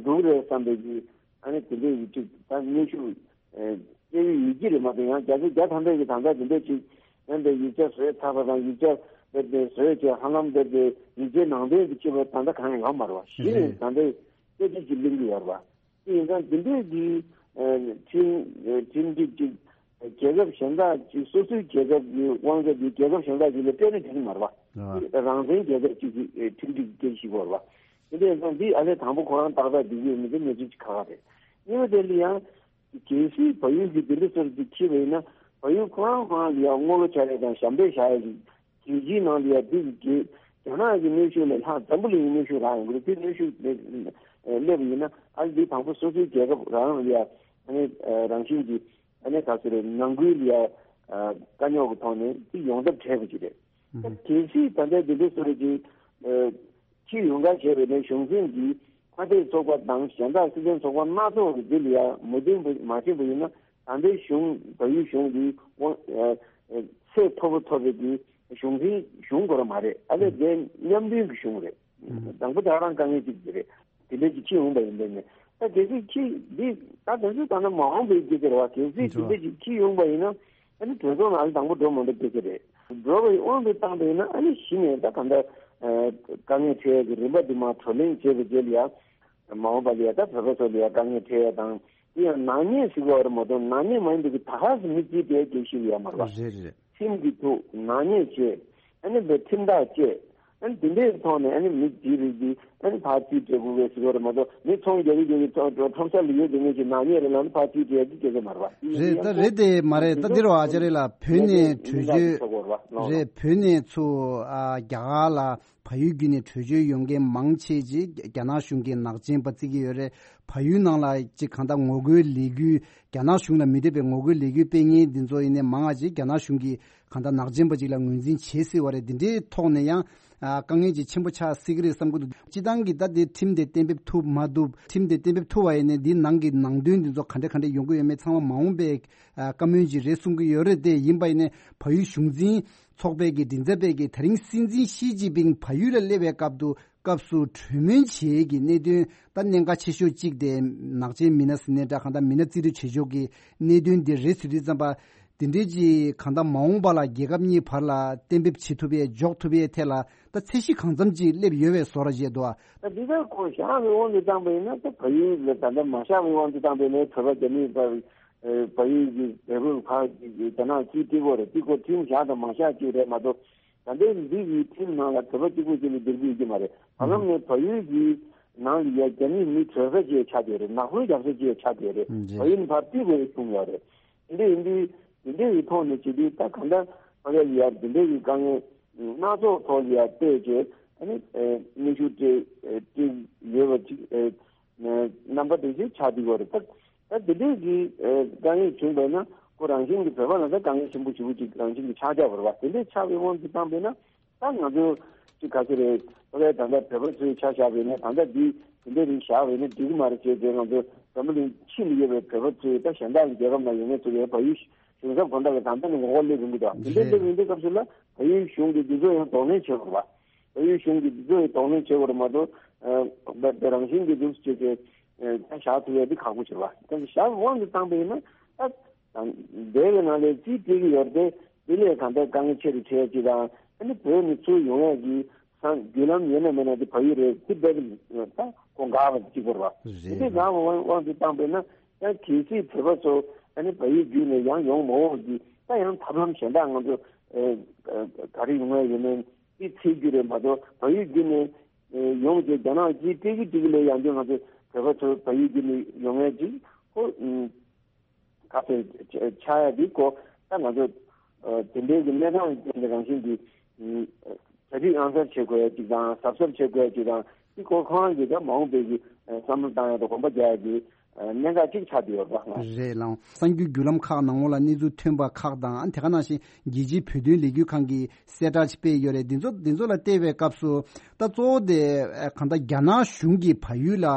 འདུག་རེད་བསམ་པའི་གི་ཨ་ནི་དེ་འདྲའི་གི་ཅིག་ད་གནོན་ཤུགས་སྤྲད་ཡོད་ཀྱི་རེད་མ་གཏོགས། ཡང་རྒྱ་ཆེ་རྒྱ་ཐམ་པའི་གི་ད་ལྟ་དེ་འདྲ་ཅིག་ཡང་དེ་ཡིག་ཆ་བཟོས་ཚར་བ་དང་ཡིག་ཆ་དེ་དེ་བཟོས་བྱས་ཧ་ལམ་དེ་དེ་ཡིག་ཆའི་ནང་དོན་དེ་ཅིག་བས་ད་ལྟ་གང་ཡང་ཡོད་མ་རེད་བ། གཞི་ནས་ད་ལྟའི་སྐད་ཆ་ཅིག་གླེང་གི་ཡོད་རེད་བ། དེ་ཡིན་ཙང་དེ་འདྲའི་གི་ཁྲིམས་ཁྲིམས་སྒྲིག་ཅིག་རྒྱལ་ཁབ་གཞན་དག་ཅིག་སོ་སོའི་རྒྱལ་ཁབ་ཀྱི་དབང་ཆ་དེ་རྒྱལ་ཁབ་གཞན་དག་ཅིག་ལ་སྤྲད་ན་འགྲིག་གི་མ་རེད་བ། རང་བཙན་རྒྱལ་ཁབ་ཅིག་གི་ཁྲིམས་སྒྲིག་སྐད་ཆ་ཞིག་ཡོད་རེད་བ། དེ་འདྲ་ཡིན་ཙང་འདི་ཨ་ལས་དང་པོ་ཁོ་རང་ཏག་ཏག་འགྲིག་གི་ཡོད་མེད་དེ་གནས་ཚུལ་ཅིག་ཁག་ཁག་རེད། གཉིས་པ་དེ་ལ་ཡང་གལ་སྲིད་བལ་ཡུལ་གྱི་དེ་འདྲ་སོར་ཅིག་ཁྱེར་བ་ཡིན་ན། བལ་ཡུལ་ཁོ་རང་ཁོ་རང་ལ་ཡང་དངུལ་ལོ་ཆ་རེ་དང་ཞབས་འདེགས་བཞག་ཡ་ཅིག་རྒྱལ་སྤྱིའི་ནང་ལ་ཡ་འདི་གི་རྒྱ་རྒྱ་ནག་གི་གནོན་ཤུགས་ལས་ལྷག་འཛམ་བུ་གླིང་གི་གནོན་ཤུགས་རག་ཡོང་གི་རེད། དེ་གནོན་ཤུགས་ལས་སླེབས་པ་ཡིན་ན། ཨ་ནི་འདི་དང་པོ་སོ་སོའི་རྒྱལ་ཁབ་རང་ལ་ཡ་ཨ་ནི་རང་བཞིན་གྱིས་ཨ་ནི་ག་ཚོད་རེད། ནང་ཁུལ་ལ་ཡ་དཀའ་རྙོག་གི་ཐོག་ནས་འདི་ཡོང་ཐབས་བྲལ་བ་ཅིག་རེད། ད་གལ་སྲིད་ད་ལྟའི་འདི་འདྲའི་སོ་རེ་ཅིག་ཕྱིར་ཡོང་ག་བྱས་པ་ཡིན་ན། གཞུང་འཛིན་གྱིས་ཁ་གཏད་ཚོགས་པ་དང་གཞན་དག་སྲིད་དོན་ཚོགས་པ་སྣ་ཚོགས་ཀྱི་འདི་ལ་ཡ་མོས་མཐུན་མ་བྱས་པ་ཡིན་ན། ད་ལྟའི་གཞུང་བལ་ཡུལ་གཞུང་འདི་དབང་ཚད་མཐོ་པོ་ཐོབ་པའི་གི་གཞུང་འཛིན་གཞུང་དགོས་ར་མ་རེད། ཨ་ལས་དེ་མཉམ་མཐུན་གྱི་གཞུང་རེད། དང་པོ་དེ་རང་དཀའ་ངལ་གཅིག་དེ་རེད། དེ་འདྲ་ཅིག་ཕྱིར་ཡོང་པ་ཡིན་པས་ནས། ད་གལ་སྲིད་ཕྱིར་འདི་ད་དེ་ཚོ་ད་ནི་མ་འོངས་པའི་སྐད་ཆ་རེད་བ། གལ་སྲིད་དེ་འདྲ་ཅིག་ཕྱིར་ཡོང་པ་ཡིན་ན། ཨ་ནི་གྲོས་ཚོགས་ནང་ལ་དང་པོ་འགྲོ་མ་འགྲོ་སྐད་ཆ་རེད། འགྲོ་བའི་དབང་དུ་བཏང་པ་ཡིན་ན། ཨ་ནི་གཞི་ནས་ད་གང་ལྟར་དཀའ་ངལ་འཕྲད་ཡས་ཀྱི་རིམ་པ་འདི་མར་བགྲོ་གླེང་བྱས་པའི་རྗེས་ལ་ཡ། མ་འོངས་པ་ལ་ཡ་ད་བོད་པ་ཚོ་ལ་ཡ་དཀའ་ངལ་འཕྲད་ཡས་དང་། དེ་ཡང་ནག་ཉེས་ཟེར་གྱི་ཡོད་རེད་མ་གཏོགས། ནག་ཉེས་མ་ཡིན་པའི་གི་ད་ག་སེ་མི་གཅིག་དེ་སྐྱེ་ཤི་ཡོད་མ་རེད་པ། རེད་རེད། ཁྲིམས་ཀྱི་ཐོག་ནག་ཉེས་བྱས། ཨ་ནི་བའི་ཁྲིམས་ཐག་བཅད། ཨ་ནི་དེ་འདྲའི་ཐོག་ནས་ཨ་ནི་མི་དེའི་རིགས་དེ་ཨ་ནི་ཕར་རྩིས་སྤྲད་དགོས་པའི་ཟེར་གྱི་ཡོད་རེད་མ་གཏོགས། མི་ཚོང་རྒྱག་གི་རྒྱག་གི་ཁྲོམ་ཁྲོམ་ས་ལ་ཡོད་དེ་ངེད་ཀྱི་ནག་ཉེས་རེད་ལབ་ནས་ཕར་རྩིས་སྤྲད་ཡག་གི་སྐད་ཆ་མ་རེད་པ། རེད། ད་རེད་དེ་མ་རེད། ད་འདི་རུ་ཨ་ཅག་རེད་ལ། བོད་ནས་བྲོས་བྱོལ། རེད། བོད་ནས་ཚུར་ཨ་རྒྱ་གར་ལ་བལ་ཡུལ་བརྒྱུད་ནས་བྲོས་བྱོལ་ཡོང་མཁན་མང་ཆེ་ཅིག་རྒྱ་ནག་གཞུང་གིས་ནག་ཅན་པ་བརྩི་གི་ཡོད་རེད། བལ་ཡུལ་ནང་ལ་ཅིག་གང་ལྟར་ངོ་རྒོལ་ལས་འགུལ། རྒྱ་ནག་གཞུང་ལ་མི་འདོད་པའི་ངོ་རྒོལ་ལས་འགུལ་སྤེལ་མཁན་འདི་ཚོ་ཡིན་ནའི་མང་བ་ཅིག་རྒྱ་ནག་གཞུང་གིས་གང་ལྟར་ནག་ཅན་པ་ཅིག་ལ་ངོས་འཛིན་བྱེད་སྲིད་པ་རེད། འདི་འདྲའི་ཐོག་ནས་ཡང་ཨ་དཀའ་ངལ་ཅིག་ཆེན་པོ་ཆགས་སྲིད་ཀྱི་རེད་བསམ་གྱི་འདུག། སྤྱིར་བཏང་གི་ད་འདི་ཁྲིམས་དེ་གཏན་འབེབས་ཐུབ་མ་ཐུབ། ཁྲིམས་དེ་གཏན་འབེབས་ཐུབ་པ་ཡིན་ནའི་འདིའི་ནང་གི་ནང་དོན་འདི་ཚོ་ག་འདྲ་ག་འདྲ་ཡོང་གི་ཡོད་མེད་ཚང་མ་མ་འོངས་པའི་ཨ་བཀའ་མོལ་ཅིག་རེད་གསུང་གི་ཡོད་རེད། དེ་ཡིན་པ་ཡིན་ནའི་བལ་ཡུལ་གཞུང་འཛིན་ཚོགས་པའི་གི་མགྲིན་ཚབ་པས་གི་ད་རིང་སྲིད་འཛིན་ཞི་ཅིན་ཕིང་བལ་ཡུལ་ལ་སླེབས་པའི་སྐབས་དུ་སྐབས་སུ་གྲོས་མོལ་བྱེད་ཀྱི་གནད་དོན་ད་གནད་འགག་ཆེ་ཤོས་གཅིག་དེ་ནག་ཅན་མི་སྣ་ཟེར་ནའི་འདྲ། གང་ལྟར་མི་སྣ་རྩིས་སྤྲོད་བྱེད་ཕྱོགས་ཀྱི་གནད་དོན་འདི་རེད་ཟེར་དུས་ཙམ་པ། དེ་འདྲའི་ཅིག་གང་ལྟར་མ་འོངས་པ་ལ་རྒྱལ་ཁབ་གཉིས་བར་ལ་གཏན་འབེབས་བྱེད་ཐུབ་ཡས་འཇོག་ཐུབ་ཡས་ཐད་ལ་ད་ཚད་གཞི་གང་འཚམ་ཅིག་སླེབས་ཡོད་པའི་བཟོ་འདྲ་ཅིག་འདུག་ཨ། ད་འདི་ལྟར་ཁོ་བཞག་པའི་དབང་དུ་བཏང་པ་ཡིན་ན། ད་བལ་ཡུལ་ལ་ད་ལྟ་མ་བཞག་པའི་དབང་དུ་བཏང་པ་ཡིན་ན། བོད་པ་རྒྱ་མི་བར་བལ་ཡུལ་གྱི་བལ་པོའི་ཁ་རྒྱ་ནག་རྩིས་སྤྲད་དགོས་རེད། འདི་ཁོ་ཁྲིམས་བཞག་དང་མ་བཞག་གཅིག་རེད་མ་གཏོགས། ད་ལྟའི་འདི་གི་ཁྲིམས་ནང་ལ་བོད་པ་གཅིག་པུ་ཅིག་ལ་བསྡུར་རྒྱུ་ཡོད་ཀྱི་མ་རེད། བར་ལམ་ནས་བལ་ཡུལ་གྱི་ནང་ལ་ཡ་རྒྱ་མི་མི་བྲོས་ས་ཅིག་ཆགས་བསྡད་རེད། ནག་པོའི་རྒྱབ་ས་ཅིག་ཆགས་བསྡད་རེད། བལ་ཡུལ་ནས་ཕར་རྩིས་དགོས་གསུངས་ཡོད་རེད། དེ་འདྲ་ཡིན་དུས་དེ་འདྲ་ཡི་ཐོག་ནས་བྱེད་དུས། ད་གང་ལྟར་ཕ་གི་ལ་ཡ་དེ་འདྲ་ཡི་དཀའ་ངལ་སྣ་ཚོགས་ཐོག་ལ་ཡ་བལྟས་བྱས། ཨ་ནི་ཨ་གནོན་ཤུགས་སྤྲད་ཨ་སྤྲད་ཡོད་པ་ཅིག་ཨ་རྣམ་པ་དེ་ཅིག་ཆགས་བསྡད་ཡོད་རེད། ད་ད་དེ་འདྲའི་གི་ཨ་དཀའ་ངལ་བྱུང་བས་ན། ཁོ་རང་བཞིན་གྱི་བོད་པ་ལ་ད་དཀའ་ངལ་ཆེན་པོ་ཞེ་པོ་ཅིག་རང་བཞིན་གྱི་ཆགས་ཆགས་པ་རེད་པ། དེ་འདྲའི་ཆགས་པའི་དབང་དུ་བཏང་བས་ན། ད་ང་ཚོ་ཅིག་ག་ཚོད་རེད། ཕ་གིའི་ད་ལྟ་བོད་པ་ཚོའི་ཆ་བཞག་པས་ན། ད་ལྟ་འདི་དེ་འདྲའི་རིགས་བཞག་པས་ན་འགྲིག་གི་མ་རེད་ཅེས་བྱས། ང་ཚོ་འཛམ་བུ་གླིང་ཕྱི་ལ་ཡོད་པའི་བོད་པ་ཚོས། ད་གཞན་དག་གི་རྒྱལ་ཁབ་ནང་ཡོད་མཁན་ཚོ་ཡང་བལ་ཡུལ་གཞུང་ཚབ་དགོན་བདག་གི་ད་ལྟ་ནས་ངོ་རྒོལ་སླེབས་ཡོང་གི་འདུག། དེ་འདྲའི་སླེབས་ཡོང་དུས་སྐབས་སུ་ལ་བལ་ཡུལ་གཞུང་གིས་འདི་ཚོ་ཡང་གདོང་ལེན་བྱེད་དགོས་རེད་པ། བལ་ཡུལ་གཞུང་གིས་འདི་ཚོ་ཡང་གདོང་ལེན་བྱེད་དགོས་རེད་མ་གཏོགས། ཨ་བ་བ་རང་བཞིན་གྱིས་འདུག་ཅེས་བྱས་ཨ་ད་བཞག་ཐུབ་ཡ་འདི་ཁག་པོ་ཆེ་བ། ད་བཞག་དབང་དུ་བཏང་པ་ཡིན་ན། ད་ད་འདས་པའི་ནང་ལ་རྩིས་སྤྲད་ཀྱི་ཡོད་རེད་དེ། དེ་ལས་གང་ལྟར་དཀའ་ངལ་ཆེ་རུ་ཆེ་ཡ་ཅིག་དང་། ཨ་ནི་བོད་ནས་ཚུར་ཡོང་ཡ་གི་སང་བརྒྱུད་ལམ་ཡོད་ན་མེད་ན་དེ་བལ་ཡུལ་རེད། དེ་དཔེ་ད་ཁོ་འགག་པ་གཅིག་པོ་རེད་པ། དེ་རེད། འདྲའི་འགག་པ་དབང་དབང་དུ་བཏང་པས་ན། ཡང་གལ་སྲིད་བོད་པ་ཚོ་ཨ་ནི་བལ་ཡུལ་བརྒྱུད་ནས་ཡང་ཡོང་མ་འོང་གི། ད་ཡང་ཐབས་ལམ་གཞན་དག་ང་ཚོ་ཨ་ཨ་ག་རེ་ཡོང་ཡ་ཡོད་མེད་དེ་འཚོལ་རྒྱུ་རེད་མ་གཏོགས། བལ་ཡུལ་བརྒྱུད་ནས་ཨ་ཡོང་རྗེས་རྒྱ་ནག་གིས་སྤྲད་ཀྱི་སྤྲད་ཀྱི་ལས། ཡང་བསྐྱར་ང་ཚོ་བོད་པ་ཚོ་བལ་ཡུལ་བརྒྱུད་ནས་ཡོང་ཡ་ཅིག་ཁོ་ཨ་ག་ཚོད་ཆགས་ཡ་འདི་ཁོ། ད་ང་ཚོ་ཨ་དེ་འདྲའི་གི་གནས་སྟངས་ཀྱི་རང་བཞིན་གྱི་ཨ་གྲ་སྒྲིག་ཨང་གསར་བྱེད་དགོས་ཡ་ཅིག་དང་། གཟབ་གཟབ་བྱེད་དགོས་ཡ་ཅིག་དང་། འདི་ཁོ་ཁོ་རང་གི་ད་མ་འོངས་པའི་གི་ཨ་བསམ་བློ་བཏང་ཡ་དང་གོམ་པ་རྒྱག་ཡ་གི་ཨ་གནད་འགག་ཅིག་ཆགས་བསྡད་ཡོད་པ། རེད་ལགས། གསར་འགྱུར་བརྒྱུད་ལམ་ཁག་ནང་ལོགས་ལ་གནས་ཚུལ་ཐོན་པ་ཁག་དང་། ཨ་དེ་ག་ནང་བཞིན་རྒྱལ་སྤྱིའི་བོད་དོན་ལས་འགུལ་ཁང་གིས་གསལ་བསྒྲགས་ཅིག་སྤེལ་ཡོད་རེད། འདི་ཚོ་འདི་ཚོ་ལ་བལྟས་པའི་སྐབས་སུ་ད་གཙོ་བོ་དེ་ཨ་གང་ལྟར་རྒྱ་ནག་གཞུང་གིས་བལ་ཡུལ་ལ་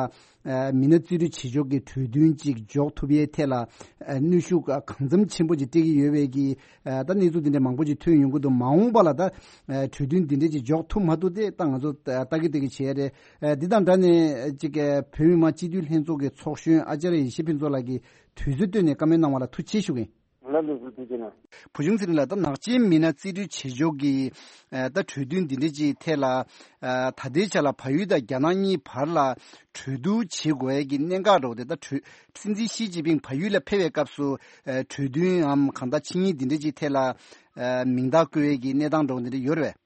ཨ་མི་སྣ་རྩིས་སྤྲོད་བྱེད་ཕྱོགས་ཀྱི་གྲོས་མཐུན་ཅིག་འཇོག་ཐུབ་ཡའི་ཐད་ལ་ཨ་གནོན་ཤུགས་གང་འཚམ་ཆེན་པོ་ཅིག་སྤྲད་ཀྱི་ཡོད་པའི་གི་ཨ་ད་གནས་ཚུལ་འདི་འདྲ་མང་པོ་ཅིག་ཐོན་ཡོང་གི་འདུག། མ་འོངས་པ་ལ་ད་ཨ་གྲོས་མཐུན་འདི་འདྲ་ཅིག་འཇོག་ཐུབ་མ་ཐུབ་དེ་ད་ང་ཚོ་ཨ་ལྟ་གི་ལྟ་གི་བྱས་རེད། ཨ་འདི་དང་འདྲ་ནས་ཅིག་ཨ་བོད་མི་མང་སྤྱི་འཐུས་ལྷན་ཚོགས་ཀྱི་ཚོགས་གཞོན་ཨ་ཅཱརྱ་ཡེ་ཤེས་ཕུན་ཚོགས་ལགས་ཀྱིས་དུས་ཚོད་བཏོན་ནས་བཀའ་མོལ་གནང་བ་ལ་ཐུགས་རྗེ་ཆེ་ཞུ་གི་ཡིན། ལགས་ལགས་སོ། ཐུགས་རྗེ་གནང་། བུ་ཆུང་ཚེ་རིང་ལགས། ད་ནག་ཅན་མི་སྣ་རྩིས་སྤྲོད་བྱེད་ཕྱོགས་ཀྱི་ཨ་ད་གྲོས་མཐུན་འདི་འདྲ་ཅིག་ཐད་ལ་ཨ་ད་ལྟའི་ཆ་ལ་བལ་ཡུལ་དང་རྒྱ་ནག་གཉིས་བར་ལ་གྲོས་བསྡུར་བྱེད་དགོས་ཡས་ཀྱི་གནད་འགག་འདྲ་བོ་དེ། ད་གྲོས་སྲིད་འཛིན་ཞི་ཅིན་ཕིང་བལ་ཡུལ་ལ་ཕེབས་པའི་སྐབས་སུ་ཨ་གྲོས་མཐུན་ནམ་གང་ལྟར་ཆིངས་ཡིག་འདི་འདྲ་ཅིག་ཐད་ལ་ཨ་མིང་རྟགས་བཀོད་ཡས་ཀྱི་གནས་སྟངས་འདྲ་བོ་འདི་འདྲ་ཡོད་རེད་པས།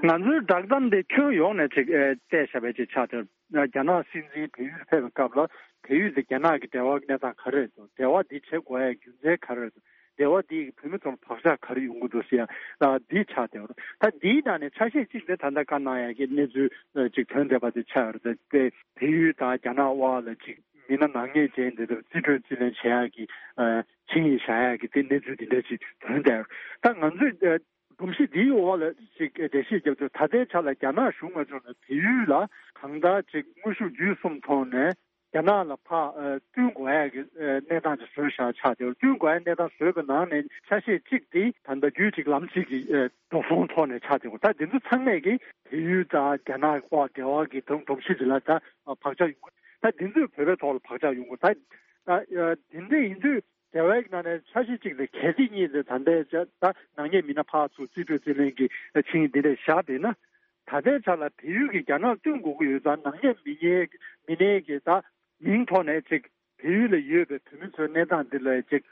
ང་ཚོའི་བསྒྲགས་གཏམ་དེ་ཁྱོན་ཡོངས་ནས་ཅིག་ཨ་བལྟས་བཞག་པའི་ཅིག་ཆགས་ཏེ། རྒྱ་ནག་སྲིད་འཛིན་བལ་ཡུལ་ཕེབས་པའི་སྐབས་ལ་བལ་ཡུལ་དེ་རྒྱ་ནག་གི་འབྲེལ་བ་གནས་སྟངས་ག་རེ་རེད་འདུག། འབྲེལ་བ་འདི་བྱེད་དགོས་ཡ་རྒྱུ་མཚན་ག་རེ་རེད་འདུག། འབྲེལ་བ་འདི་གིས་བོད་མི་ཚོ་ལ་བག་ཆགས་ག་རེ་ཡོང་གི་འདུག་ཟེར་ཡ། ཨ་འདི་ཆགས་བསྡད་ཡོད་རེད། ད་འདིའི་ནང་ནས་ཆ་ཤས་གཅིག་དེ་ད་ལྟ་བཀའ་གནང་ཡ་གི་གནས་ཚུལ་ཨ་ཅིག་ཐོན་བསྡད་པ་དེ་ཆགས་ཡོད་རེད། དེ་བལ་ཡུལ་དང་རྒྱ་ནག་དབར་ལ་ཅིག་མི་སྣ་ནག་ཉེས་ཅན་དེ་ཚོ་རྩིས་སྤྲོད་རྩིས་ལེན་བྱེད་ཡ་གི་ཨ་ཆིངས་ཡིག་བཞག་ཡ་གི་དེ་གནས་ཚུལ་དེ་འདྲ་ཅིག་ཐོན་བསྡད་ཡོད་རེད། ད་ང་ཚོས་ཨ་སྒྲོམ་གཞི་འདིའི་འོག་ལ་ཅིག་འགྲེལ་བཤད་རྒྱབ་ཆོག། ད་ལྟའི་ཆ་ལ་རྒྱ་ནག་གཞུང་ང་ཚོ་ནས་བལ་ཡུལ་ལ་གང་ལྟར་ཅིག་དངོས་ཤུགས་བརྒྱུད་གསུམ་ཐོག་ནས་རྒྱ་ནག་ལ་ཕར་ཨ་བསྟུན་དགོས་ཡ་གི་ཨ་གནས་སྟངས་ཅིག་བཟོས་བཞག་ཆགས་བསྡད་ཡོད། བསྟུན་དགོས་ཡ་གནས་སྟངས་བཟོས་པའི་ནང་ནས་ཆ་ཤས་གཅིག་དེ་ད་ལྟ་རྒྱུད་གཅིག་ལམ་གཅིག་གི་ཨ་འགྲོ་སོང་ཐོག་ནས་ཆགས་བསྡད་ཡོད། ད་འདི་ཚོ་ཚང་མས་ཀྱི་བལ་ཡུལ་དང་རྒྱ་ནག་དབར་འབྲེལ་བ་གི་སྒྲོམ་སྒྲོམ་གཞི་འདི་ལ་ད་བག་ཆགས་ཡོང་གི། ད་འདི་ཚོས་བོད་པའི་ཐོག་ལ་བག་ཆགས་ཡོང་གི། ད་ད་ཨ་དེ་འདྲ་ཡིན་དུས། འབྲེལ་བའི་ནང་ནས་འཆར་གཞི་གཅིག་དེ་གལ་སྲིད་གཉིས་དེ་ད་ལྟའི་ཆ་ད་ནག་ཉེས་མི་སྣ་ཕར་ཚུར་རྩིས་སྤྲོད་རྩིས་ལེན་གྱི་ཆིངས་ཡིག་འདི་འདྲས་བཞག་བསྡད་ན། ད་ལྟའི་ཆ་ལ་བལ་ཡུལ་གྱིས་རྒྱ་ནག་བསྟུན་དགོས་ཀྱི་ཡོད་ཙང་ནག་ཉེས་མི་ཉེས་མི་སྣའི་གི་ད་མིང་ཐོག་ནས་ཅིག་བལ་ཡུལ་ལ་ཡོད་པའི་བོད་མི་ཚོའི་གནས་སྟངས་འདི་ལ་ཅིག་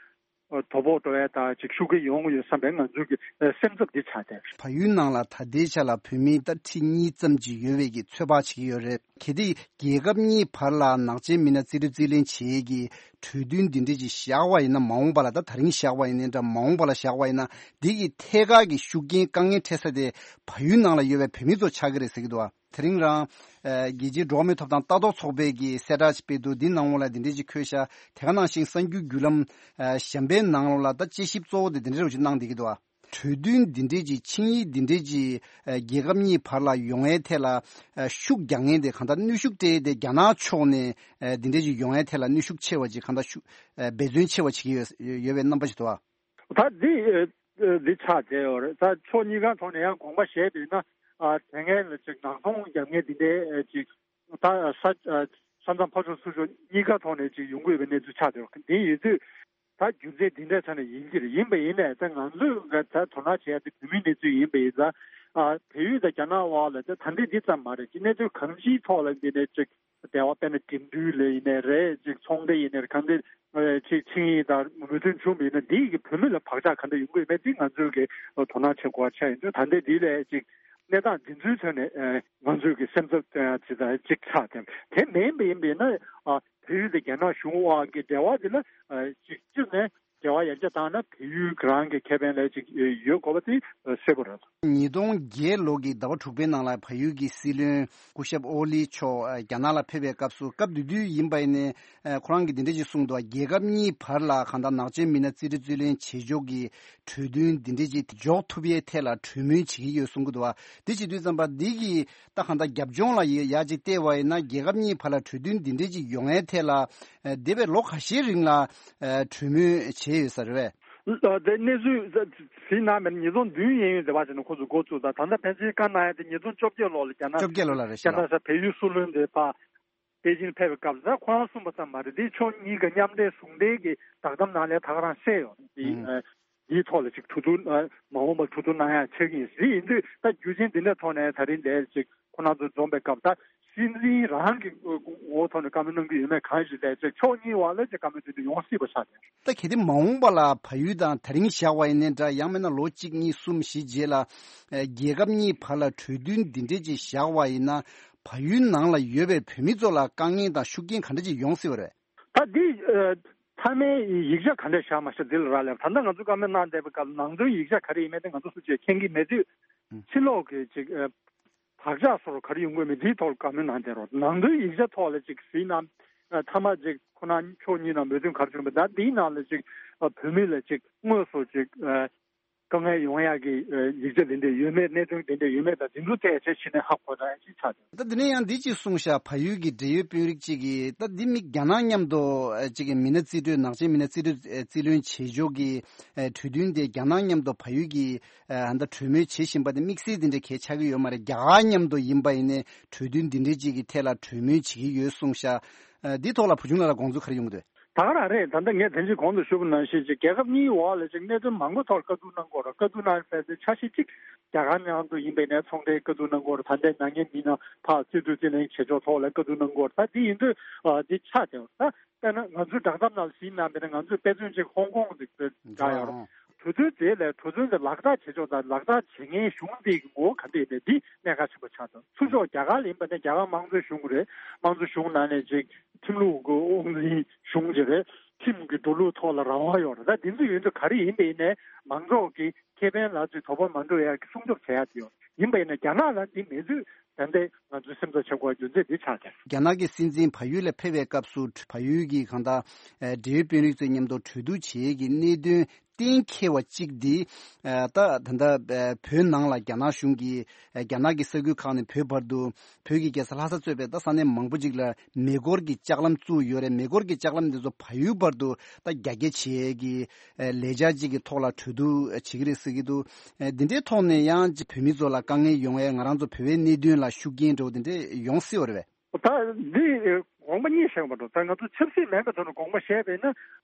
དོ་ཕོག་འགྲོ་ཡ་དང་ཅིག་ཤུགས་རྐྱེན་ཡོང་གི་ཡོད་བསམ་པའི་ང་ཚོའི་གི་སེམས་འཚབ་འདི་ཆགས་བསྡད། བལ་ཡུལ་ནང་ལ་ད་ལྟའི་ཆ་ལ་བོད་མི་ད་ཁྲི་གཉིས་ཙམ་ཅིག་ཡོད་པའི་གི་ཚོད་དཔག་བྱེད་ཀྱི་ཡོད་རེད། གལ་ཏེ་རྒྱལ་ཁབ་གཉིས་བར་ལ་ནག་ཅན་མི་སྣ་རྩིས་སྤྲོད་རྩིས་ལེན་བྱེད་ཀྱི་གྲོས་མཐུན་འདི་འདྲས་ཅིག་བཞག་པ་ཡིན་ན། མ་འོངས་པ་ལ་ད་ད་རིང་བཞག་པ་ཡིན་ནའི་འདྲ། མ་འོངས་པ་ལ་བཞག་པ་ཡིན་ན་འདི་གི་ཐད་ཀར་གྱི་ཤུགས་རྐྱེན་དཀའ་ངལ་འཕྲད་ས་དེ་བལ་ཡུལ་ནང་ལ་ཡོད་པའི་བོད་མི་ཚོ་ཆགས་ཀྱི་རེད་ཟེར་གྱི་འདུག་བ། དེ་རིང་རང་ཨ་རྒྱལ་སྤྱིའི་འགྲོ་བ་མིའི་ཐོབ་ཐང་ལྟ་རྟོག་ཚོགས་པས་ཀྱི་གསལ་བསྒྲགས་ཤིག་སྤེལ་འདུག་འདི་ནང་ལོགས་ལ་འདི་འདྲས་ཅིག་འཁོད་ཤག་དེ་ག་ནང་བཞིན་གསར་འགྱུར་བརྒྱུད་ལམ་ཨ་གཞན་པའི་ནང་ལོགས་ལ་ད་དཔྱད་ཞིབ་གཙོ་བོ་དེ་འདི་འདྲས་རུ་ཅིག་གནང་བསྡད་ཀྱི་འདུག་བ། གྲོས་མཐུན་འདི་འདྲས་ཀྱི་ཆིངས་ཡིག་འདི་འདྲས་ཀྱི་ཨ་རྒྱལ་ཁབ་གཉིས་བར་ལ་ཡོང་ཡའི་ཐད་ལ་ཨ་ཤུགས་རྒྱག་མཁན་དེ་གང་ལྟར་གནོན་ཤུགས་སྤྲད་དེ་རྒྱ་ནག་ཕྱོགས་ནས་ཨ་འདི་འདྲས་ཀྱི་ཡོང་ཡའི་ཐད་ལ་གནོན་ཤུགས་ཆེ་བ་ཅིག་གང་ལྟར་ཤུགས་ཨ་འབད་བརྩོན་ཆེ་བ་བྱེད་ཀྱི་ཡོད་ཡོད་པའི་རྣམ་པ་ཞིག་འདུག་བ། ད་འདི་ཨ་འདི་ཆགས་བསྡད་ཡོད་རེད། ད་ཕྱོགས་གཉིས་ཀ་ཐོག་ནས་ཡང་དགོངས་པ་བཞེས་པ་ཡིན་ན་ཨ་དེ་སྔའི་ལ་ཅིག་ནག་ཚོང་རྒྱག་མཁན་འདི་འདྲའི་ཨ་ཅིག་ད་ས་ཨ་ས་མཚམས་ཕར་ཕྱོགས་ཚུར་ཕྱོགས་གཉིས་ཀ་ཐོག་ནས་ཅིག་ཡོང་གི་ཡོད་པའི་གནས་ཚུལ་ཆགས་བསྡད་ཡོད། འདི་ཡིན་དུས། ད་རྒྱུ་མཚན་འདི་འདྲའི་ཆ་ནས་ཡིན་གྱི་རེད། ཡིན་པ་ཡིན་ནའི་ད་ང་ཚོས་ད་དོ་སྣང་བྱེད་ཡ་དེ་བོད་མིའི་གནས་ཚུལ་ཡིན་པ་ཡིན་ཙང་། ཨ་བལ་ཡུལ་དང་རྒྱ་ནག་དབར་ལ་ད་ད་འདི་འདི་ཙམ་མ་རེད། ཅིག་གནས་ཚུལ་གང་ཅིའི་ཐོག་ལ་འདི་ནས་ཅིག་འབྲེལ་བ་དཔེར་ན་འགྲིམ་འགྲུལ་ལ་ཡིན་ནའི་རེད། ཅིག་ཚོང་འབྲེལ་ཡིན་ནའི་རེད། གང་འདི་ཅིག་ཆིངས་ཡིག་དང་མོས་མཐུན་བྱུང་བ་ཡིན་ན་འདི་ཡི་གི་བོད་མི་ལ་བག་ཆགས་ག་འདྲ་ཡོང་གི་ཡོད་མེད་འདི་ང་ཚོས་གི་དོ་སྣང་བྱེད་དགོས་པ་ཆགས་ཡིན་དུས། ད་ལྟའི་འདི་ལས་ཅིག་གནས་སྟངས་འདི་ཚོའི་ཐོག་ནས་ཨ་ང་ཚོས་ཀྱི་སེམས་འཚབ་ཅིག་ད་ཅིག་ཆགས་ཏེ། དེ་མིན་པ་ཡིན་པས་ན་ཨ་བལ་ཡུལ་དང་རྒྱ་ནག་གཞུང་དབར་གྱི་འབྲེལ་བ་འདི་ལ་ཨ་ཅིག་སྤྱིར་ནས་འབྲེལ་བ་ཡར་རྒྱས་བཏང་ན་བལ་ཡུལ་རང་གི་ཁེ་ཕན་ལ་ཅིག་ཡོད་དགོས་པ་དེ་གསལ་པོ་རེད། ཉིས་སྟོང་བརྒྱད་ལོ་གི་ཟླ་བ་དྲུག་པའི་ནང་ལ་བལ་ཡུལ་གྱི་སྲིད་བློན་སྐུ་ཞབས་ཨོ་ལི་མཆོག་ཨ་རྒྱ་ནག་ལ་ཕེབས་པའི་སྐབས་སུ། སྐབས་དེ་དུས་ཡིན་པ་ཡིན་ནའི་ཨ་ཁོ་རང་གིས་འདི་འདྲ་ཞིག་གསུངས་འདུག་རྒྱལ་ཁབ་གཉིས་བར་ལ་གང་ལྟར་ནག་ཅན་མི་སྣ་རྩིས་སྤྲོད་རྩིས་ལེན་བྱེད་ཕྱོགས་ཀྱི་གྲོས་མཐུན་འདི་འདྲ་ཅིག་འཇོག་ཐུབ་ཡའི་ཐད་ལ་གྲོས་མོལ་བྱེད་ཀྱི་ཡོད་གསུང་གི་འདུག་བ། འདི་བྱེད་དུས་ཙམ་པ་འདི་གི་ད་གང་ལྟར་རྒྱབ་ལྗོངས་ལ་ཡ་ཡ་ཅིག་བལྟས་པ་ཡིན་ན། རྒྱལ་ཁབ་གཉིས་བར་ལ་གྲོས་མཐུན་འདི་འདྲ་ཅིག་ཡོང་ཡའི་ཐད་ལ་ཨ་འདས་པའི་ལོ་ཁ་ཤས་རིང་ལ་ཨ་གྲོས་མོལ་བྱས་ཡོད་ས་རེད་པས། ཨ་དེ་གནས་ཚུལ་གཟིགས་གནང་མེད་ན། ཉིས་སྟོང་བདུན་གཡས་གཡོན་དེ་བ་བྱས་ནས་ཁོ་ཚོ་འགོ་བཙུགས་དང་། ད་ལྟ་ཕལ་ཆེར་བཀའ་གནང་ཡ་དེ་ཉིས་སྟོང་བཅོ་བརྒྱད་ལོ་ལ་རྒྱ་ནག་བཅོ་བརྒྱད་ལོ་ལ་རེད་ཤག་རྒྱ་ནག་ས་བལ་ཡུལ་སྲིད་བློན་དེ་ཕར་པེ་ཅིང་ཕེབས་པའི་སྐབས་སུ། ད་ཁོ་རང་གསུངས་པ་ཙམ་མ་རེད། འདི་ཕྱོགས་གཉིས་ཀ་མཉམ་འབྲེལ་ཟུང་འབྲེལ་གྱི་བསྒྲགས་གཏམ་ནང་ལ་ད་ག་རང་གསལ་ཡོད་རེད། འདི་ཨ་འདིའི་ཐོག་ལ་ཅིག་གྲོས་བསྡུར་ཨ་མ་འོངས་པར་གྲོས་བསྡུར་གནང་ཡ་ཆགས་ཀྱི་ཡིན། དེ་ཡིན་དུས་ད་རྒྱུ་རྐྱེན་འདི་འདྲའི་ཐོག་ནས་ད་རིང་འདིར་ཅིག་ཁོང་རྣམ་ཚོ་འཛོམས་པའི་སྐབས། ད་སྲིད་འཛིན་རང་གི་ངོ་བོ་ཐོག་ནས་བཀའ་མོལ་གནང་གི་ཡོད་མེད་གང་ཞིག་དེ་ཅིག་ཕྱོགས་གཉིས་བར་ལ་ཅིག་བཀའ་མོལ་དེ་འདྲ་ཡོང་སྲིད་པ་ཆགས་ཏེ། ད་གལ་ཏེ་མ་འོངས་པ་ལ་བལ་ཡུལ་དང་ད་རིང་བཞག་པ་ཡིན་ནའི་འདྲ། ཡང་མིན་ན་ལོ་གཅིག་གཉིས་གསུམ་བཞི་རྗེས་ལ་ཨ་རྒྱལ་ཁབ་གཉིས་བར་ལ་གྲོས་མཐུན་འདི་འདྲས་ཅིག་བཞག་པ་ཡིན་ན། བལ་ཡུལ་ནང་ལ་ཡོད་པའི་བོད་མི་ཚོ་ལ་དཀའ་ངལ་དང་ཤུགས་རྐྱེན་ག་འདྲ་ཅིག་ཡོང་སྲིད་པ་རེད། ད་འདི་ཨ་མཐའ་མའི་ཡིག་ཆ་ག་འདྲ་བཞག་མ་བཞག་འདི་ལ་རག་ལས། ད་ལྟ་ང་ཚོ་བཀའ་མོལ་གནང་བསྡད་པའི་སྐབས་ནང་དོན་ཡིག་ཆ་ག་རེ་ཡིན་མིན་དེ་ང་ཚོ་སུ་གཅིག་མཁྱེན་གྱི་མེད་དུས། ཨང་། ཕྱི་ལོགས་ཀྱི་ཅིག་ཨ་བག་ཆགས་སོགས་ག་རེ་ཡོང་གི་མེད་འདིའི་ཐོག་ལ་བཀའ་མོལ་གནང་བསྡད་རོགས། ནང་དོན་ཡིག་ཆ་ཐོག་ལ་ཅིག་གཟིགས་ན། ཨ་མཐའ་མ་ཅིག་ཁོ་ན་ཕྱོགས་གཉིས་ནང་མོས་མཐུན་ག་རེ་བྱུང་བ། ད་འདིའི་ནང་ལ་ཅིག་ཨ་བོད་མི་ལ་ཅིག་དངོས་སུ་ཅིག་ཨ་དཀའ་ངལ་ཡོང་ཡག་གི་ཨ་ཡིག་ཆ་དེ་འདྲ་ཡོད་མེད། གནད་དོན་དེ་འདྲ་ཡོད་མེད་དང་དེ་ཚོ་ཐད་ཆ་ཞིག་ནས་ཧ་གོ་ཡག་ཅིག་ཆགས་འདུག་ད་འདི་ནས་ཡང་འདི་ཅིག་གསུངས་ཤག་བལ་ཡུལ་གྱི་འབྲེལ་ཡོད་དཔོན་རིགས་ཅིག་གིས། ད་འདི་མི་རྒྱ་ནག་མཉམ་དུ་ཨ་ཅིག་གི་མི་སྣ་རྩིས་སྤྲོད། ནག་ཅན་མི་སྣ་རྩིས་སྤྲོད་ཨ་རྩིས་ལེན་བྱེད་ཕྱོགས་ཀྱི་ཨ་གྲོས་མཐུན་དེ་རྒྱ་ནག་མཉམ་དུ་བལ་ཡུལ་གྱི་ཨ་ད་གྲོས་མོལ་བྱེད་བཞིན་པ་དེ་དམིགས་བསལ་དེ་འདྲ་གལ་ཆགས་ཀྱི་ཡོད་མ་རེད། རྒྱ་གར་མཉམ་དུ་ཡིན་པ་ཡིན་ནའི་གྲོས་མཐུན་འདི་འདྲའི་ཅིག་གི་ཐད་ལ་གྲོས་མོལ་བྱེད་ཀྱི་ཡོད་གསུངས་ཤག་ཨ་འདི་ཐོག་ལ་བུ་ཆུང་ལགས་ལ་དགོངས་ཚུལ་ག་རེ་ཡོང་གི་འདུག་ད་ག་རང་རེད། ད་ལྟ་ངས་དེ་བཞིན་གོང་དུ་ཞུས་པ་ནང་བཞིན་ཅིག་རྒྱལ་ཁབ་གཉིས་འོག་ལ་ཅིག་གནད་དོན་མང་པོ་ཐོག་ལ་བཀའ་བསྡུར་གནང་དགོས་རེད། བཀའ་བསྡུར་གནང་ཟེར་དེ་འཆར་གཞི་གཅིག་རྒྱ་གར་མཉམ་དུ་ཡིན་པའི་ནས་ཚོང་འབྲེལ་བཀའ་བསྡུར་གནང་དགོས་རེད། ད་ལྟའི་ནག་ཉེས་མི་སྣ་ཕར་རྩིས་སྤྲོད་རྩིས་ལེན་བྱེད་ཕྱོགས་ཐོག་ལ་བཀའ་བསྡུར་གནང་དགོས་རེད། ད་འདི་ཡིན་དུས་ཨ་འདི་ཆགས་བསྡད་ཡོད། ད་དཔེར་ན་ང་ཚོའི་བསྒྲགས་གཏམ་ནང་གཟིགས་གནང་བ་ཡིན་ན། ང་ཚོས་དཔེ་མཚོན་ཅིག་ཧོང་ཀོང་གི་བསྒྲགས་ཡོད་རེད། གྲོས་མཐུན་དེ་ལས་གྲོས་མཐུན་དེ་ལག་བསྟར་བྱེད་ཕྱོགས་དང་ལག་བསྟར་བྱེད་མཁན་གཞུང་དེ་གི་ངོ་བོ་ག་འདྲ་ཡིན་མིན་འདི་གནད་འགག་ཆེན་པོ་ཆགས་འདུག་ཚུར་ཕྱོགས་རྒྱ་གར་ལ་ཡིན་པ་ནི་རྒྱ་གར་དམངས་གཙོའི་གཞུང་རེད། དམངས་གཙོའི་གཞུང་ནང་ནས་ཅིག་ཁྲིམས་ལུགས་ཀྱི་དབང་འཛིན་གཞུང་ཅིག་རེད། ཁྲིམས་ཀྱི་འགྲོ་ལུགས་ཐོག་ལ་རང་དབང་ཡོད་རེད། ད་འདི་ཚོ་ཡིན་དུས་ག་རེ་ཡིན་པ་ཡིན་ནའི་མང་ཚོགས་ཀྱི་ཁེ་ཕན་ལ་ཅིག་དོ་ཕོག་མ་འགྲོ་ཡག་གི་སྲུང་སྐྱོབ་བྱེད་ཡག་དེ་ཡོད་ཡིན་པ་ཡིན་ན། རྒྱ་ནག་ལ་འདི་མེད་དུས་ད་ལྟའི་ང་ཚོའི་སེམས་ཚོར་ཆེ་བ་རྒྱུ་མཚན་འདི་ཆགས་ཀྱང་། རྒྱ་ནག་གི་སྲིད་འཛིན་བལ་ཡུལ་ལ་ཕེབས་པའི་སྐབས་སུ་བལ་ཡུལ་གྱི་གང་ལྟར་ཨ་འབྲེལ་ཡོད་དཔོན་རིགས་ཚོའི་མཉམ་དུ་གྲོས་བསྡུར་བྱེད་ཡས་ཀྱི་གནད་དོན་གཏན་འཁེལ་བ་གཅིག་འདི། ཨ་ད་ད་ལྟ་ཨ་བོད་ནང་ལ་རྒྱ་ནག་གཞུང་གིས་ཨ་རྒྱ་ནག་གི་ས་ཁུལ་ཁག་ནས་བོད་བར་དུ། བོད་ཀྱི་རྒྱལ་ས་ལྷ་ས་གཙོས་པའི་ད་ས་གནས་མང་པོ་ཅིག་ལ་མེ་འཁོར་གྱི་ལྕགས་ལམ་བཙུགས་ཡོད་རེད། མེ་འཁོར་གྱི་ལྕགས་ལམ་འདི་ཚོ་བལ་ཡུལ་བར་དུ་ད་རྒྱ་སྐྱེད་བྱེད་ཡས་ཀྱི་ཨ་ལས་འཆར་ཅིག་གི་ཐོག་ལ་གྲོས་བསྡུར་བྱེད་ཀྱི་རེད་ཟེར་གྱི་འདུག་ཨ་འདི་འདྲའི་ཐོག་ནས་ཡང་བོད་མི་ཚོ་ལ་དཀའ་ངལ་ཡོང་ཡས། ང་རང་ཚོ་བོད་པའི་གནད་དོན་ལ་ཤུགས་རྐྱེན་འདྲ་བོ་འདི་འདྲས་ཡོང་སྲིད་པ་རེད་པས། ད་འདི་དགོངས་པ་གཉིས་བཞེས་པ་འགྲོ། ད་ང་ཚོ་ཆབ་སྲིད་མེད་པའི་ཐོག་ནས་དགོངས་པ་བཞེས་པས་ན།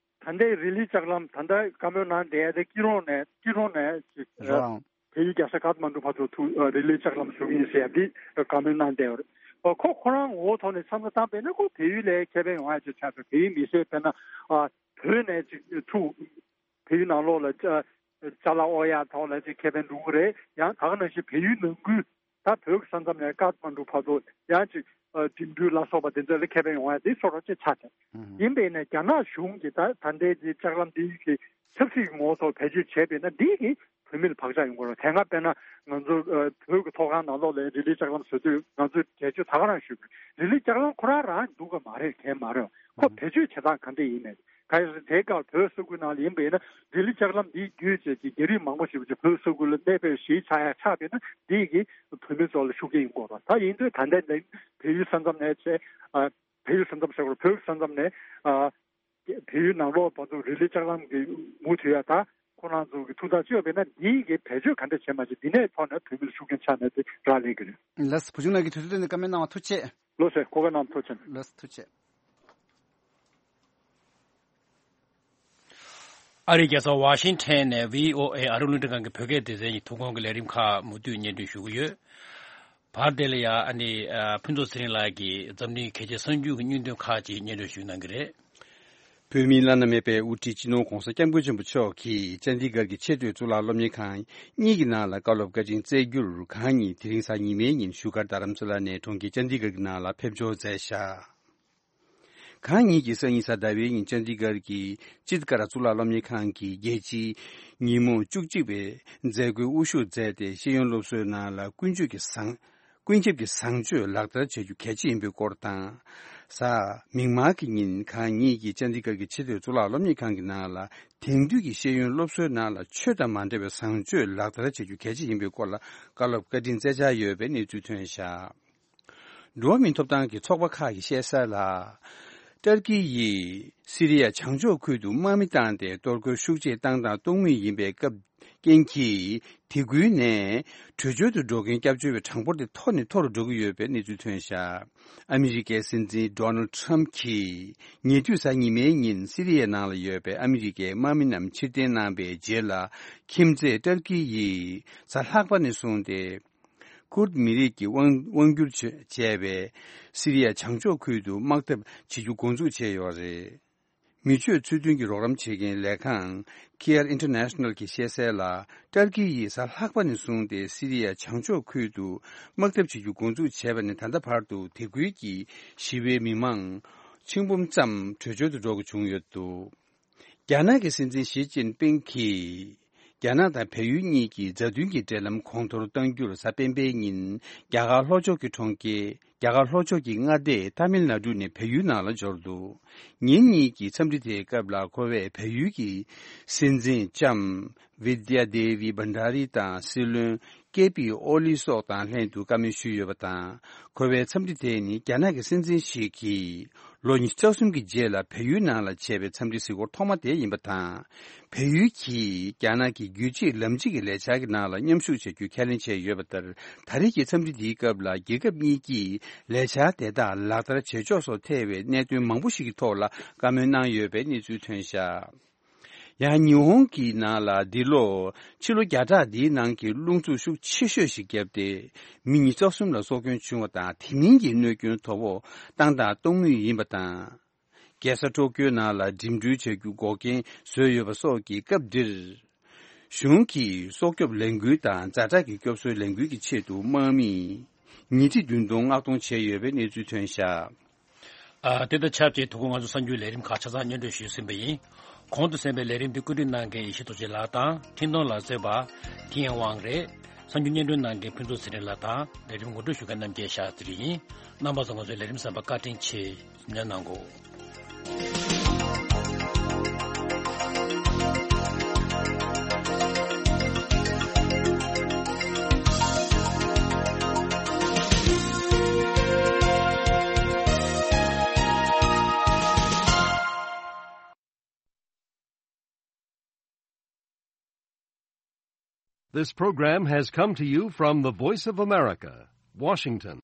ད་ལྟའི་རི་ལི་ལྕགས་ལམ་ད་ལྟ་བཀའ་མོལ་གནང་བསྡད་ཡ་དེ་སྐྱིད་རོང་ནས་སྐྱིད་རོང་ནས་ཅིག་རོ་ལངས། བལ་ཡུལ་རྒྱལ་ས་ཀཏ་མན་ཌུ་བར་དུ་ཐུག་ཨ་རི་ལི་ལྕགས་ལམ་བཟོ་གི་ཡིན་ཟེར་ཡ་འདི་བཀའ་མོལ་གནང་བསྡད་ཡོད་རེད། ཨ་ཁོ་ཁོ་རང་ངོ་བོ་ཐོག་ནས་བསམ་བློ་བཏང་པས་ན་ཁོ་བལ་ཡུལ་ལ་ཁེ་ཕན་ཡོང་ཡ་ཅིག་ཆགས་འདུག་བལ་ཡུལ་མི་སེར་དཔེར་ན་ཨ་བོད་ནས་ཅིག་ཐུག་བལ་ཡུལ་ནང་ལོགས་ལ་ཅ་ཅ་ལག་དབོར་ཡ་ཐོག་ལ་ཅིག་ཁེ་ཕན་འགྲོ་གི་རེད། ཡང་ད་ག་ནང་བཞིན་བལ་ཡུལ་ནང་ཁུལ་ད་བོད་ཀྱི་ས་མཚམས་ནས་ཀཏ་མན་ཌུ་བར་དུ་ཡང་ཅིག་ཨ་འགྲིམ་འགྲུལ་ལ་སོགས་པ་དེ་ཚོ་ལ་ཁེ་ཕན་ཡོང་ཡ་དེ་སོ་སོ་ཅིག་ཆགས་ཏེ། ཨུ་ཧུམ། ཡིན་པས་ན་རྒྱ་ནག་གཞུང་གིས་ད་ད་ལྟའི་འདི་ལྕགས་ལམ་འདི་གི་ཆབ་སྲིད་ཀྱི་ངོ་བོ་ཐོག་བེད་སྤྱོད་བྱས་པས་ན་འདི་གིས་བོད་མི་ལ་བག་ཆགས་ཡོང་གི་རེད། དེ་སྔ་དཔེར་ན་ང་ཚོ་ཨ་བོད་ཀྱི་ཐོག་ཁང་ནང་ལོགས་ལ་རི་ལི་ལྕགས་ལམ་བཟོ་དུས་ང་ཚོས་འགྲེལ་བརྗོད་ད་ག་རང་ཞུས་པ་རེད། རི་ལི་ལྕགས་ལམ་ཁོ་རང་རང་འདུག་གི་མ་རེད། གས་མ་རེད། ཁོ་ཨུ་ཧུམ། བེད་སྤྱོད་བྱེད་སྟངས་ག་འདྲ་ཡིན་མེད། གལ་སྲིད་དེའི་སྐབས་བོད་ས་ཁུལ་ནང་ལ་ཡིན་པ་ཡིན་ན་རི་ལི་ལྕགས་ལམ་འདིའི་བརྒྱུད་བྱས་ཀྱི་རྒྱ་རིགས་མང་པོ་ཞིག་བོད་ས་ཁུལ་ལ་གནས་སྤོས་གཞིས་ཆགས་ཡ་ཆགས་པས་ན་འདི་གིས་བོད་མི་ཚོ་ལ་ཤུགས་རྐྱེན་ཡོང་གི་རེད། ད་ཡིན་དུས་ད་ལྟའི་འདི་བལ་ཡུལ་ས་མཚམས་ནས་བྱས་ཨ་བལ་ཡུལ་ས་མཚམས་ཟེར་དགོས་རེད། བོད་ཀྱི་ས་མཚམས་ནས་ཨ་བལ་ཡུལ་ནང་ལོགས་བར་དུ་རི་ལི་ལྕགས་ལམ་གྱི་མུ་མཐུད་ཡ་ད་ཁོ་རང་ཚོ་གི་ཐུགས་ཐག་གཅོད་པས་ན་འདི་གིས་བེད་སྤྱོད་ག་འདྲ་བྱེད་མ་བྱེད་འདི་ནས་ཐོག་ནས་བོད་མི་ལ་ཤུགས་རྐྱེན་ཆགས་ནས་དེ་རག་ལས་ཀྱི་རེད། ལགས་སོ། བུ་ཆུང་ལགས་ཀྱིས་དུས་ཚོད་བཏོན་ནས་བཀའ་མོལ་གནང་བ་ཐུགས་རྗེ་ཆེ། ལགས་སོ། གོ་སྐབས་གནང་བ་ཐུགས་རྗེ་ཆེ། ལགས་སོ། ཐུགས་རྗེ་ཆེ། ཨ་རིའི་རྒྱལ་ས་ཝ་ཤིང་ཊོན་ནས་ཝི་ཨོ་ཨེ་ཨ་རིའི་རླུང་འཕྲིན་ཁང་གི་བོད་སྐད་སྡེ་ཚན་གྱི་ཐོག་ཁང་གི་ལས་རིམ་ཁག་མུ་མཐུད་སྙན་སྒྲོན་ཞུ་གི་ཡོད། བར་དེ་ལ་ཡང་ཨ་ནི་ཨ་ཕུན་ཚོགས་ཚེ་རིང་ལགས་ཀྱིས་འཛམ་གླིང་གི་གལ་ཆེའི་གསར་འགྱུར་གྱི་སྙིང་དོན་ཁག་ཅིག་སྙན་སྒྲོན་ཞུ་གནང་གི་རེད། བོད་མིའི་བླ་ན་མེད་པའི་དབུ་ཁྲིད་སྤྱི་ནོར་༧གོང་ས་༧སྐྱབས་མགོན་ཆེན་པོ་མཆོག་གིས་ཅན་དི་གྷར་གྱི་ཆེས་མཐོའི་གཙུག་ལག་སློབ་གཉེར་ཁང་གཉིས་ཀྱི་ནང་ལ་བཀའ་སློབ་བཀའ་དྲིན་སྩལ་རྒྱུར་གང་ཉིད་དེ་རིང་གཟའ་ཉི་མའི་ཉིན་བཞུགས་སྒར་རྡ་རམ་ས་ལ་ནས་གྲོང་ཁྱེར་ཅན་དི་གྷར་གྱི་ནང་ལ་ཕེབས་འབྱོར་མཛད་བཞག་གང་ཉིད་ཀྱིས་སང་ཉིན་གཟའ་ཟླ་བའི་ཉིན་ཅན་དི་གྷར་གྱི་ཅིད་ཀ་ར་གཙུག་ལག་སློབ་གཉེར་ཁང་གི་རྒྱལ་སྤྱིའི་ཉིན་མོ་བཅུ་གཅིག་པའི་མཛད་སྒོའི་དབུ་བཞུགས་མཛད་དེ་ཤེས་ཡོན་སློབ་གསོའི་ནང་ལ་ཀུན་སྤྱོད་ཀྱི་བཟང་ཀུན་ཁྱབ་ཀྱི་བཟང་སྤྱོད་ལག་བསྟར་བྱ་རྒྱུ་གལ་ཆེ་ཡིན་པའི་སྐོར་དང་། གཟའ་མིག་དམར་གྱི་ཉིན་གང་ཉིད་ཀྱིས་ཅན་དི་གྷར་གྱི་ཆེས་མཐོའི་གཙུག་ལག་སློབ་གཉེར་ཁང་གི་ནང་ལ་དེང་དུས་ཀྱི་ཤེས་ཡོན་སློབ་གསོའི་ནང་ལ་ཆོས་དང་མ་འདྲ་བའི་བཟང་སྤྱོད་ལག་བསྟར་བྱ་རྒྱུ་གལ་ཆེ་ཡིན་པའི་སྐོར་ལ་བཀའ་སློབ་བཀའ་དྲིན་སྩལ་འཆར་ཡོད་པའི་གནས་ཚུལ་ཐོན་བཞག་འགྲོ་བ་མིའི་ཐོབ་ཐང་གི་ཚོགས་པ་ཁག་གིས་བཤད་གསལ་ལ། ཏར་ཀི་ཡིས་སི་རི་ཡ་བྱང་ཕྱོགས་ཁུལ་དུ་དམག་མི་བཏང་སྟེ་གཏོར་རྒོལ་ཤུགས་ཆེ་བཏང་དང་གཏོང་མུས་ཡིན་པའི་སྐབས་རྐྱེན་གྱིས། དེ་ཁུལ་ནས་བྲོས་བྱོལ་དུ་འགྲོ་མཁན་སྐྱབས་བཅོལ་བའི་གྲངས་འབོར་དེ་མཐོ་ནས་མཐོ་རུ་འགྲོ་གི་ཡོད་པའི་གནས་ཚུལ་ཐོན་བཞག་ཨ་མི་རི་ཀའི་སྲིད་འཛིན་ཌོ་ནལ་ཌི་ཊརམ་ཕ་གྱིས་ཉེ་དུས་གཟའ་ཉི་མའི་ཉིན་སི་རི་ཡའི་ནང་ལ་ཡོད་པའི་ཨ་མི་རི་ཀའི་དམག་མི་རྣམས་ཕྱིར་འཐེན་གནང་པའི་རྗེས་ལ། ཁྱིམ་མཚེས་ཏར་ཀི་ཡིས་གཟའ་ལྷག་པ་ནས་བཟུང་སྟེ། ཀུར་མི་རིགས་ཀྱི་དབང་དབང་བསྒྱུར་བྱས་བྱས་པའི་སི་རི་ཡ་བྱང་ཕྱོགས་ཁུལ་དུ་དམག་འཐབ་བྱེད་རྒྱུ་འགོ་འཛུགས་བྱས་ཡོད་རེད། མི་ཆོས་ཚུལ་མཐུན་གྱི་རོགས་རམ་བྱེད་མཁན་ལས་ཁང་Care International གྱིས་བཤད་གསལ་ལ། ཏར་ཀི་ཡིས་གཟའ་ལྷག་པ་ནས་བཟུང་སྟེ་སི་རི་ཡ་བྱང་ཕྱོགས་ཁུལ་དུ་དམག་འཐབ་བྱེད་རྒྱུ་འགོ་འཛུགས་བྱས་པ་ནས་ད་ལྟ་བར་དུ་དེ་ཁུལ་གྱི་ཞི་བའི་མི་མང་ཆིག་འབུམ་ཙམ་བྲོས་བྱོལ་དུ་འགྲོ་དགོས་བྱུང་ཡོད་འདུག་རྒྱ་ནག་གི་སྲིད་འཛིན་ཞི་ཅིན་ཕིང་གིས། རྒྱ་ནག་དང་བལ་ཡུལ་གཉིས་ཀྱི་མཛའ་མཐུན་གྱི་འབྲེལ་ལམ་གོང་མཐོར་གཏང་རྒྱུར་གཟའ་སྤེན་པའི་ཉིན། རྒྱ་གར་ལྷོ་ཕྱོགས་ཀྱི་གྲོང་ཁྱེར། རྒྱ་གར་ལྷོ་ཕྱོགས་ཀྱི་མངའ་སྡེ་ཏཱ་མིལ་ནཱ་ཌུ་ནས་བལ་ཡུལ་ནང་ལ་འབྱོར་འདུག་ཉིན་གཉིས་ཀྱི་འཚམས་འདྲི་དེའི་སྐབས་ལ་ཁོ་བས་བལ་ཡུལ་གྱི་སྲིད་འཛིན་ལྕམ་བི་དྱ་དེ་བི་བྷན་ཌ་རི་དང་སྲིད་བློན་ཀེ་པི་ཨོ་ལི་སོགས་དང་ལྷན་དུ་བཀའ་མོལ་ཞུས་ཡོད་པ་དང་། ཁོ་བའི་འཚམས་འདྲི་དེ་ནི་རྒྱ་ནག་གི་སྲིད་འཛིན་ཞིག་གིས་ལོ་ཉི་ཤུ་རྩ་གསུམ་གྱི་རྗེས་ལ་བལ་ཡུལ་ནང་ལ་བྱས་པའི་འཚམས་འདྲི་གཟིགས་སྐོར་ཐོག་མ་དེ་ཡིན་པ་དང་། བལ་ཡུལ་གྱིས་རྒྱ་ནག་གི་རྒྱུད་གཅིག་ལམ་གཅིག་གི་ལས་འཆར་གྱི་ནང་ལ་མཉམ་ཞུགས་བྱ་རྒྱུའི་ཁས་ལེན་བྱས་ཡོད་པ་ལྟར། ད་རེས་ཀྱི་འཚམས་འདྲི་འདིའི་སྐབས་ལ་རྒྱལ་ཁབ་གཉིས་ཀྱིས་ལས་འཆར་དེ་དག་ལག་བསྟར་བྱེད་ཕྱོགས་སོགས་ཐད་པའི་གནད་དོན་མང་པོ་ཞིག་གི་ཐོག་ལ་བཀའ་མོལ་གནང་ཡོད་པའི་གནས་ཚུལ་ཐོན་བཞག་ཡང་ཉི་ཧོང་གི་ནང་ལ་འདི་ལོ་ཕྱི་ལོ་བརྒྱ་ཕྲག་འདིའི་ནང་གི་རླུང་འཚུབ་ཤུགས་ཆེ་ཤོས་ཤིག་བརྒྱབ་སྟེ་མི་ཉི་ཤུ་རྩ་གསུམ་ལ་སྲོག་སྐྱོན་བྱུང་བ་དང་། དེ་མིན་གྱི་གནོད་སྐྱོན་དོ་ཕོག་བཏང་དང་གཏོང་མུས་ཡིན་པ་དང་། རྒྱལ་ས་ཊོ་ཀིའོ་ནང་ལ་འགྲིམ་འགྲུལ་བྱ་རྒྱུ་འགོག་རྐྱེན་བཟོས་ཡོད་པ་སོགས་ཀྱི་སྐབས་འདིར། གཞུང་གིས་སྲོག་སྐྱོབ་ལས་འགུལ་དང་ཛ་དྲག་གི་སྐྱོབ་གསོའི་ལས་འགུལ་གྱི་ཆེད་དུ་དམག་མི་ཉིས་ཁྲི་བདུན་སྟོང་མངགས་གཏོང་བྱས་ཡོད་པའི་གནས་ཚུལ་ཐོན་བཞག་ཨ། དེ་དང་ཆབས་ཅིག་ཐུགས་ཁུར་ང་ཚོ་གསར་འགྱུར་ལས་རིམ་ཁག་ཆ་ཚང་སྙན་སྒྲོན་ཞུས་ཟིན་པ་ཡིན། གོང་དུ་གསན་པའི་ལས་རིམ་འདི་བཀོད་སྒྲིག་གནང་མཁན་ཡེ་ཤེས་རྡོ་རྗེ་ལགས་དང་འཕྲིན་གཏོང་ལ་གསན་པ་ཐིན་ཏོང་ཝང་རེད། གསར་འགྱུར་སྙན་སྒྲོན་གནང་མཁན་ཕུན་ཚོགས་ཚེ་རིང་ལགས་དང་ལས་རིམ་ངོ་སྤྲོད་ཞུ་མཁན་རྣམ་རྒྱལ་ཤཱ་ཙི་རི་ཡིན། རྣམ་པ་ཚོ་ང་ཚོའི་ལས་རིམ་གསན་པར་བཀའ་དྲིན་ཆེ། ཉན་གནང་གོ། This program has come to you from the Voice of America, Washington.